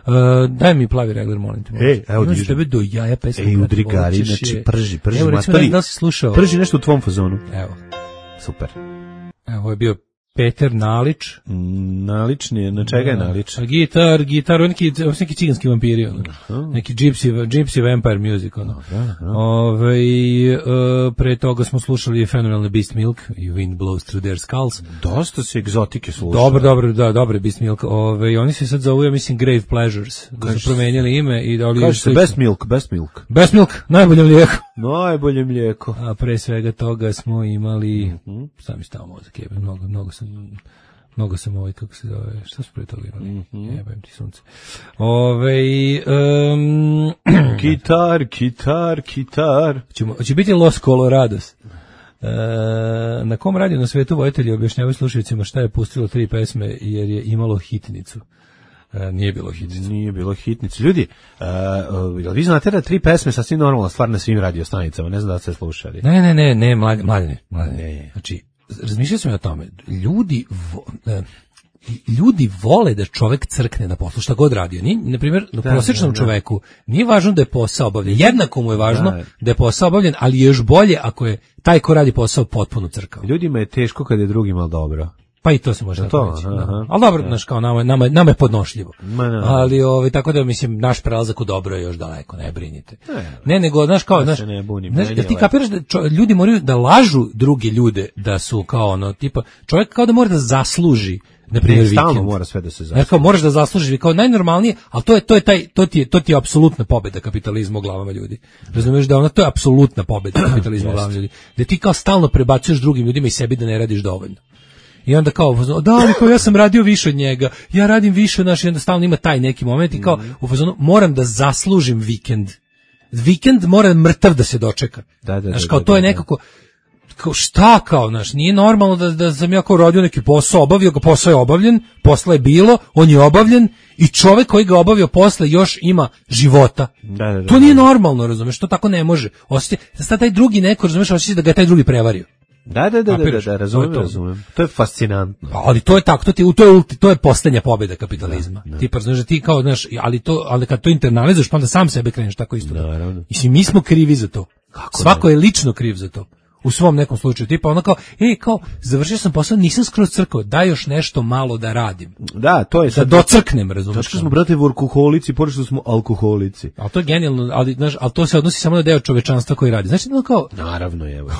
Uh, daj mi plavi regler, molim te. Ej, evo Imaš dižem. tebe do jaja pesma. Ej, brate, udri gari, hoćeš znači je. prži, prži, Evo, recimo, matori. da li si slušao? Prži nešto u tvom fazonu. Evo. Super. Evo, ovo je bio Peter Nalić. Mm, Nalični je, na čega je nalič? A gitar, gitar, on neki, on neki ciganski vampiri, ono. Neki gypsy, gypsy vampire music, ono. Ove, e, pre toga smo slušali fenomenalne Beast Milk i Wind Blows Through Their Skulls. Dosta se egzotike sluša. Dobro, dobro, da, dobro Beast Milk. Ove, oni se sad zovu, ja mislim, Grave Pleasures. Da Kaže su promenjali ime i da li Kaže se best milk, best milk. Best Milk, najbolje mlijeko. Najbolje mlijeko. A pre svega toga smo imali, mm-hmm. sam mi stao mozak, jebe, mnogo, mnogo sam, mnogo sam ovaj, kako se zove, šta su pre toga imali? Mm-hmm. Jebem ti sunce. Ove, um, Kitar, kitar, kitar. ćemo, će biti Los Colorados. E, na kom radiju na svetu vojitelji objašnjavaju slušajućima šta je pustilo tri pesme jer je imalo hitnicu. E, nije bilo hitnice. Nije bilo hitnice. Ljudi, uh, uh, vi znate da tri pesme sasvim normalna stvar na svim radio stanicama, ne znam da ste slušali. Ne, ne, ne, ne, mlade, mlade, mlade. Ne, ne. Znači, razmišljao sam o tome. Ljudi vo, e, ljudi vole da čovek crkne na poslu, šta god radio. Ni, na primjer, na prosječnom da, da. čoveku nije važno da je posao obavljen. Jednako mu je važno da. da je posao obavljen, ali je još bolje ako je taj ko radi posao potpuno crkao. Ljudima je teško kad je drugima dobro. Pa i to se može tako reći. Da. Ali dobro, znaš, kao nama, nama, nama je podnošljivo. Ma, no. Ali ovaj, tako da, mislim, naš prelazak u dobro je još daleko, ne brinite. Ne, ne nego, znaš, kao, znaš, ne bunim, znaš, da ti kapiraš da čo, ljudi moraju da lažu druge ljude da su kao ono, tipa, čovjek kao da mora da zasluži, na primjer, vikend. Stalno mora sve da se zasluži. Kao, moraš da zaslužiš, kao najnormalnije, ali to je, to je taj, to ti je, to ti je apsolutna pobjeda kapitalizma u glavama ljudi. Razumiješ da ona, to je apsolutna pobjeda kapitalizma u glavama ljudi. Da ti kao stalno prebacuješ drugim ljudima i sebi da ne radiš dovoljno. I onda kao, da, ali kao ja sam radio više od njega, ja radim više od naš, i onda stalno ima taj neki moment i kao, u fazonu, moram da zaslužim vikend. Vikend mora mrtav da se dočeka. Da, da, znaš, kao, da, to je da, nekako, kao, šta kao, znaš, nije normalno da, da sam ja kao radio neki posao, obavio ga, posao je obavljen, posla je bilo, on je obavljen i čovek koji ga obavio posle još ima života. Da, da, da, to nije normalno, razumeš, to tako ne može. Osjeća, sad taj drugi neko, razumeš, osjeća da ga je taj drugi prevario. Da, da, da, da, da, da, razumem, to razumem. To je fascinantno. Ali to je tako, to ti to je to je poslednja pobjeda kapitalizma. Da, da. Ti pa znaš da ti kao znaš, ali to ali kad to internalizuješ, pa onda sam sebe kreneš tako isto. Naravno. I svi mi smo krivi za to. Kako svako ne? Je lično kriv za to. U svom nekom slučaju, tipa ono kao, ej, kao, završio sam posao, nisam skroz crkao, daj još nešto malo da radim. Da, to je sad. Da docrknem, razumiješ. Što smo, brate, workoholici, pošto što smo alkoholici. Ali to je genijalno, ali, znaš, ali to se odnosi samo na deo čovečanstva koji radi. Znači, ono kao... Naravno, evo.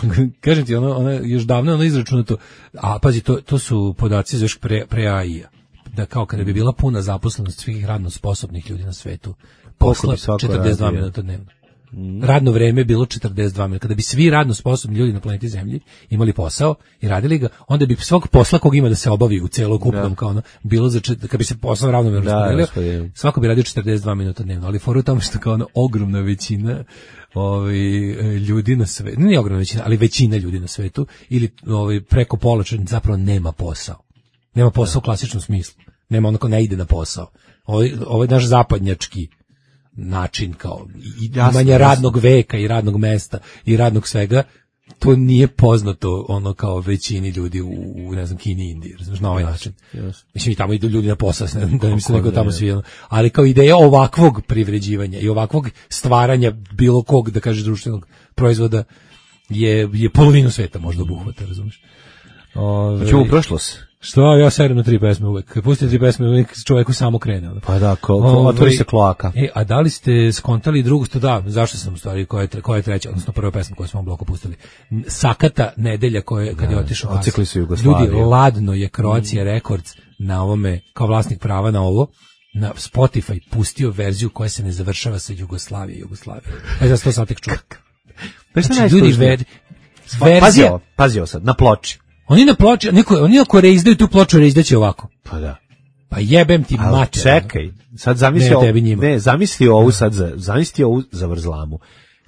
Kažem ti, ono, ono, još davno ono izračunato, a pazi, to, to su podaci za još pre, pre A I-a. Da kao kada bi bila puna zaposlenost svih radno sposobnih ljudi na svetu, posla četrdeset dva minuta dnevno. Radno vreme je bilo četrdeset dva minuta. Kada bi svi radno sposobni ljudi na planeti Zemlji imali posao i radili ga, onda bi svog posla kog ima da se obavi u celokupnom da. Kao ono, bilo za čet... kad bi se posao ravnomerno raspodelio, svako bi radio četrdeset dva minuta dnevno, ali foru tamo što kao ono ogromna većina ovaj ljudi na svetu, ne ogromna većina, ali većina ljudi na svetu ili ovaj preko pola zapravo nema posao. Nema posao da. U klasičnom smislu. Nema onako ne ide na posao. Ovaj ovaj naš zapadnjački način kao imanje radnog veka i radnog mesta i radnog svega, to nije poznato ono kao većini ljudi u, u ne znam, Kini i Indiji, razumiješ, na ovaj način. Yes. Mislim, i tamo idu ljudi na posao, ne, da ne mislim nego tamo svi, ali kao ideja ovakvog privređivanja i ovakvog stvaranja bilo kog, da kažeš, društvenog proizvoda je, je polovinu sveta možda obuhvata, razumiješ. Ove... Čemu prošlost? Što, ja serem na tri pesme uvek. Kad pustite tri pesme, uvek čovjeku samo krene. Ono. Pa da, ko, ko, otvori se kloaka. E, a da li ste skontali drugu, sto da, zašto sam u stvari, koja je, koja je treća, odnosno prva pesma koju smo u bloku pustili. Sakata nedelja koje, kad je otišao Ocikli su Jugoslaviju. Ljudi, ladno je Croatia mm. Records na ovome, kao vlasnik prava na ovo, na Spotify pustio verziju koja se ne završava sa Jugoslavije, Jugoslavije. E, da se to sad tek čuo. Znači, ljudi, ver, verzija... Pazio, pazio sad, na ploči. Oni na ploči, neko, oni ako reizdaju tu ploču, reizdaće ovako. Pa da. Pa jebem ti mater. Čekaj, sad zamisli ovo, ne, zamisli ovu sad, za, zamisli ovu za vrzlamu.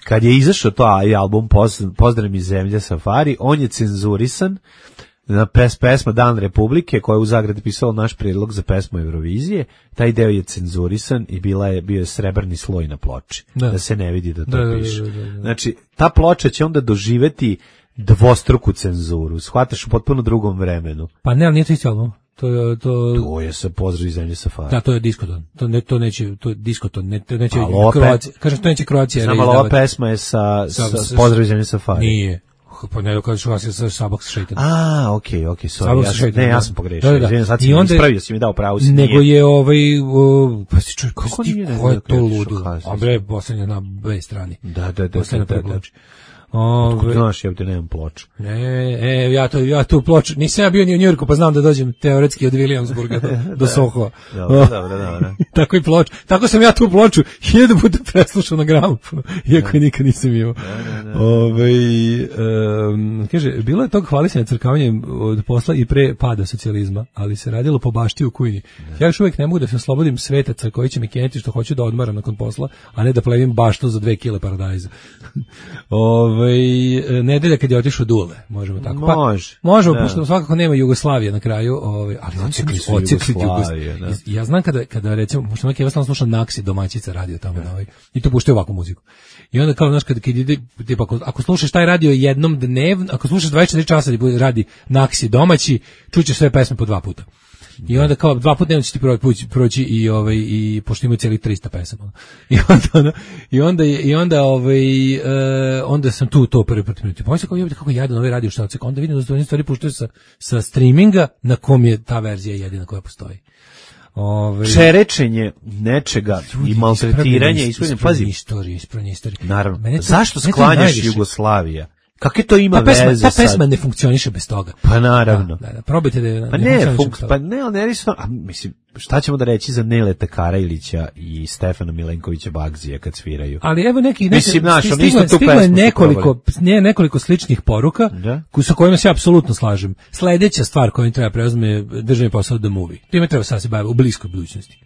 Kad je izašao to album Pozdrav mi zemlja Safari, on je cenzurisan na pes, pesma Dan Republike, koja je u zagradi pisala naš prijedlog za pesmu Eurovizije. Taj deo je cenzurisan i bila je, bio je srebrni sloj na ploči. Da, da se ne vidi da to da, piše. Da, da, da, da. Znači, ta ploča će onda doživeti dvostruku cenzuru. Shvataš u potpuno drugom vremenu. Pa ne, ali nije to isti album. To je to To je sa Pozdrav iz zemlje Safari. Da, to je diskoton. To ne to neće, to je diskoton, ne to neće Kroacija. Kažem, to neće Kroacija. Samo ova pesma je sa, sa, sa, sa Pozdrav iz zemlje Safari. Nije. Pa ne, kažeš Kroacija sa Sabak sa Šejtan. A, okej, okej, sorry. Ja sam, ne, ja sam pogrešio. Da, da, da. Sad si mi ispravio, si mi dao pravo. Nego je ovaj, o, pa si čuj, kako nije, ko je to ludo? A bre, poslednja na B strani. Da, da, da, da, da. Ove, znaš, ja ovdje nemam ploču. Ne, e, ja, to, ja tu ploču, nisam ja bio ni u Njujorku, pa znam da dođem teoretski od Williamsburga do, do Sohova. Dobro, dobro, dobro. Tako i ploču. Tako sam ja tu ploču hiljadu puta preslušao na gramofonu, iako je nikad nisam imao. Ove, um, kaže, bilo je tog hvalisanja crkavanjem od posla i pre pada socijalizma, ali se radilo po bašti u kujni. Ja još uvijek ne mogu da se oslobodim svetaca koji će mi keniti što hoću da odmaram nakon posla, a ne da plevim baštu za dve kile paradajza. Ove, ovaj nedelja kad je otišao Dule, možemo tako. Može. Pa, možemo, da. pošto svakako nema Jugoslavije na kraju, ovaj, ali ocekli su Jugoslavije. Da. Ja znam kada, kada recimo, pošto neki jednostavno sluša Naksi, domaćica radio tamo, da. ovaj, i to puštaju ovakvu muziku. I onda kao, znaš, kad, kad ide, tipa, ako, ako slušaš taj radio jednom dnevno, ako slušaš dvadeset četiri časa da radi Naksi domaći, čućeš sve pesme po dva puta. I onda kao dva puta dnevno će ti proći, proći i ovaj i pošto imaju cijeli trista pesama. I onda i onda i onda ovaj uh, onda sam tu to prvi put minuti. Pa kao jebote kako jadan ovaj radio šta se onda vidim da se stvari puštaju sa sa streaminga na kom je ta verzija jedina koja postoji. Ove... Čerečenje nečega i maltretiranje ispravljanje, pazi, istorije, ispravljanje istorije. Naravno. To, zašto sklanjaš Jugoslavija? Kakve to ima ta pesma, veze ta sad? pesma ne funkcioniše bez toga. Pa naravno. Da, da, da. Probajte da je... Pa ne, ne funk, pa ne, ali ne, a, mislim, šta ćemo da reći za Neleta Karajlića i Stefana Milenkovića Bagzija kad sviraju? Ali evo neki... neki mislim, naš, stiglo, isto tu stiglo je pesmu nekoliko, ne, nekoliko sličnih poruka da? sa kojima se apsolutno slažem. Sledeća stvar koju treba preuzme državni posao The Movie. Time treba sad se baviti u bliskoj budućnosti.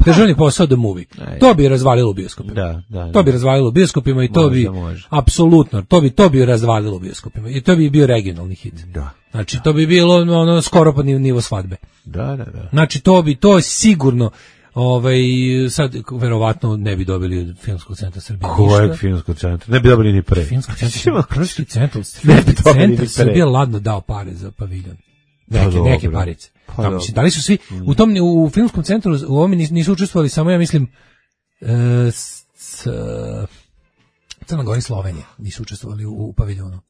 Državni posao The Movie. To bi razvalilo bioskopima. Da, da, da. To bi razvalilo bioskopima i to može, bi može. apsolutno, to bi to bi razvalilo bioskopima. I to bi bio regionalni hit. Da. Znači to bi bilo ono skoro pa nivo svadbe. Da, da, da. Znači to bi to sigurno ovaj sad verovatno ne bi dobili od Filmskog centra Srbije. Kojeg Filmskog centra? Ne bi dobili ni pre. Filmskog centra, Filmski centar, Filmski centar Srbije ladno dao pare za paviljon. Neke, pa neke parice. Pa, da, mislim, da li su svi u tom u filmskom centru u ovome nisu učestvovali samo ja mislim e, s, s, Crna Gora i Slovenija nisu učestvovali u, u paviljonu.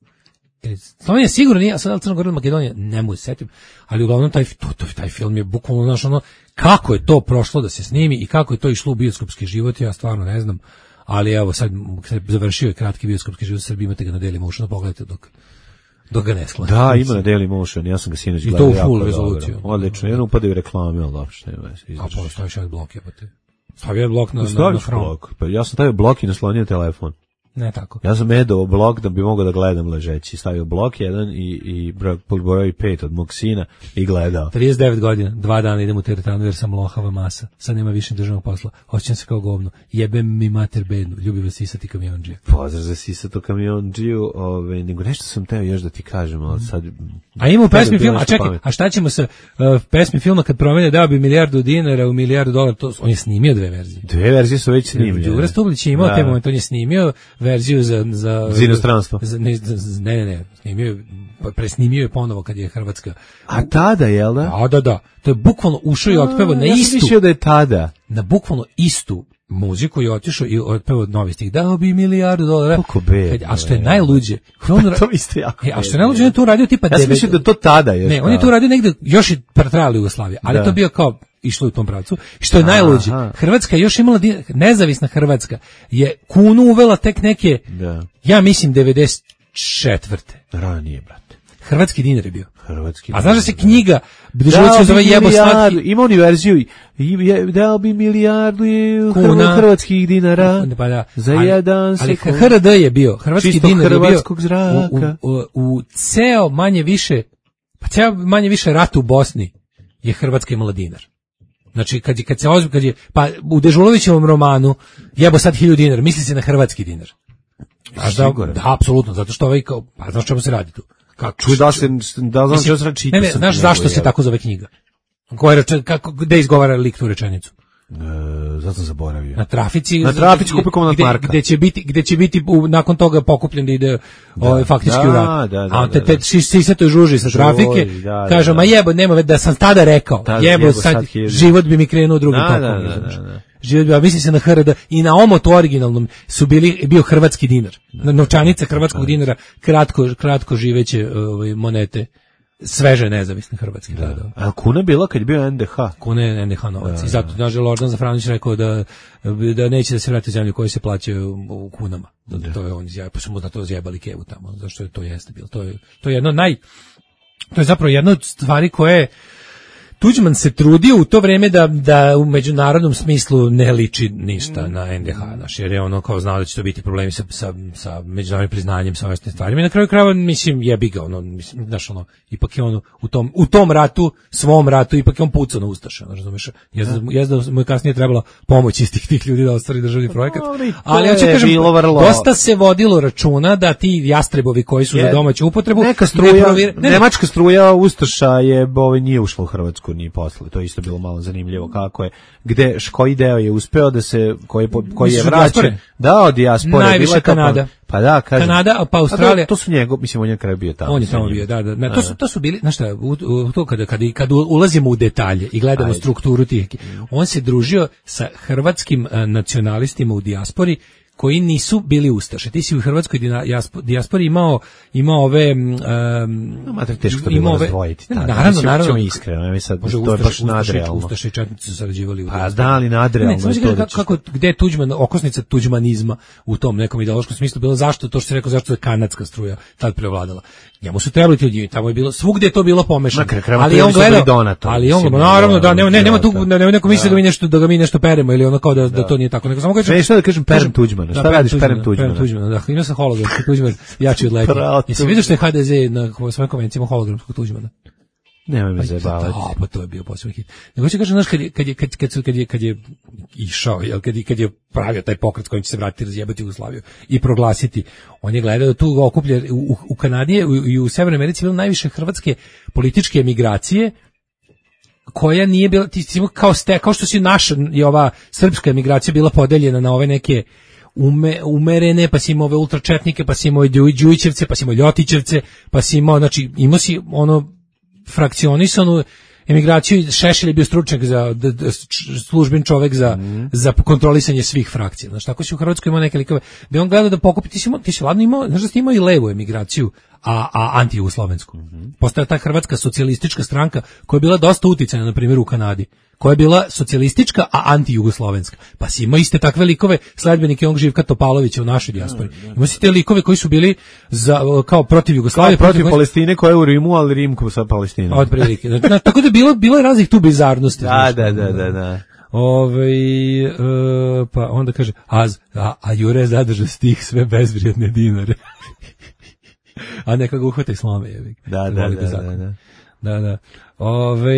Slovenija sigurno nije, a sad Crna Gora i Makedonija ne mogu se setim, ali uglavnom taj, to, to, taj film je bukvalno znaš ono, kako je to prošlo da se snimi i kako je to išlo u bioskopski život, ja stvarno ne znam, ali evo sad završio je kratki bioskopski život u Srbiji, imate ga na Dailymotionu, pogledajte dok dok ga ne skloni. Da, ima na Dailymotion, ja sam ga sinoć gledao. I to u full rezoluciju. Odlično, jedno upadaju reklame, ali uopšte nema veze. A pa staviš jedan blok, jebate. Stavio blok na, na, na blok. Pa ja sam stavio blok i naslonio telefon. Ne tako. Ja sam edao blok da bi mogao da gledam ležeći. Stavio blok jedan i, i broj pet od mog sina i gledao. trideset devet godina, dva dana idem u teretanu jer sam lohava masa. Sad nema više državnog posla. Osjećam se kao govno. Jebem mi mater bednu. Ljubi vas sisati kamionđija. Pozdrav za sisato kamionđiju. Ove, nego nešto sam teo još da ti kažem, ali sad... A ima u pesmi filma, a čekaj, a šta ćemo sa uh, pesmi filma kad promene dao bi milijardu dinara u milijardu dolara, to, on je snimio dve verzije. Dve verzije su već snimljene. Đura Stublić je imao da. Te momente, on je snimio verziju za... Za, za inostranstvo. Za, ne, ne, ne, ne, snimio, presnimio je ponovo kad je Hrvatska. A tada, jel da? Da, da, da. To je bukvalno ušao i otpevao na ja istu. Ja sam mislio da je tada. Na bukvalno istu muziku je otišao i otpevao novi stih. Dao bi milijardu dolara. Kako be. A što je najluđe. On, to isto jako. E, a što je najluđe, on je to uradio tipa... Ja sam mislio da to tada je. Ne, on je to uradio negde, još je pretrajala Jugoslavija, ali da. To bio kao išlo u tom pravcu. Što je najluđe, Hrvatska je još imala, nezavisna Hrvatska je kunu uvela tek neke, da. Ja mislim, devedeset četvrte Ranije, brate. Hrvatski dinar je bio. Hrvatski. A znaš da se knjiga Dežulović zove Jebo slatki. Ima oni verziju, dao bi milijardu kuna hrvatskih dinara pa da. Za ali, jedan ali sekund. H R D je bio, hrvatski čisto dinar je bio zraka. U, u, u, u ceo manje više, pa ceo manje više rat u Bosni je Hrvatska imala dinar. Znači kad je kad se ozbi, kad je pa u Dežulovićevom romanu Jebo sad hiljadu dinara, misli se na hrvatski dinar. A da, da, apsolutno, zato što ovaj kao, pa znaš čemu se radi tu. Kako čuj da se da znam što se radi. Ne, ne, znaš zašto se tako zove knjiga? Koja reče, kako gde izgovara lik tu rečenicu? E, zato sam zaboravio. Na trafici, na trafici kupi komandant Marka. Gde će biti, gde će biti u, nakon toga pokupljen da ide da, ovaj faktički da, u rat. Da, da, a te, da, te sisetoj žuži sa trafike, da, da, kažem, da. a jebo, nema da sam tada rekao, da, jebo, jebo sad, sad život bi mi krenuo drugim da, tokom. Da, da, da, da. Život bi, a misli se na H R D i na omotu originalnom su bili, bio hrvatski dinar. Da, novčanica hrvatskog da, dinara, kratko, kratko živeće ovaj, monete. Sveže nezavisne hrvatske da. gradova. A kuna bila kad je bio N D H? Kuna je N D H novac. Da, I zato, naže, Lordan Zafranović rekao da, da neće da se vrati u zemlju koji se plaćaju u kunama. Da, da. To je on izjavio, pa su mu na to zjebali kevu tamo, zašto je to jeste bilo. To je, to je jedno naj, to je zapravo jedna od stvari koje Tuđman se trudio u to vreme da, da u međunarodnom smislu ne liči ništa na en de ha, znaš, jer je ono kao znao da će to biti problemi sa, sa, sa međunarodnim priznanjem, sa ovim stvarima. I na kraju krajeva, mislim, jebi ga, ono, mislim, znaš, ono, ipak je ono, u tom, u tom ratu, svom ratu, ipak je on pucao na Ustaše, ono, razumeš, jezda, jezda mu je kasnije trebala pomoć istih tih ljudi da ostvari državni projekat, ali ja ću kažem, dosta se vodilo računa da ti jastrebovi koji su je, za domaću upotrebu, neka struja, ne provir, ne, nemačka struja Ustaša je, ovaj, nije ušla u Hrvatsku ni posle, to je isto bilo malo zanimljivo kako je, gde, koji deo je uspeo da se, koji, koji je vraćen, da, od dijaspore, najviše Kanada. Pa da, kažem. Kanada, pa Australija. To, to su njegov, mislim, on je na kraju bio tamo. On je tamo bio, da, da. Ne, to su to su bili, znaš šta, u, u, to kada kad kad ulazimo u detalje i gledamo Ajde. strukturu tih, on se družio sa hrvatskim uh, nacionalistima u dijaspori koji nisu bili ustaše. Ti si u hrvatskoj dijaspori imao imao ove um, no, mater, teško to bilo razdvojiti. Naravno, naravno. Iskreno, ja sad, to je baš nadrealno. Ustaše i četnici su sarađivali u Pa da, ali nadrealno. Ne, ne, kako, kako, gde je Tuđman, okosnica tuđmanizma u tom nekom ideološkom smislu bilo, zašto, to što se rekao, zašto je kanadska struja tad prevladala. Njemu su trebali ti ljudi, tamo je bilo, svugde je to bilo pomešano. Ali on gledao, ali on, naravno, da, nema, ne, nema tu, nema neko misli da mi nešto, da ga mi nešto peremo, ili ono kao da, da to nije tako. Nego samo kažem, ne, šta da kažem, perem Tuđmana, šta radiš perem Tuđmana? Perem Tuđmana, da, ima sam hologramski Tuđman, jači od leti. Jesi vidio što je ha de ze na svojim konvencijama hologramskog Tuđmana? Nemoj me zajebavati. Da, pa to je bio posebno hit. Nego će kažem, znaš, kad je, kad je, kad, kad, kad je, kad je išao, jel, kad je, kad je pravio taj pokret s kojim će se vratiti, razjebati Jugoslaviju i proglasiti, on je gledao da tu okuplja, u, u Kanadi i u, u Severnoj Americi bilo najviše hrvatske političke emigracije, koja nije bila, ti, ti, kao, ste, kao što si naša i ova srpska emigracija bila podeljena na ove neke Ume, umerene, pa si imao ove ultračetnike, pa si imao Đujićevce, pa si imao Ljotićevce, pa si imao, znači, imao si ono frakcionisanu emigraciju. Šešelj je bio stručnjak za d, d, služben čovek za mm. za kontrolisanje svih frakcija. Znači tako si u Hrvatskoj imao neke likove da on gleda da pokupi, ti si imao, ti si ladno imao, znači da si imao i levu emigraciju, a a antijugoslovensku. Mm-hmm. Postala ta Hrvatska socijalistička stranka koja je bila dosta uticajna, na primjer u Kanadi, koja je bila socijalistička, a antijugoslovenska. Pa si imao iste takve likove, sledbenike onog Živka Topalovića u našoj dijaspori. Imao si te likove koji su bili za, kao protiv Jugoslavije. Kao protiv, protiv Palestine koja je u Rimu, ali Rim sa Palestinom. Od prilike. Znači, tako da je bilo, bilo je raznih tu bizarnosti. Da, da, da, da, da. Ove, e, pa onda kaže, a, a, a Jure zadrža stih sve bezvrijedne dinare. A neka ga uhvata i slome. Je. Da, da, da, da, da. Da, da. Ove,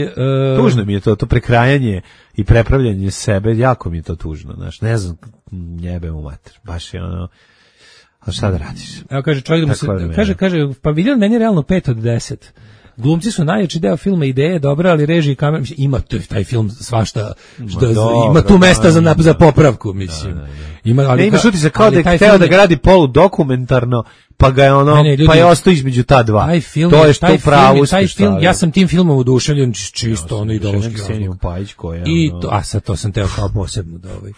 uh, tužno mi je to, to prekrajanje i prepravljanje sebe, jako mi je to tužno, znaš, ne znam, njebe mu mater, baš je ono, a šta da radiš? Evo kaže, čovjek da mu se, kaže, kaže, pa vidio meni realno pet od deset. Glumci su najjači deo filma, ideje je dobra, ali režija i kamera, mislim, ima to, taj film svašta, što, dobro, ima tu mesta za, za popravku, mislim. Da, da, da. Ima, ali, ne, ima šuti se kao da je hteo da gradi poludokumentarno, pa ga je ono, ne, ne, ljudi, pa je ostao između ta dva. Taj film, to je što taj pravu taj film, ja sam tim filmom oduševljen čisto, ja, ono ideološki razlog. Pajić koja, I ono... to, a sad to sam teo kao posebno da ovaj.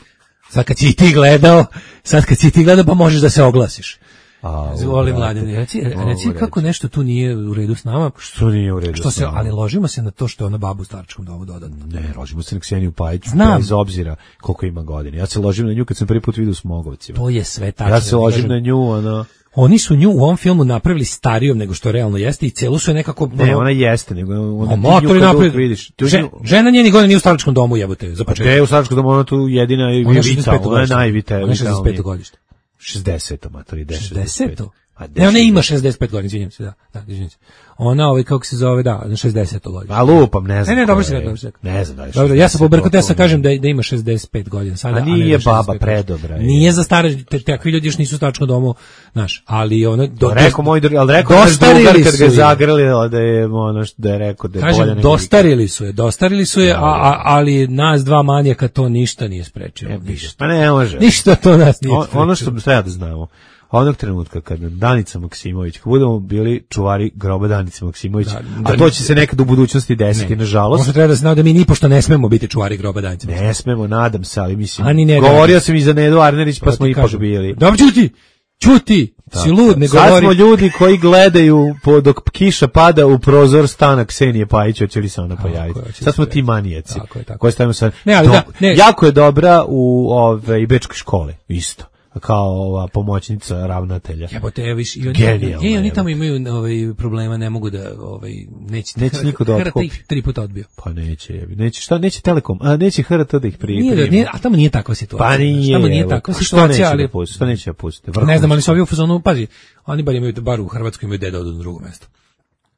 Sad kad si ti gledao, sad kad si ti gledao, pa možeš da se oglasiš. A, Zvoli mladine, reci, reci kako nešto tu nije u redu s nama. Što nije u redu što s se, nama? Ali ložimo se na to što je ona baba u staračkom domu dodatno. Ne, ložimo se na Kseniju Pajić, Znam. bez obzira koliko ima godina. Ja se ložim na nju kad sam prvi put vidio u Smogovcima. To je sve tačno. Ja se ložim na nju, ono... Oni su nju u ovom filmu napravili starijom nego što realno jeste i celu su je nekako... Ne, ona jeste, nego ona motor nju napred, vidiš. Žen, žena njenih godina nije u staračkom domu, jebote, za početak. Te u staračkom domu, ona tu jedina i vica, ona je najvita. Ona je šezdeset peto godište. šezdeseto, matori, šezdeseto? Ne, ona ima šezdeset pet godina, izvinjam se, da, da, izvinjam se. Ona, ovaj, kako se zove, da, na šezdeseto godina. A lupam, ne znam. Ne, ne, dobro se, dobro se. Ne znam da je dobro, ja sam pobrkao, ja sam kažem da, da ima šezdeset pet godina. Sada, a nije a baba predobra. Je. Nije za stare, te, takvi ljudi još nisu u staračkom domu, znaš, ali ona... Do, rekao moj, ali rekao naš drugar kad ga zagrli, da je ono što da je rekao da je kažem, bolje nego... dostarili su je, dostarili su je, a, a, ali nas dva manijaka to ništa nije sprečilo. E, ništa. Pa ne može. Ništa to nas nije sprečilo. Ono što treba da znamo. Onog trenutka kad Danica Maksimović, kad budemo bili čuvari groba Danice Maksimović, da, da, a to će se nekad u budućnosti desiti, ne, nažalost. Možda treba da znao da mi nipošto ne smemo biti čuvari groba Danice Maksimović. Ne smemo, nadam se, ali mislim, ne, govorio da, sam i za Nedu Arnerić, pa smo ipak bili. Dobro, čuti! Čuti! Da, si lud, ne govori. Sad smo ljudi koji gledaju po, dok kiša pada u prozor stana Ksenije Pajić, hoće li se ona pojaviti. Sad smo ti manijaci. Tako je, tako. Koji stavimo sad. Ne, ali do, da, ne. Jako je dobra u ove, i bečkoj škole, isto. kao ova pomoćnica ravnatelja. Jebote, evo viš, i oni, Genijalno, i oni jebote. tamo imaju ovaj problema, ne mogu da ovaj neće Neće niko da H R T otkupi. ih tri puta odbio. Pa neće, jebi. Neće, šta, neće Telekom, a neće H R T da ih pri, Nije, primi. nije, a tamo nije takva situacija. Pa nije, tamo nije evo, takva a što situacija, neće ali da pusti, što neće da pusti? ne znam, ali su ovi u fazonu, pazi, oni bar imaju, bar u Hrvatskoj imaju gde da odu na drugo mesto.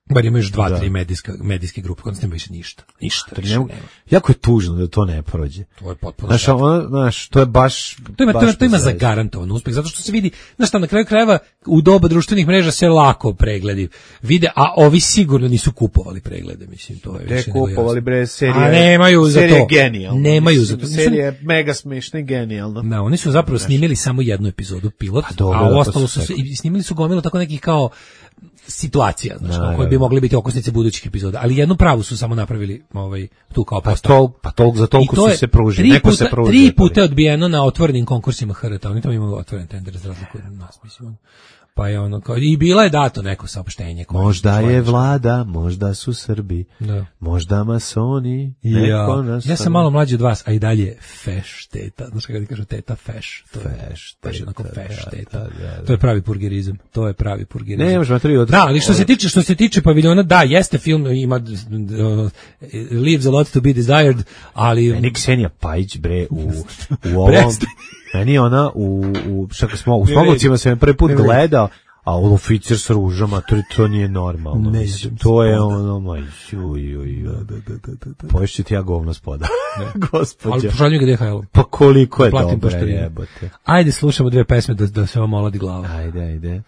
Bar imaju još dva, Da. tri medijska, medijske grupe, kod nas nema više ništa. Ništa, Ne više mogu- nema. jako je tužno da to ne prođe. To je potpuno Znaš, strašno. ono, znaš, to je baš... To ima, to, baš ima, to ima zaista. zagarantovan uspeh, zato što se vidi, znaš šta, na kraju krajeva u doba društvenih mreža se lako pregledi vide, a ovi sigurno nisu kupovali preglede, mislim, to je Ne više nego kupovali jasno. bre serije. A nemaju za serija to. je genijalna. Nemaju Mislim, za to. Serija je mega smešna i genijalna. Da, oni su zapravo snimili samo jednu epizodu pilot, Pa dobro, a da, to ostalo su su se, sve- i snimili su gomilu tako nekih kao situacija, znači Naravno. koje bi mogli biti okosnice budućih epizoda, ali jednu pravu su samo napravili ovaj tu kao Pa postavu. to, pa tolk, za toliko I to su je se pružili. tri Neko puta, se pružio. tri puta je odbijeno na otvorenim konkursima H R T, oni tamo imaju otvoren tender za razliku od nas, mislim. ono. Pa je ono kao, i bila je dato neko saopštenje. koje- Možda koje- je vlada, možda su Srbi, Da. možda masoni, Ja, neko nas... ja sam malo mlađi od vas, a i dalje feš teta. Znaš kako ti kažu teta feš? To je Feš baš teta, onako feš da, teta. da, da, da. To je pravi purgerizam. To je pravi purgerizam. Ne, možda tri od... Da, ali što se tiče što se tiče paviljona, da, jeste film, ima d- d- ono, leaves a lot to be desired, ali Meni Ksenija Pajić, bre, u, u ovom... Prestaň. Meni ona u... u šta kad smo, u Ne Smogovcima sam je prvi put Ne vredi. gledao, a on oficir sa ružama, to, to nije normalno. Ne mislim, jedem to je spoda. ono, ma, ju, ju, ju. Poješću ti ja govno spoda. ali Gospodja. pošalju ga D H L. Pa koliko je Platim dobro, poštarinu. jebote. Ajde, slušamo dve pesme da, da se vam oladi glava. Ajde, ajde.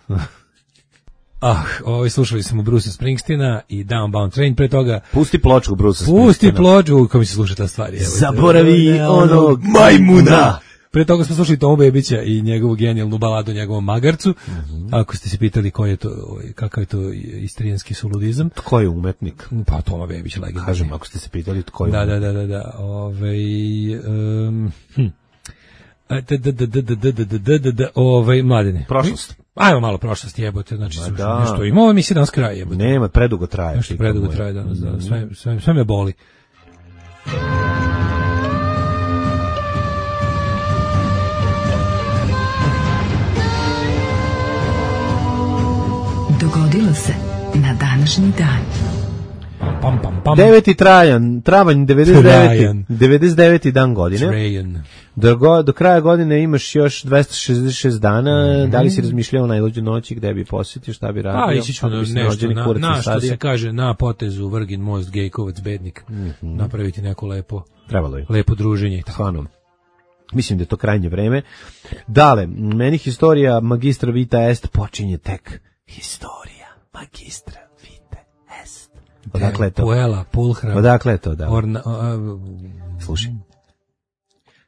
Ah, ovaj, slušali smo Bruce Springsteena i Downbound Train, pre toga Pusti pločku, Bruce. pusti ploču, kako mi se sluša ta stvar. evo. Zaboravi onog majmuna. Pre toga smo slušali Tomu Bebića i njegovu genijalnu baladu o njegovom magarcu. Mhm. Ako ste se pitali koji je to, ovaj, kakav je to istrijanski suludizam, Tko je umetnik? pa Toma Bebić, legendarni. Kažem, ako ste se pitali tko je Da, umetnik. da, da, da, da. Ovaj um, hm. A, da, da, da, da, da, da, da, da, da, da, ovaj, mladine. Prošlost. Ajmo malo prošlosti, jebote, znači Ma slušaj, da. nešto ima, ovo mi se danas kraj, jebote. Nema, predugo traje. Nešto čika predugo moja. traje danas, da, sve, sve, sve me boli. Dogodilo se na današnji dan. Pam, pam, pam. Deveti trajan, travanj devedeset deveti. Trajan. devedeset deveti dan godine. Trajan. Do, go- do kraja godine imaš još dvesta šezdeset šest dana. Da li si razmišljao o najluđoj noći gde bi posjetio, šta bi radio? A, ići ću Kako na bi se nešto, rođeni na, kurac na što usadio? se kaže, na potezu Vrgin most, Gejkovac, Bednik, napraviti neko lepo, Trebalo je. lepo druženje i tako. Stvarno. Mislim da je to krajnje vreme. Dale, meni historija magistra vita est počinje tek. Historija magistra vita est. Odakle je to? Puela, Pulhra, Odakle je to, da? Orna, a, a, Slušaj.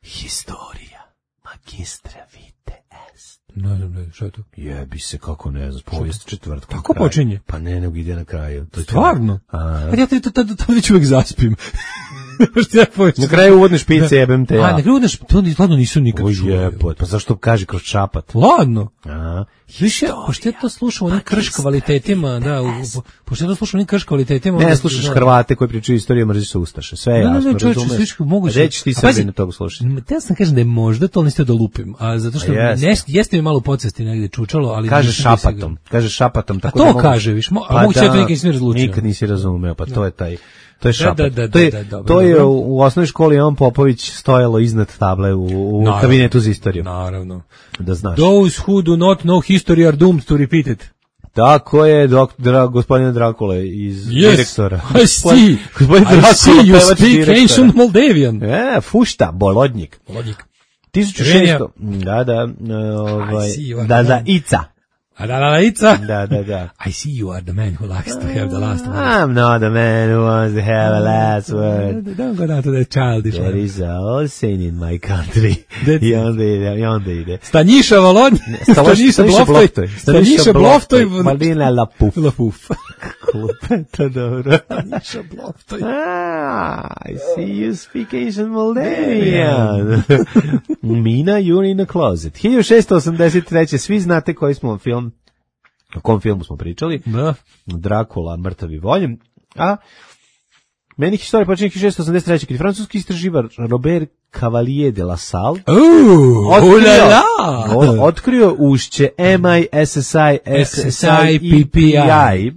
Historija magistra vite est. ne znam, ne, šta je to? Jebi se, kako ne znam, povijest četvrtkom. Tako kraju. počinje? Pa ne, nego ide na kraju. To je to. Stvarno? A, A ja to tad tad već uvek zaspim. Što ja povijest? na kraju uvodne špice jebem te ja. A, na kraju udeš, to ni stvarno nisam nikad O čuo. jebot, pa zašto kaže kroz čapat? Ladno. A, Više, pošto ja to slušam u onim krš kvalitetima, da, u, po- pošto ja to slušam u onim krš kvalitetima. ne onda- slušaš da. Hrvate koji pričaju istoriju, mrzi se Ustaše. Sve je Ne, ne, jasno, ne, čovječe, razumeš? sliš kako moguće. Reći ti A pazi, Srbi na toga slušati. Te ja sam kažem da je možda, to ali niste da lupim, a zato što A jeste. nes- jeste mi malo podsvesti negde čučalo, ali... Kaže nisam bio šapatom, siguran. kaže šapatom. Tako to da mogu- kaže, viš, mo- a moguće ja to nikad nisam razlučio. Nikad nisi razumeo, pa to je taj... To je Da, šapat. da, da, to je, da, da, dobro, to je dobro. u, u osnovnoj školi Jovan Popović stojalo iznad table u, u Naravno. kabinetu za istoriju. Naravno. Da znaš. Those who do not know history are doomed to repeat it. Tako je dok, dra, gospodina Drakule iz direktora. I see. Gospodin I Drakula, see you pevač speak direktora. ancient Moldavian. E, fušta, bolodnjik. Logik. tisuću šesto. Da, da, e, ovaj, I see you are da, the da, man. Ica. A da, da, da, ica. Da, da, da. I see you are the man who likes to have the last word. I'm not the man who wants to have a last word. Don't go down to that childish There one. is a all sin in my country. That's- I onda ide, i onda ide. Stanjiša Volodj, Stanjiša Bloftoj, Stanjiša Bloftoj, Marina Lapuf. Lapuf. To dobro. Stanjiša Bloftoj. Ah, I see you speak Asian Moldavian. Mina, you're in the closet. hiljadu šesto osamdeset treće. Svi znate koji smo film, o kom filmu smo pričali. Da. Drakula, mrtavi voljem. A meni historija počinje hiljadu šesto osamdeset treće. Kad je francuski istraživar Robert Cavalier de la Salle Uuu, ulala! on otkrio ušće M I S S I S S I P P I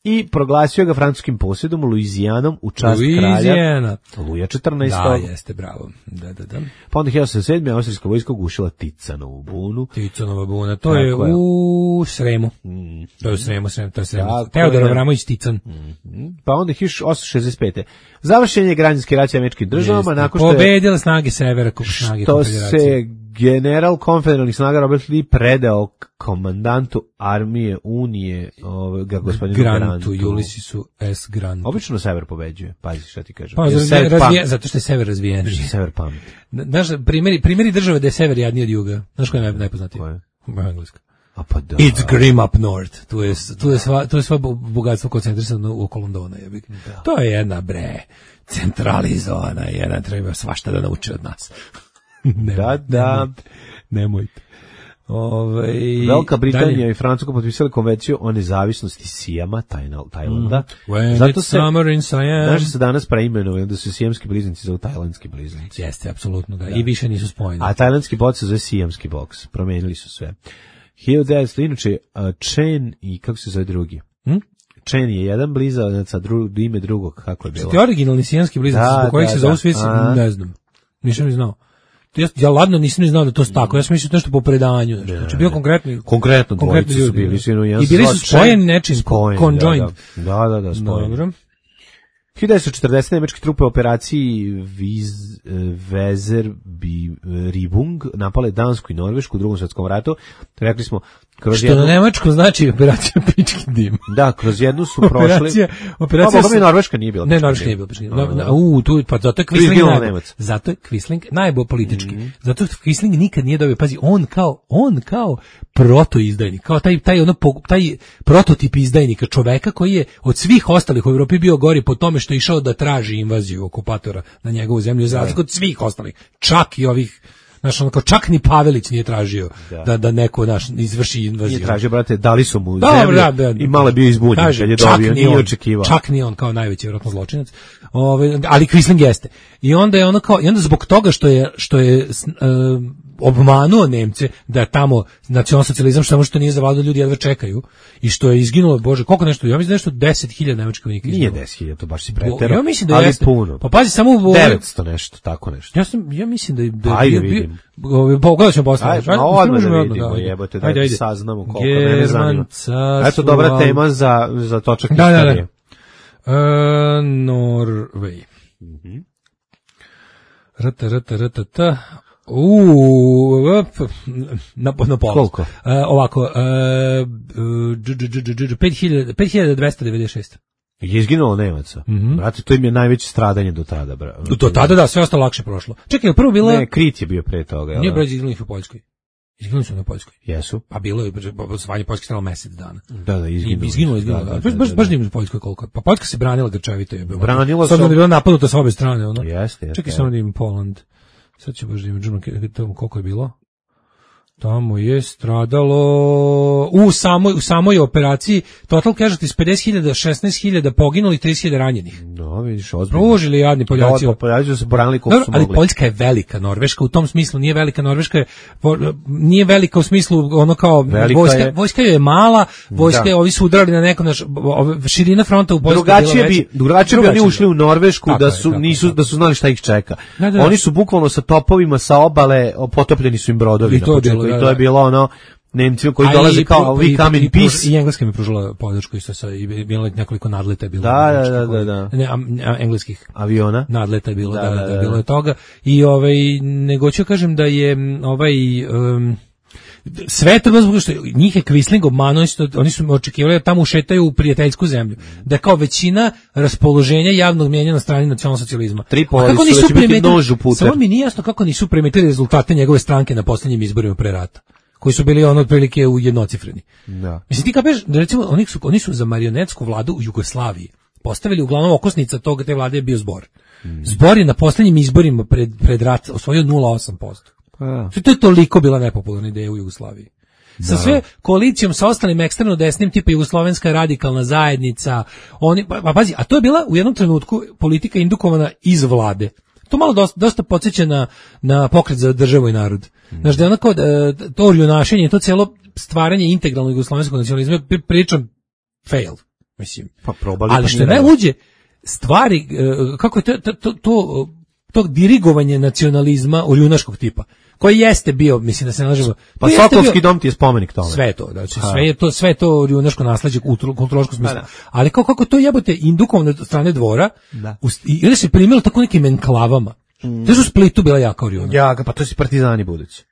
i proglasio ga francuskim posjedom Luizijanom u čast Luizijana. kralja Luja četrnaestog. Da, jeste, bravo. Da, da, da. Pa onda hiljadu sedamsto sedme. austrijska vojska ugušila Ticanovu bunu. Ticanova buna, to je, je u Sremu. Mm. To je u Sremu, Sremu, to je Sremu. Tako Teodor je. Avramović Tican. Mm. Pa onda hiljadu osamsto šezdeset pete. Završen je građanski rat s američkim državama Jeste. nakon što je Pobedile snage severa, snage što konfederacije. se general konfederalnih snaga Robert Lee predao komandantu armije Unije, ovoga gospodinu Grantu, Grantu. Ulyssesu S. Grantu. Obično sever pobeđuje, pazi šta ti kažem. Pa, Jer razvijen, sever razvijen, pam- zato što je sever razvijen. Sever pamet. Znaš, primjeri, primjeri države da je sever jadniji od juga. Znaš koja je naj- najpoznatiji? Koja je? Engleska. A pa da. It's grim up north. Tu je, tu je, sva, tu je sva bogatstvo koncentrisano oko Londona. Je. To je jedna, bre, centralizovana, jedna treba svašta da nauči od nas. Nemoj, Da, da. Nemojte. nemojte. Ove, Velika Britanija dalje. i Francuska potpisali konvenciju o nezavisnosti Sijama, Tajna- Tajlanda. When Zato it's se, summer in Siam. znaš da se danas preimenovali da su sijamski bliznici zovu tajlandski bliznici. Jeste, apsolutno, da. I više nisu spojeni. A tajlandski boks se zove sijamski boks. Promenili su sve. hiljadu devetsto, inače, uh, Chen i kako se zove drugi? Hm? Chen je jedan blizanac, a dru, ime drugog, kako je bilo? Ti originalni sijanski bliznici, Da, zbog kojih da, se da. zovu svi, A. ne znam. Nisam ni znao. Ja, ja ladno nisam ni znao da to su tako. Ja sam mislio nešto po predanju. Znači, znači bio konkretni. Konkretno konkretni dvojice su ljudi, bili. da. Sinu, jedan I bili zvao su spojeni Chen, nečim, spojeni, conjoined. Da, da, da, da spojeni. Dobro. hiljadu devetsto četrdeset. nemačke trupe u operaciji Viz, Weserribung napale Dansku i Norvešku u drugom svjetskom ratu. Rekli smo, kroz Što jednu, na nemačkom znači operacija pički dim. da, kroz jednu su prošli. Operacija, operacija. Pa, boga mi Norveška nije bila. Ne, pički Norveška dim. nije bila pički dim. Da, No, da. na- U, tu, pa zato je Tu je Quisling izginuo najbolj. Nemac. Zato je Quisling najbolj politički. Mhm. Zato što Quisling nikad nije dobio, pazi, on kao, on kao protoizdajnik, kao taj, taj, ono, po- taj prototip izdajnika, čoveka koji je od svih ostalih u Evropi bio gori po tome što je išao da traži invaziju okupatora na njegovu zemlju, za razliku od svih ostalih, čak i ovih. Znaš, ono kao čak ni Pavelić nije tražio da, da, da neko naš izvrši invaziju. Nije tražio, brate, dali su mu Dobro, zemlju da, da, i malo je bio izbunjen Kaže, kad je čak dobio, ni nije on, očekivao. Čak ni on kao najveći vjerojatno zločinac. Ove, ali Quisling jeste. I onda je ono kao, i onda zbog toga što je, što je s- e, obmanuo Nemce da je tamo nacionalsocijalizam, što samo što nije zavladao, ljudi jedva čekaju i što je izginulo, bože, koliko nešto, ja mislim da je nešto deset hiljada nemačkih vojnika Nije izginulo. deset hiljada, to baš si Bo- preterao. Ja mislim da ali jeste. puno. Pa pazi, samo u devetsto nešto, tako nešto. Ja sam, ja mislim da je da je Ajde, bio- vidim. bio- pogledat ćemo posle. Ajde, Ajde, ma odmah možemo da odmah, vidimo, ajde. jebote, da Ajde, ajde. saznamo koliko mene zanima. German Eto, dobra carstvo, tema za, za točak Da, da, da. istorije. Uh, Norway. Mhm. Rata, rata, rata, ta. Uuu, op, na, na pola. Koliko? Uh, ovako, uh, dž, dž, dž, dž, dž, pet hiljada pet hiljada dvesta devedeset šest. Je izginulo Nemaca. Mhm. Brate, to im je najveće stradanje do tada. Bra. Do tada da, sve ostalo lakše prošlo. Čekaj, prvo bila... Ne, Krit je bio pre toga. jel Nije da? broj izginulih u Poljskoj. Izginuli su na Poljskoj. Jesu. Pa bilo je, osvajanje Poljske trajalo mesec dana. Da, da, izginulo. Izginulo, izginulo. Da, Da, da, baš, da, baš, da, baš da. nije u Poljskoj koliko. Pa Poljska se branila grčevito je bilo. Branila S obzirom se- da je bila napadnuta sa obe strane, ono. Jeste, jeste. Čekaj samo da imam Poland. Sad ću baš da imam džuno, tamo koliko je bilo. Tamo je stradalo u samoj u samoj operaciji total casualties pedeset hiljada, šesnaest hiljada poginulih, trideset hiljada ranjenih. No, vidiš, ozbiljno. Pružili jadni Poljaci. Da, Poljaci su se branili koliko Dobro, su ali mogli. Poljska je velika, Norveška u tom smislu nije velika, Norveška je, po- nije velika u smislu ono kao Velika vojska, je. vojska joj je mala, vojska Da. je, ovi su udarali na neko naš, ove- širina fronta u Poljskoj je bila Drugačije bi, veća. drugačije bi oni Drugačije. ušli u Norvešku Tako da je, su tako je, nisu tako da su znali šta ih čeka. Da, da, da. Oni su bukvalno sa topovima sa obale o, potopljeni su im brodovi I na to je početku bilo, i da, to je da. bilo ono Nemci koji A dolaze i kao pru- we i- come in i pruž- peace. I Engleska mi pružila podršku isto sa, i bilo je nekoliko nadleta je bilo. Da, da, nemačkih, da, koji- da, da. Ne, a- a- engleskih. Aviona. Nadleta je bilo, Da, da, da, da, da, da. bilo je toga. I ovaj, nego ću kažem da je m, ovaj... Um, sve to zbog što njih je Quisling obmanuo, isto, oni su očekivali da tamo ušetaju u prijateljsku zemlju. Da je kao većina raspoloženja javnog mjenja na strani nacionalsocijalizma. Tripoli A kako su nisu da će biti primetili- nož u puter. Samo mi nije jasno kako nisu primetili rezultate njegove stranke na posljednjim izborima pre rata, koji su bili ono otprilike u jednocifreni. Da. Mislim, ti kapeš, da recimo, oni su, oni su za marionetsku vladu u Jugoslaviji postavili, uglavnom okosnica toga te vlade je bio Zbor. Zbor je na posljednjim izborima pred, pred rat osvojio nula zarez osam posto. Pa da. To je toliko bila nepopularna ideja u Jugoslaviji. Sa sve koalicijom sa ostalim ekstremno desnim tipa Jugoslovenska radikalna zajednica, oni pa, pa pazi, a to je bila u jednom trenutku politika indukovana iz vlade. to malo dosta, dosta podsjeća na, na pokret za državu i narod. Mm. Znaš, da je onako, to orjunašenje, to cijelo stvaranje integralnog jugoslovenskog nacionalizma, pričam fail, mislim. Pa probali. Ali što je najluđe, stvari, kako je to, to, to, to, to dirigovanje nacionalizma orjunaškog tipa, koji jeste bio, mislim da se ne lažemo. Pa Sokolski dom ti je spomenik tome. Sve to, znači sve je to, sve to orjunaško nasleđe u kulturološkom smislu. Ali kako kako to jebote indukovano od strane dvora, da. U, i onda se primilo tako nekim enklavama. Mm. To su u Splitu bila jaka orjuna. Ja, pa to su partizani budući.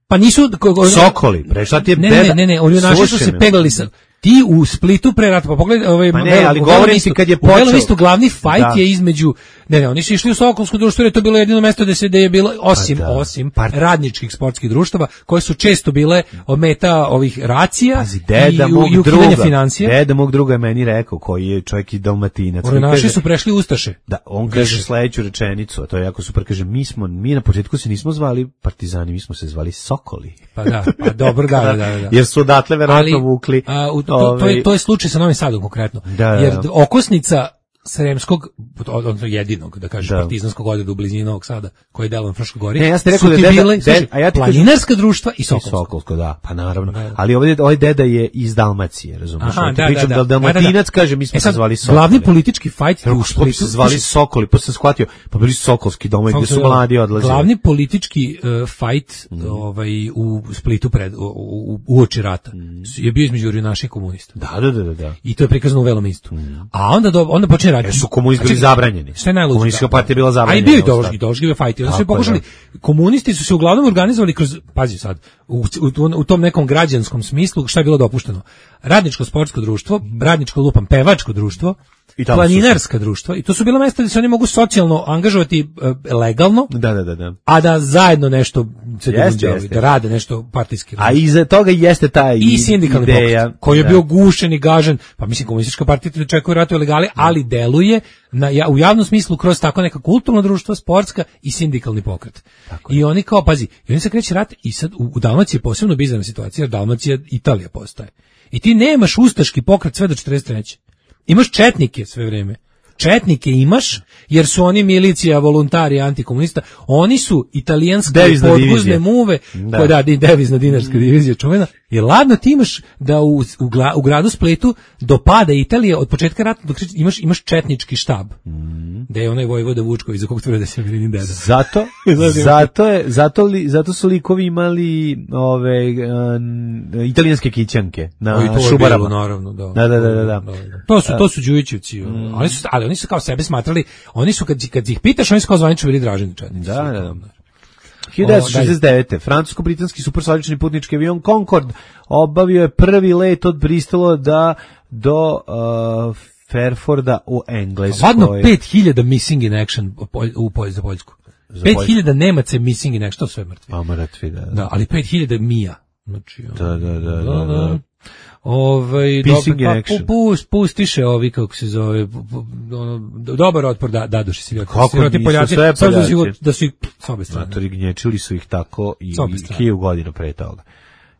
Pa nisu Sokoli, bre, šta ti je ne, ne, ne, ne, orjunaši su se peglali sa ti u Splitu pre rata, pa pogledaj, ovaj, pa ne, ali govorim ti kad je počeo. U Belom isto glavni fajt da. je između, ne, ne, oni su išli u Sokolsko društvo, jer je to bilo jedino mesto gde se, gde je bilo, osim, da. osim Part... radničkih sportskih društava, koje su često bile meta ovih racija. Pazi, deda i, mog i druga, financije. Deda mog druga je meni rekao, koji je čovjek i Dalmatinac. Orjunaši su prešli Ustaše. Da, on kaže sledeću rečenicu, a to je jako super, kaže, mi smo, mi na početku se nismo zvali partizani, mi smo se zvali Sokoli. Pa da, pa dobro, da, da, da. da. Jer su odatle verovatno vukli. A, u, to, to, to, je, to je slučaj sa Novim Sadom konkretno. Da, jer da. okosnica Sremskog, odnosno jedinog, da kažeš, da. partizanskog odreda u blizini Novog Sada, koji je delo na Fruškoj gori, ne, ja ste rekao da deda, bile, služi, a ja ti planinarska kažem, društva i Sokolsko. I Sokolsko, da, pa naravno. Da. Ali ovdje, ovaj deda je iz Dalmacije, razumiješ? Aha, da, pričam da, da. da Dalmatinac kaže, mi smo e sad, se zvali Sokoli. Glavni politički fajt u Splitu se zvali Sokoli, pa sam shvatio, pa bili su Sokolski domovi gdje su mladi odlazili. Glavni politički uh, fajt mm. ovaj, u Splitu pred, u, u, u oči rata mm. je bio između orjunaša i komunista. Da, da, da, da. I to je prikazano u Velom istu. Mm. A onda, do, onda počne raditi. Jer su komunisti zabranjeni. Šta je najluđe? Komunistička partija bila zabranjena. A i bio je ideološki, ideološki fajt. Onda su pokušali, komunisti su se uglavnom organizovali kroz, pazi sad, u, u, u tom nekom građanskom smislu, šta je bilo dopušteno? Radničko sportsko društvo, radničko lupam, pevačko društvo, planinarska društva, i to su bila mesta gdje se oni mogu socijalno angažovati uh, legalno, da, da, da, da. a da zajedno nešto se događaju, da rade nešto partijski. A iza toga jeste ta i sindikalni ideja, pokret, koji je da. bio gušen i gažen, pa mislim komunistička partija te čekuje ratuje legali, ali deluje na, ja, u javnom smislu kroz tako neka kulturna društva, sportska i sindikalni pokret. Tako I je. oni kao, pazi, i oni se kreće rat i sad u, u Dalmaciji je posebno bizarna situacija, jer Dalmacija Italija postaje. I ti nemaš ustaški pokret sve do četrdeset treće Imaš četnike sve vreme. Četnike imaš, jer su oni milicija, volontari, antikomunista. Oni su italijanske podguzne muve, da. koja da, devizna dinarska divizija čuvena. Jer ladno ti imaš da u, u, gla, u gradu Splitu do pada Italije od početka rata dok imaš, imaš četnički štab. Mm. Da je onaj vojvoda Vučković, za kog tvrde da se Milinin deda. Zato, zato, je, zato, li, zato su likovi imali ove uh, italijanske kićanke na Šubarama. Naravno, da. Da, da, da, da, da. To su, to su Đujićevci. Mm. Ali, su, ali oni su kao sebe smatrali, oni su kad, kad ih pitaš, oni su kao zvanično bili Draženi četnici. Da, da, da. hiljadu devetsto šezdeset devete francusko-britanski supersonični putnički avion Concorde obavio je prvi let od Bristola da do uh, Fairforda u Engleskoj. Ladno pet hiljada missing in action u Polj, za Poljsku. pet hiljada Nemaca missing in action, to sve mrtvi. A mrtvi, da. Da, ali pet hiljada mija. Znači, da, da, da, da, da. da. Ovaj dobar, pa, pust, pustiše ovi kako se zove ono, dobar otpor da da duši se kako ti Poljaci sad da su da su ih s obe strane matori gnječili su ih tako i hiljadu godina pre toga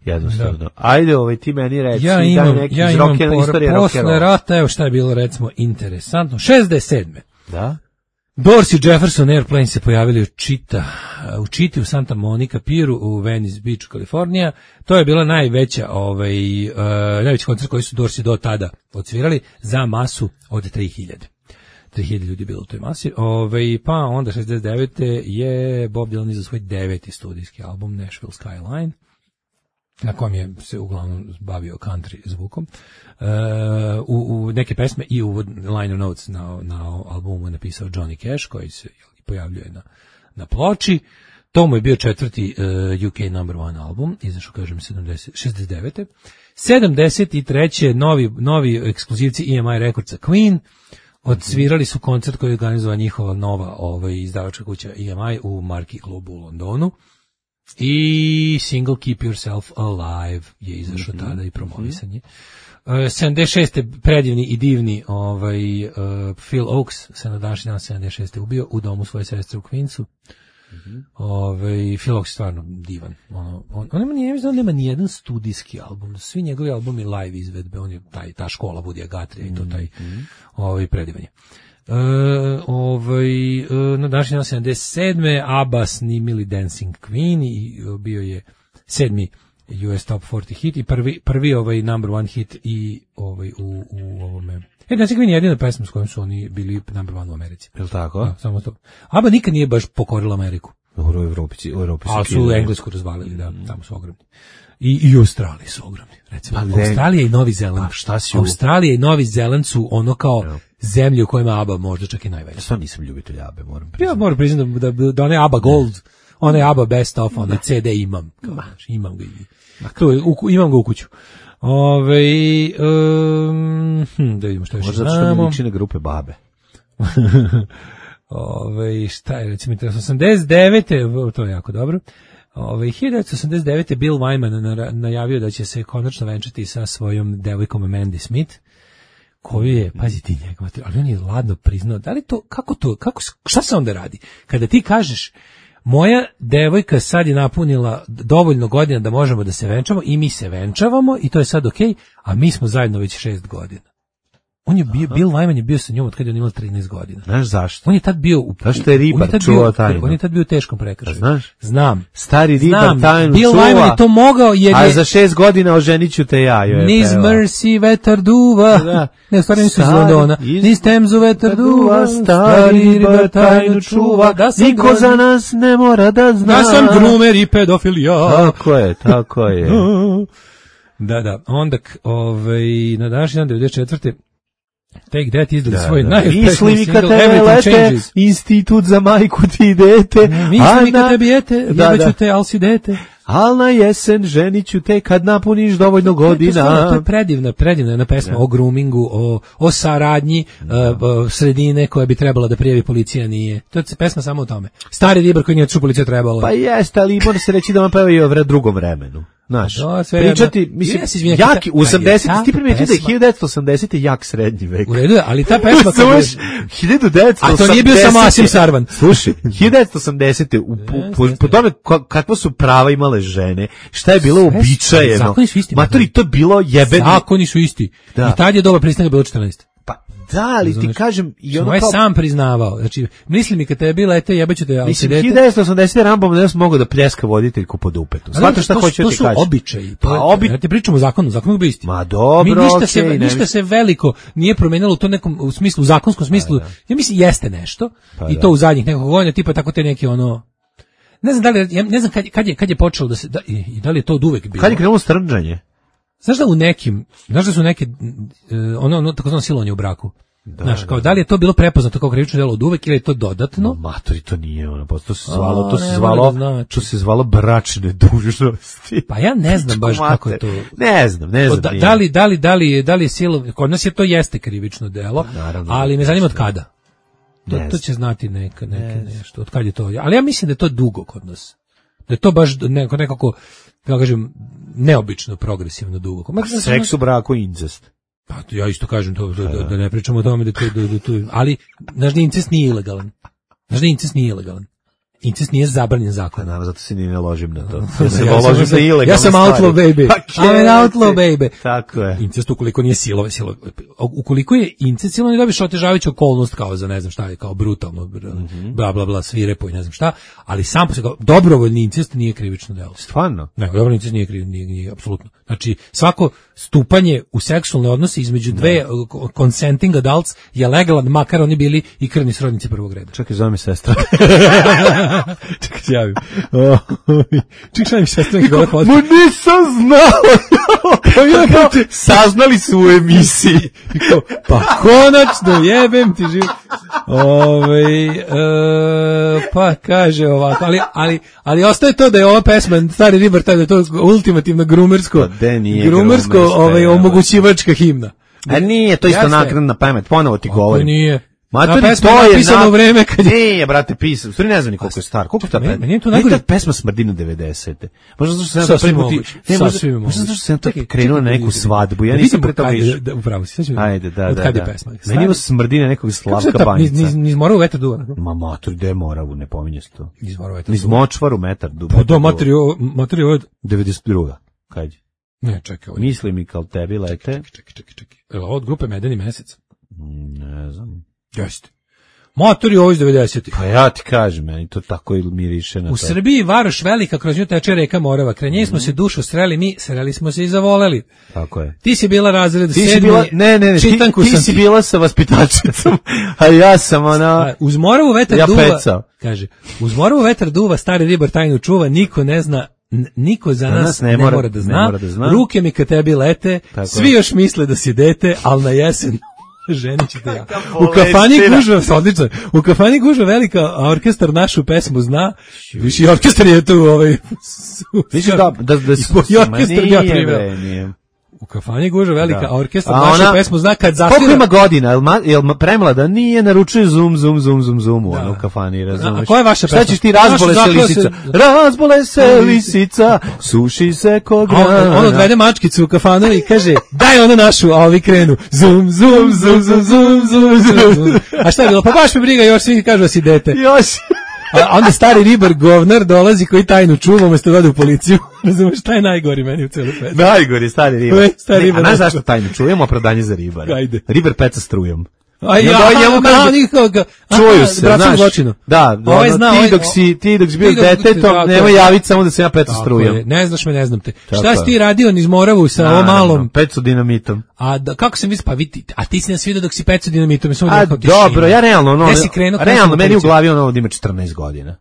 jednostavno da. Ajde ovaj ti meni reci ja imam, da neki ja iz rock istorije posle rata evo šta je bilo recimo interesantno šezdeset sedme da Dorsey i Jefferson Airplane se pojavili u Čita, u Čiti u Santa Monica Pieru u Venice Beach, Kalifornija. To je bila najveća, ovaj, uh, najveći koncert koji su Dorsey do tada odsvirali za masu od tri hiljade. tri hiljade ljudi bilo u toj masi. Ovaj, pa onda šezdeset devete je Bob Dylan izdao svoj deveti studijski album Nashville Skyline, na kojem je se uglavnom bavio country zvukom. Uh, u, u neke pesme i u liner notes na, na albumu je napisao Johnny Cash, koji se pojavljuje na, na ploči. To mu je bio četvrti uh, U K number one album, izašao, kažem, šezdeset devete sedamdeset treće novi, novi ekskluzivci E M I Recordsa Queen odsvirali su koncert koji je organizovala njihova nova ovaj, izdavačka kuća E M I u Marquee klubu u Londonu. I single Keep Yourself Alive je izašao mm-hmm. tada i promovisanje. Uh, sedamdeset šeste predivni i divni ovaj, uh, Phil Oakes se na današnji dan sedamdeset šeste ubio u domu svoje sestre u Queensu. Mm-hmm. Ovaj, Phil Oakes je stvarno divan. Ono, on, on nema, nije, on nema nijedan studijski album. Svi njegovi albumi live izvedbe. On je taj, ta škola Woodya Guthrie i to taj mm-hmm. ovaj, predivan je. E, ovaj, e, na današnji dan sedamdeset sedme ABBA snimili Dancing Queen i e, bio je sedmi U S Top četrdeset hit i prvi, prvi ovaj number one hit i ovaj u, u ovome. E, Dancing Queen je jedina pesma s kojom su oni bili number one u Americi. Je li tako? Da, samo to. ABBA nikad nije baš pokorila Ameriku. U Evropi, u Evropi ali su Englesku razvalili, da, tamo su ogromni. I, i u Australiji su ogromni. Recimo, pa Australija i Novi Zeland. Pa šta si u... Australija i Novi Zeland su ono kao no. zemlje u kojima ABBA možda čak i najveća. Ja sam nisam ljubitelj ABBA, moram priznati. Ja moram priznati da, da, da one ABBA Gold, one ABBA Best of, one C D imam. Kao, znači, imam ga i to, u, imam ga u kuću. Ove, um, hm, da vidimo što još možda znamo. Možda što mi liči na grupe babe. Ove, šta je, recimo, osamdeset devete to je jako dobro. Ove, hiljadu devetsto osamdeset devete Bill Wyman najavio da će se konačno venčati sa svojom devojkom Mandy Smith, koju je, pazi ti njegova, ali on je ladno priznao, da li to, kako to, kako, šta se onda radi? Kada ti kažeš, moja devojka sad je napunila dovoljno godina da možemo da se venčamo i mi se venčavamo i to je sad okej, okay, a mi smo zajedno već šest godina. On je bio, Bill Wyman je bio sa njom od kada je on imala trinaest godina. Znaš zašto? On je tad bio u... Zašto je ribar čuva tajnu? On je tad bio u teškom prekršaju. Znaš? Znam. Stari ribar Znam. tajnu Bill čuva. Bill Wyman je to mogao jer je... A za šest godina oženiću te ja. Niz Mercy vetar duva. Da. Ne, stvarno nisu iz Londona. Iz... Niz Temzu vetar duva. Stari ribar tajnu čuva. Da niko grad... za nas ne mora da zna. Da sam grumer i pedofilija. Tako je, tako je. Da, da. Onda, ovaj, na današnji dan devedeset četvrte Take That izdali da, svoj da. najuspešniji single Everything Changes. Institut za majku ti dete. Mislim kad te bijete, jebaću te, al si dete. Al na jesen ženiću te kad napuniš dovoljno godina. To je, to je predivna, predivna jedna pesma ja. o groomingu, o, o saradnji uh, sredine koja bi trebala da prijavi policija, nije. To je pesma samo o tome. Stari ribar koji nije ču policija trebalo. Pa jeste, ali mora se reći da on peva i o drugom vremenu. Znaš, pričati, mislim, yes, jaki, u osamdesetim, ti primetio da je hiljadu devetsto osamdesete jak srednji vek. U redu je, ali ta pesma... hiljadu devetsto osamdesete A to nije bio samo Asim Sarvan. Slušaj, hiljadu devetsto osamdesete u, po, po tome kakva su prava imale žene, šta je bilo uobičajeno. Zakoni su isti. Matori, to je bilo jebeno. Zakoni su isti. Da. I tad je doba pristanka bilo četrnaest. Da, ali ti kažem i ono kao... kao... sam priznavao. Znači, misli mi kad te je bila, ete, jebaću te... Mislim, hiljadu devetsto osamdesete Rambom ne sam mogao da pljeska voditeljku pod upetu. Znate šta hoću da ti kažem? To su običaji. Pa obi... Ja ti pričamo o zakonu, zakon je bio isti. Ma dobro, Mi ništa, okay, se, ne ništa mi... se veliko nije promenilo u to nekom u smislu, u zakonskom smislu. Pa, da. Ja mislim, jeste nešto. Pa, I to da. u zadnjih nekog godina, tipa tako te neki ono... Ne znam da li, ja ne znam kad, kad, je, kad je počelo da se... Da, i, i da li je to od uvek bilo? Kad je krenulo strnđanje? Znaš da u nekim... Znaš da su neke... Ono, ono tako zvano silovanje u braku. Da, Znaš, kao, da, da li je to bilo prepoznato kao krivično delo od uvek ili je to dodatno? No, matori, to nije ono, to se zvalo, to se zvalo, znači. to se zvalo bračne dužnosti. Pa ja ne znam baš kako je to. Ne znam, ne znam. Da, da li, da li, da li, da li je silo, kod nas je to jeste krivično delo, naravno, ali me zanima od kada. To, to će znati neka, neke nešto, od kad je to. Ali ja mislim da je to dugo kod nas. Da je to baš neko, nekako, kako kažem, neobično progresivno dugo. Ma, seks u braku i incest. Pa ja isto kažem to, da, da, da ne pričamo o tome da to, da, da to, ali znaš da incest nije ilegalan. Znaš da incest nije ilegalan. Incest nije zabranjen zakonom. Naravno, zato se ni ne ložim na to. Ja, se ja, ložim sam, na ilegalne ja sam outlaw baby. I'm an outlaw baby. Tako je. Incest ukoliko nije silove, silove. Ukoliko je incest silove, ne dobiš otežavajuću okolnost kao za ne znam šta je, kao brutalno, bla bla bla, svirepo i ne znam šta, ali sam po sebi dobrovoljni incest nije krivično delo. Stvarno? Ne, dobrovoljni incest nije krivično, nije, nije apsolutno. Znači, svako stupanje u seksualne odnose između dve no. consenting adults je legalan, makar oni bili i krvni srodnici prvog reda. Čekaj, zove mi sestra. Čekaj, se javim. Čekaj, šta mi sestra neki gore fotka. Ma nisam znao! Saznali su u emisiji. Pa konačno, jebem ti živ. Ove, e, pa kaže ovako, ali, ali, ali ostaje to da je ova pesma, Stari ribar, da je to ultimativno grumersko, grumersko, ovaj, omogućivačka himna. A nije, to isto naknadna pamet, ponovo ti govorim. Nije. Matori, pesma to je napisano na... vreme kad je... Nije, brate, pisao. Stvari ne znam ni koliko je star. Koliko ta pesma? Meni to najgore. Pesma smrdi na devedesete. Možda zato što sam prvi put... Ne, možda, možda zato što sam to krenuo na neku svadbu. Ja nisam pre toga išao. Da, upravo si. Ajde, da, da, od kad je da. pesma? Meni ima smrdi na nekog Slavka Banjica. Niz, niz Moravu vetar duva. Ma matori, gde je Moravu, ne pominje se to. Niz Moravu vetar duva. Niz Močvaru metar duva. Pa do, matori, matori ovo... devedeset druga. Kad je? Ne, čekaj. Misli mi kao tebi lete. Čekaj, čekaj, čekaj. Evo, od grupe Medeni mesec. Ne znam. Jeste. Motor je ovo iz devedesetih. Pa ja ti kažem, meni to tako miriše na to. U Srbiji Varoš velika, kroz nju teče reka Morava. Kraj nje smo se dušu sreli, mi sreli smo se i zavoleli. Tako je. Ti si bila razred Ti si sedmi, bila, ne, ne, ne, ti, čitanku ti sam si ti. bila sa vaspitačicom, a ja sam ona... A, uz Moravu vetar Ja duva, pecao. kaže, uz Moravu vetar duva, stari ribar tajnu čuva, niko ne zna, n- niko za nas, nas ne ne, mora- mora da ne zna, mora da zna. ruke mi ka tebi lete, Tako svi je. još misle da si dete, ali na jesen ženit ćete ja. U bolestina. kafani gužva, odlično, u kafani gužva velika, a orkestar našu pesmu zna, viš i orkestar je tu, ovaj, Viš da, da, da, i po- i orkestar ma ga nije, priveo. bre, nije. U kafani gužva velika, Da. a orkestar A našu ona- pesmu zna kad Koliko zasvira. ima godina? Jel, ma, jel ma- premlada? Nije, naručuje zum, zum, zum, zum, zum u Da. ono u kafani, razumeš? A koja je vaša Šta pesma? ćeš ti, razbole Naša se zaklela lisica? se- Razbole se lisica, suši se ko A on, grana. on odvede mačkicu u kafanu i kaže, daj ono našu, a ovi krenu. Zum, zum, zum, zum, zum, zum, zum, zum. A šta je bilo? Pa baš me briga, još svi kažu da si dete. Još. A onda stari ribar govnar dolazi koji tajnu čuva, umesto da ode u policiju. Razumeš, šta je najgori meni u celoj svetu? Najgori, stari ribar. Uvek stari Ne, ribar. A znaš zašto tajno? Čujemo opravdanje za ribara. Ajde. Ribar peca strujom. A I ja, onda on njemu ma, kaže, nikoga. Čuju Aha, se, braćom znaš. zločinu. Da, Ovaj ono, zna, ti ovaj- dok si, ti dok si bio ti dok- detetom, tako nemoj je. javiti samo da se ja peca Tako strujom. je. Ne znaš me, ne znam te. Tako Šta si je. ti radio niz Moravu sa ovom malom? Pecu dinamitom. A da, kako sam vidio, pa vidi, a ti si nas vidio dok si pecao dinamitom. Samo A rekao, tišina. dobro, ja realno, ono, Gde si krenuo, kada realno, si meni u policiju? glavi ono da ima četrnaest godina.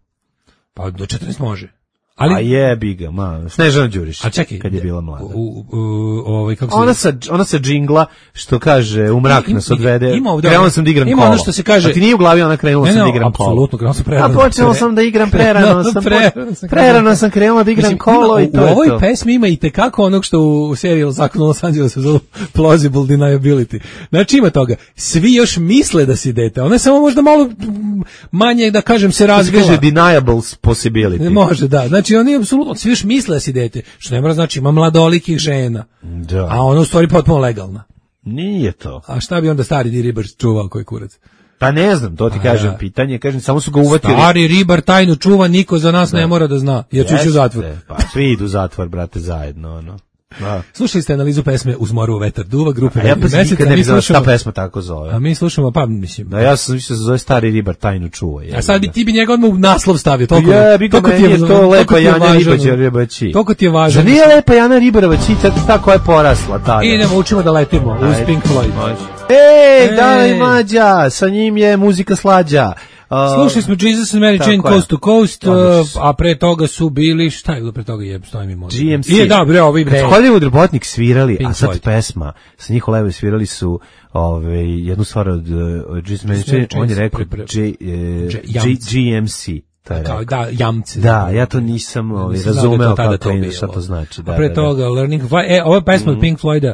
Pa do četrnaest može. Ali, a Ali, jebi ga, ma, Snežana Đurišić, a čekaj, kad je bila mlada. U, u, u, ovaj, kako se Ona zove? sa, ona sa džingla, što kaže, u mrak Ima- nas odvede, ima ovdje krenula ono- sam da igram ima kolo. ono što se kaže- A ti nije u glavi ona krenula Ne, sam ne, da igram kolo. apsolutno, krenula sam A prerano. počela Pre- sam da igram prerano, sam, Prerano sam prerano krenuo. sam krenula da igram Mislim, kolo ima- i to u je ovoj to. pesmi ima i tekako onog što u, u seriji Zakon o Los Angelesu zove plausible deniability. Znači ima toga. Svi još misle da si dete. Ona je samo možda malo mm, manje, da kažem, se To se razvila. kaže deniable possibility. Ne može, da. Znači oni apsolutno svi još misle da si dete. Što ne mora znači ima mladolikih žena. Da. A ona u stvari potpuno legalna. Nije to. A šta bi onda stari di ribar čuvao koji kurac? Pa ne znam, to ti A, kažem, da. pitanje, kažem, samo su ga uvatili. Stari ribar tajnu čuva, niko za nas ne mora da zna. Jer ću ići u Jeste, zatvor. Pa svi idu u zatvor, brate, zajedno, ono. Da. Slušali ste analizu pesme Uz moru vetar duva, grupe A ja Vedri pa Mesec, nikad a ne mi bi znao šta slušamo- pesma tako zove. A mi slušamo, pa mislim. Da, ja sam mislio da se zove Stari ribar tajnu čuva. A sad bi ti bi njega odmah u naslov stavio, toliko. Jebi ga, toliko meni je to toliko lepa ti je Janja važno. Ribađa Ribaći. Toliko ti je važno. Zar nije lepa Jana Ribarovaći, ta koja je porasla tada? Idemo, učimo da letimo uz Ajde. Pink Floyd. Može. Ej, Ej. Dana i Mlađa, sa njim je muzika slađa. Uh, Slušali smo Jesus and Mary tako Chain je. Coast to Coast, Odlično uh, su. a pre toga su bili, šta je bilo pre toga, je, stoji mi možda. G M C. I da, bre, ovi Kad bre. su Hollywood Robotnik svirali, Pink a sad Floyd. pesma, sa njih Levo svirali su ove, jednu stvar od uh, Jesus Mary Chain, on je Chain, rekao pre- pre- J, e, J- G- Jamci. G M C. To je Kao, rekao. da, jamce. Da, ja to nisam ovaj, Nisam znao da je to razumeo tada kako to je, bilo. šta to znači. Da, A pre da, da. toga, Learning to Fly, e, ova pesma od Pink Floyda,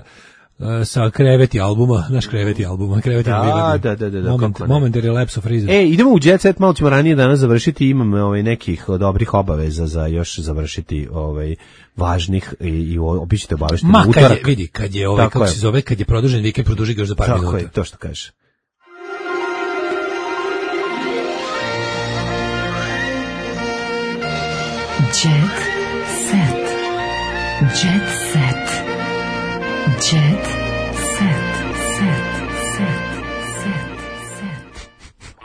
uh, sa Kreveti albuma, naš Kreveti albuma, Kreveti Da, albuma. da, da, da, da, Moment, kako ne. momentary lapse of reason. E, idemo u Jet Set, malo ćemo ranije danas završiti, imam ovaj, nekih dobrih obaveza za još završiti ovaj, važnih i, i obićete obavešteni Ma, kad utorak. je, vidi, kad je ovaj, Tako kako je. se zove, kad je produžen vikend, produži ga još za par Tako minuta. je, to što kaže. Jet set. Jet set. Jet set. Set. Set. Set.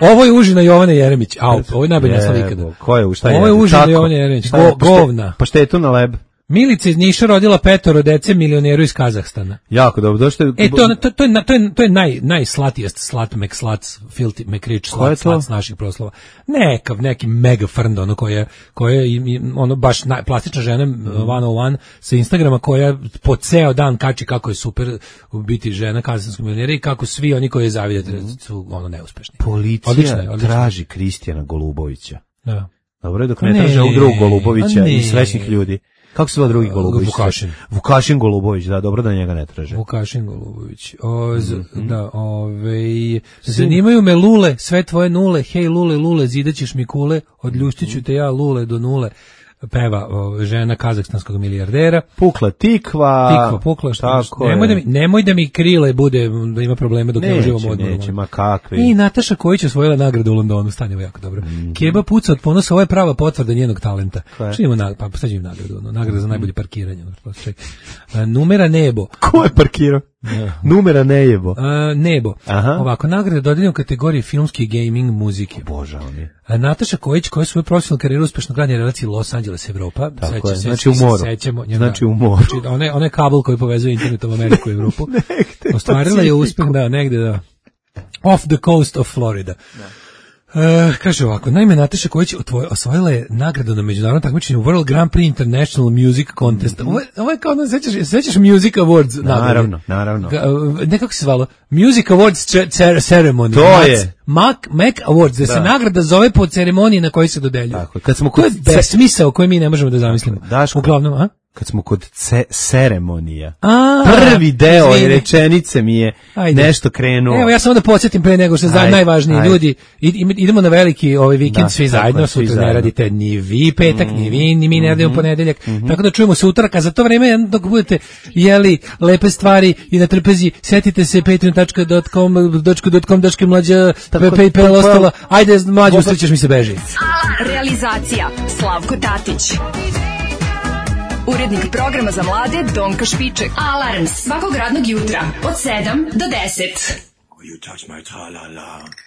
Ovo je užina Jovane Jeremić. Au, ovo je najbolji naslov Jebo, ikada. ko je, u šta je? Ovo je užina Tako. Jovane Jeremić. Šta je? Go- Pašte- govna. Paštetu na leb. Milica iz Niša rodila petoro dece milioneru iz Kazahstana. Jako dobro, došto je... E, to, to, to je, na- to je, to je naj, najslatijest slat, McSlats, filthy, McRich, Ko je slat, to? slat s naših proslova. Nekav, neki mega frnd, ono koja, koja je, im- im- ono, baš naj, plastična žena, Mhm. one oh one, sa Instagrama, koja po ceo dan kači kako je super biti žena kazahstanskog milionera i kako svi oni koji je zavidjeti su, ono, neuspešni. Policija Odlično je, odlično. traži Kristijana Golubovića. Da. Dobro je dok Pa ne ne, traže ovog drugog Golubovića a ne. i srećnih ljudi. Kako se zove drugi Golubović? Vukašin. Vukašin Golubović, da, dobro da njega ne traže. Vukašin Golubović. O, z, Mhm. Da, ovaj zanimaju me lule, sve tvoje nule, hej lule, lule, zidaćeš mi kule, odljuštiću te ja lule do nule. Peva o, žena kazahstanskog milijardera. Pukla tikva. Tikva pukla, što Tako nemoj je. da mi nemoj da mi krile bude da ima probleme dok ne Neće, uživamo odmah. neće, ma kakvi. I Nataša Kojić osvojila nagradu u Londonu, stane ovo jako dobro. Mhm. Keba puca od ponosa, ovo je prava potvrda njenog talenta. Koja je? Što ima na, pa sad ću im nagradu, ono, nagrada za najbolje parkiranje. Ono, to se čeka. A, numera nebo. Ko je parkirao? Numera nejebo. Uh, nebo. Aha. Ovako, nagrade dodeljene u kategoriji filmski i gaming muzike. Bože, on je. A Nataša Kojić, koja je svoju profesionalnu karijeru uspešno gradnja relaciji Los Angeles Evropa. Tako je, se, znači u moru. Sećamo, njega, znači u moru. Znači, one, one kabel koji povezuje internetom Ameriku i Evropu. Ostvarila je uspeh, da, negde, da. Off the coast of Florida. Da. Uh, kaže ovako, naime Nataša Kojić osvojila je nagradu na međunarodnom takmičenju World Grand Prix International Music Contest. Ovo je, ovo je kao, no, sećaš, sećaš Music Awards nagrade? Naravno, naravno. Uh, nekako se zvalo? Music Awards Ceremony. To Mac, je. Mac, Mac Awards, da, da se nagrada zove po ceremoniji na kojoj se dodeljuje. Tako, kad smo kod to je besmisao koji mi ne možemo da zamislimo. Daško, uglavnom, a? Kad smo kod ce, ceremonija. A, prvi deo izvini. Rečenice mi je Ajde. nešto krenuo. Evo ja samo da podsjetim pre nego što je najvažniji ajde. Ljudi, idemo na veliki ovaj vikend da, svi zajedno, sutra ne radite ni vi petak, mm. ni vi, ni mi ne radimo mm-hmm. ponedeljak. Mm-hmm. Tako da čujemo se utorak, a za to vreme dok budete jeli lepe stvari i na trpezi, setite se patreon dot com dot com mlađa PayPal ostalo. Ajde mlađe, usrećeš mi se beži. Realizacija Slavko Tatić. Urednik programa za mlade Donka Špiček. Alarms svakog radnog jutra od sedam do deset. You touch my tra-la-la.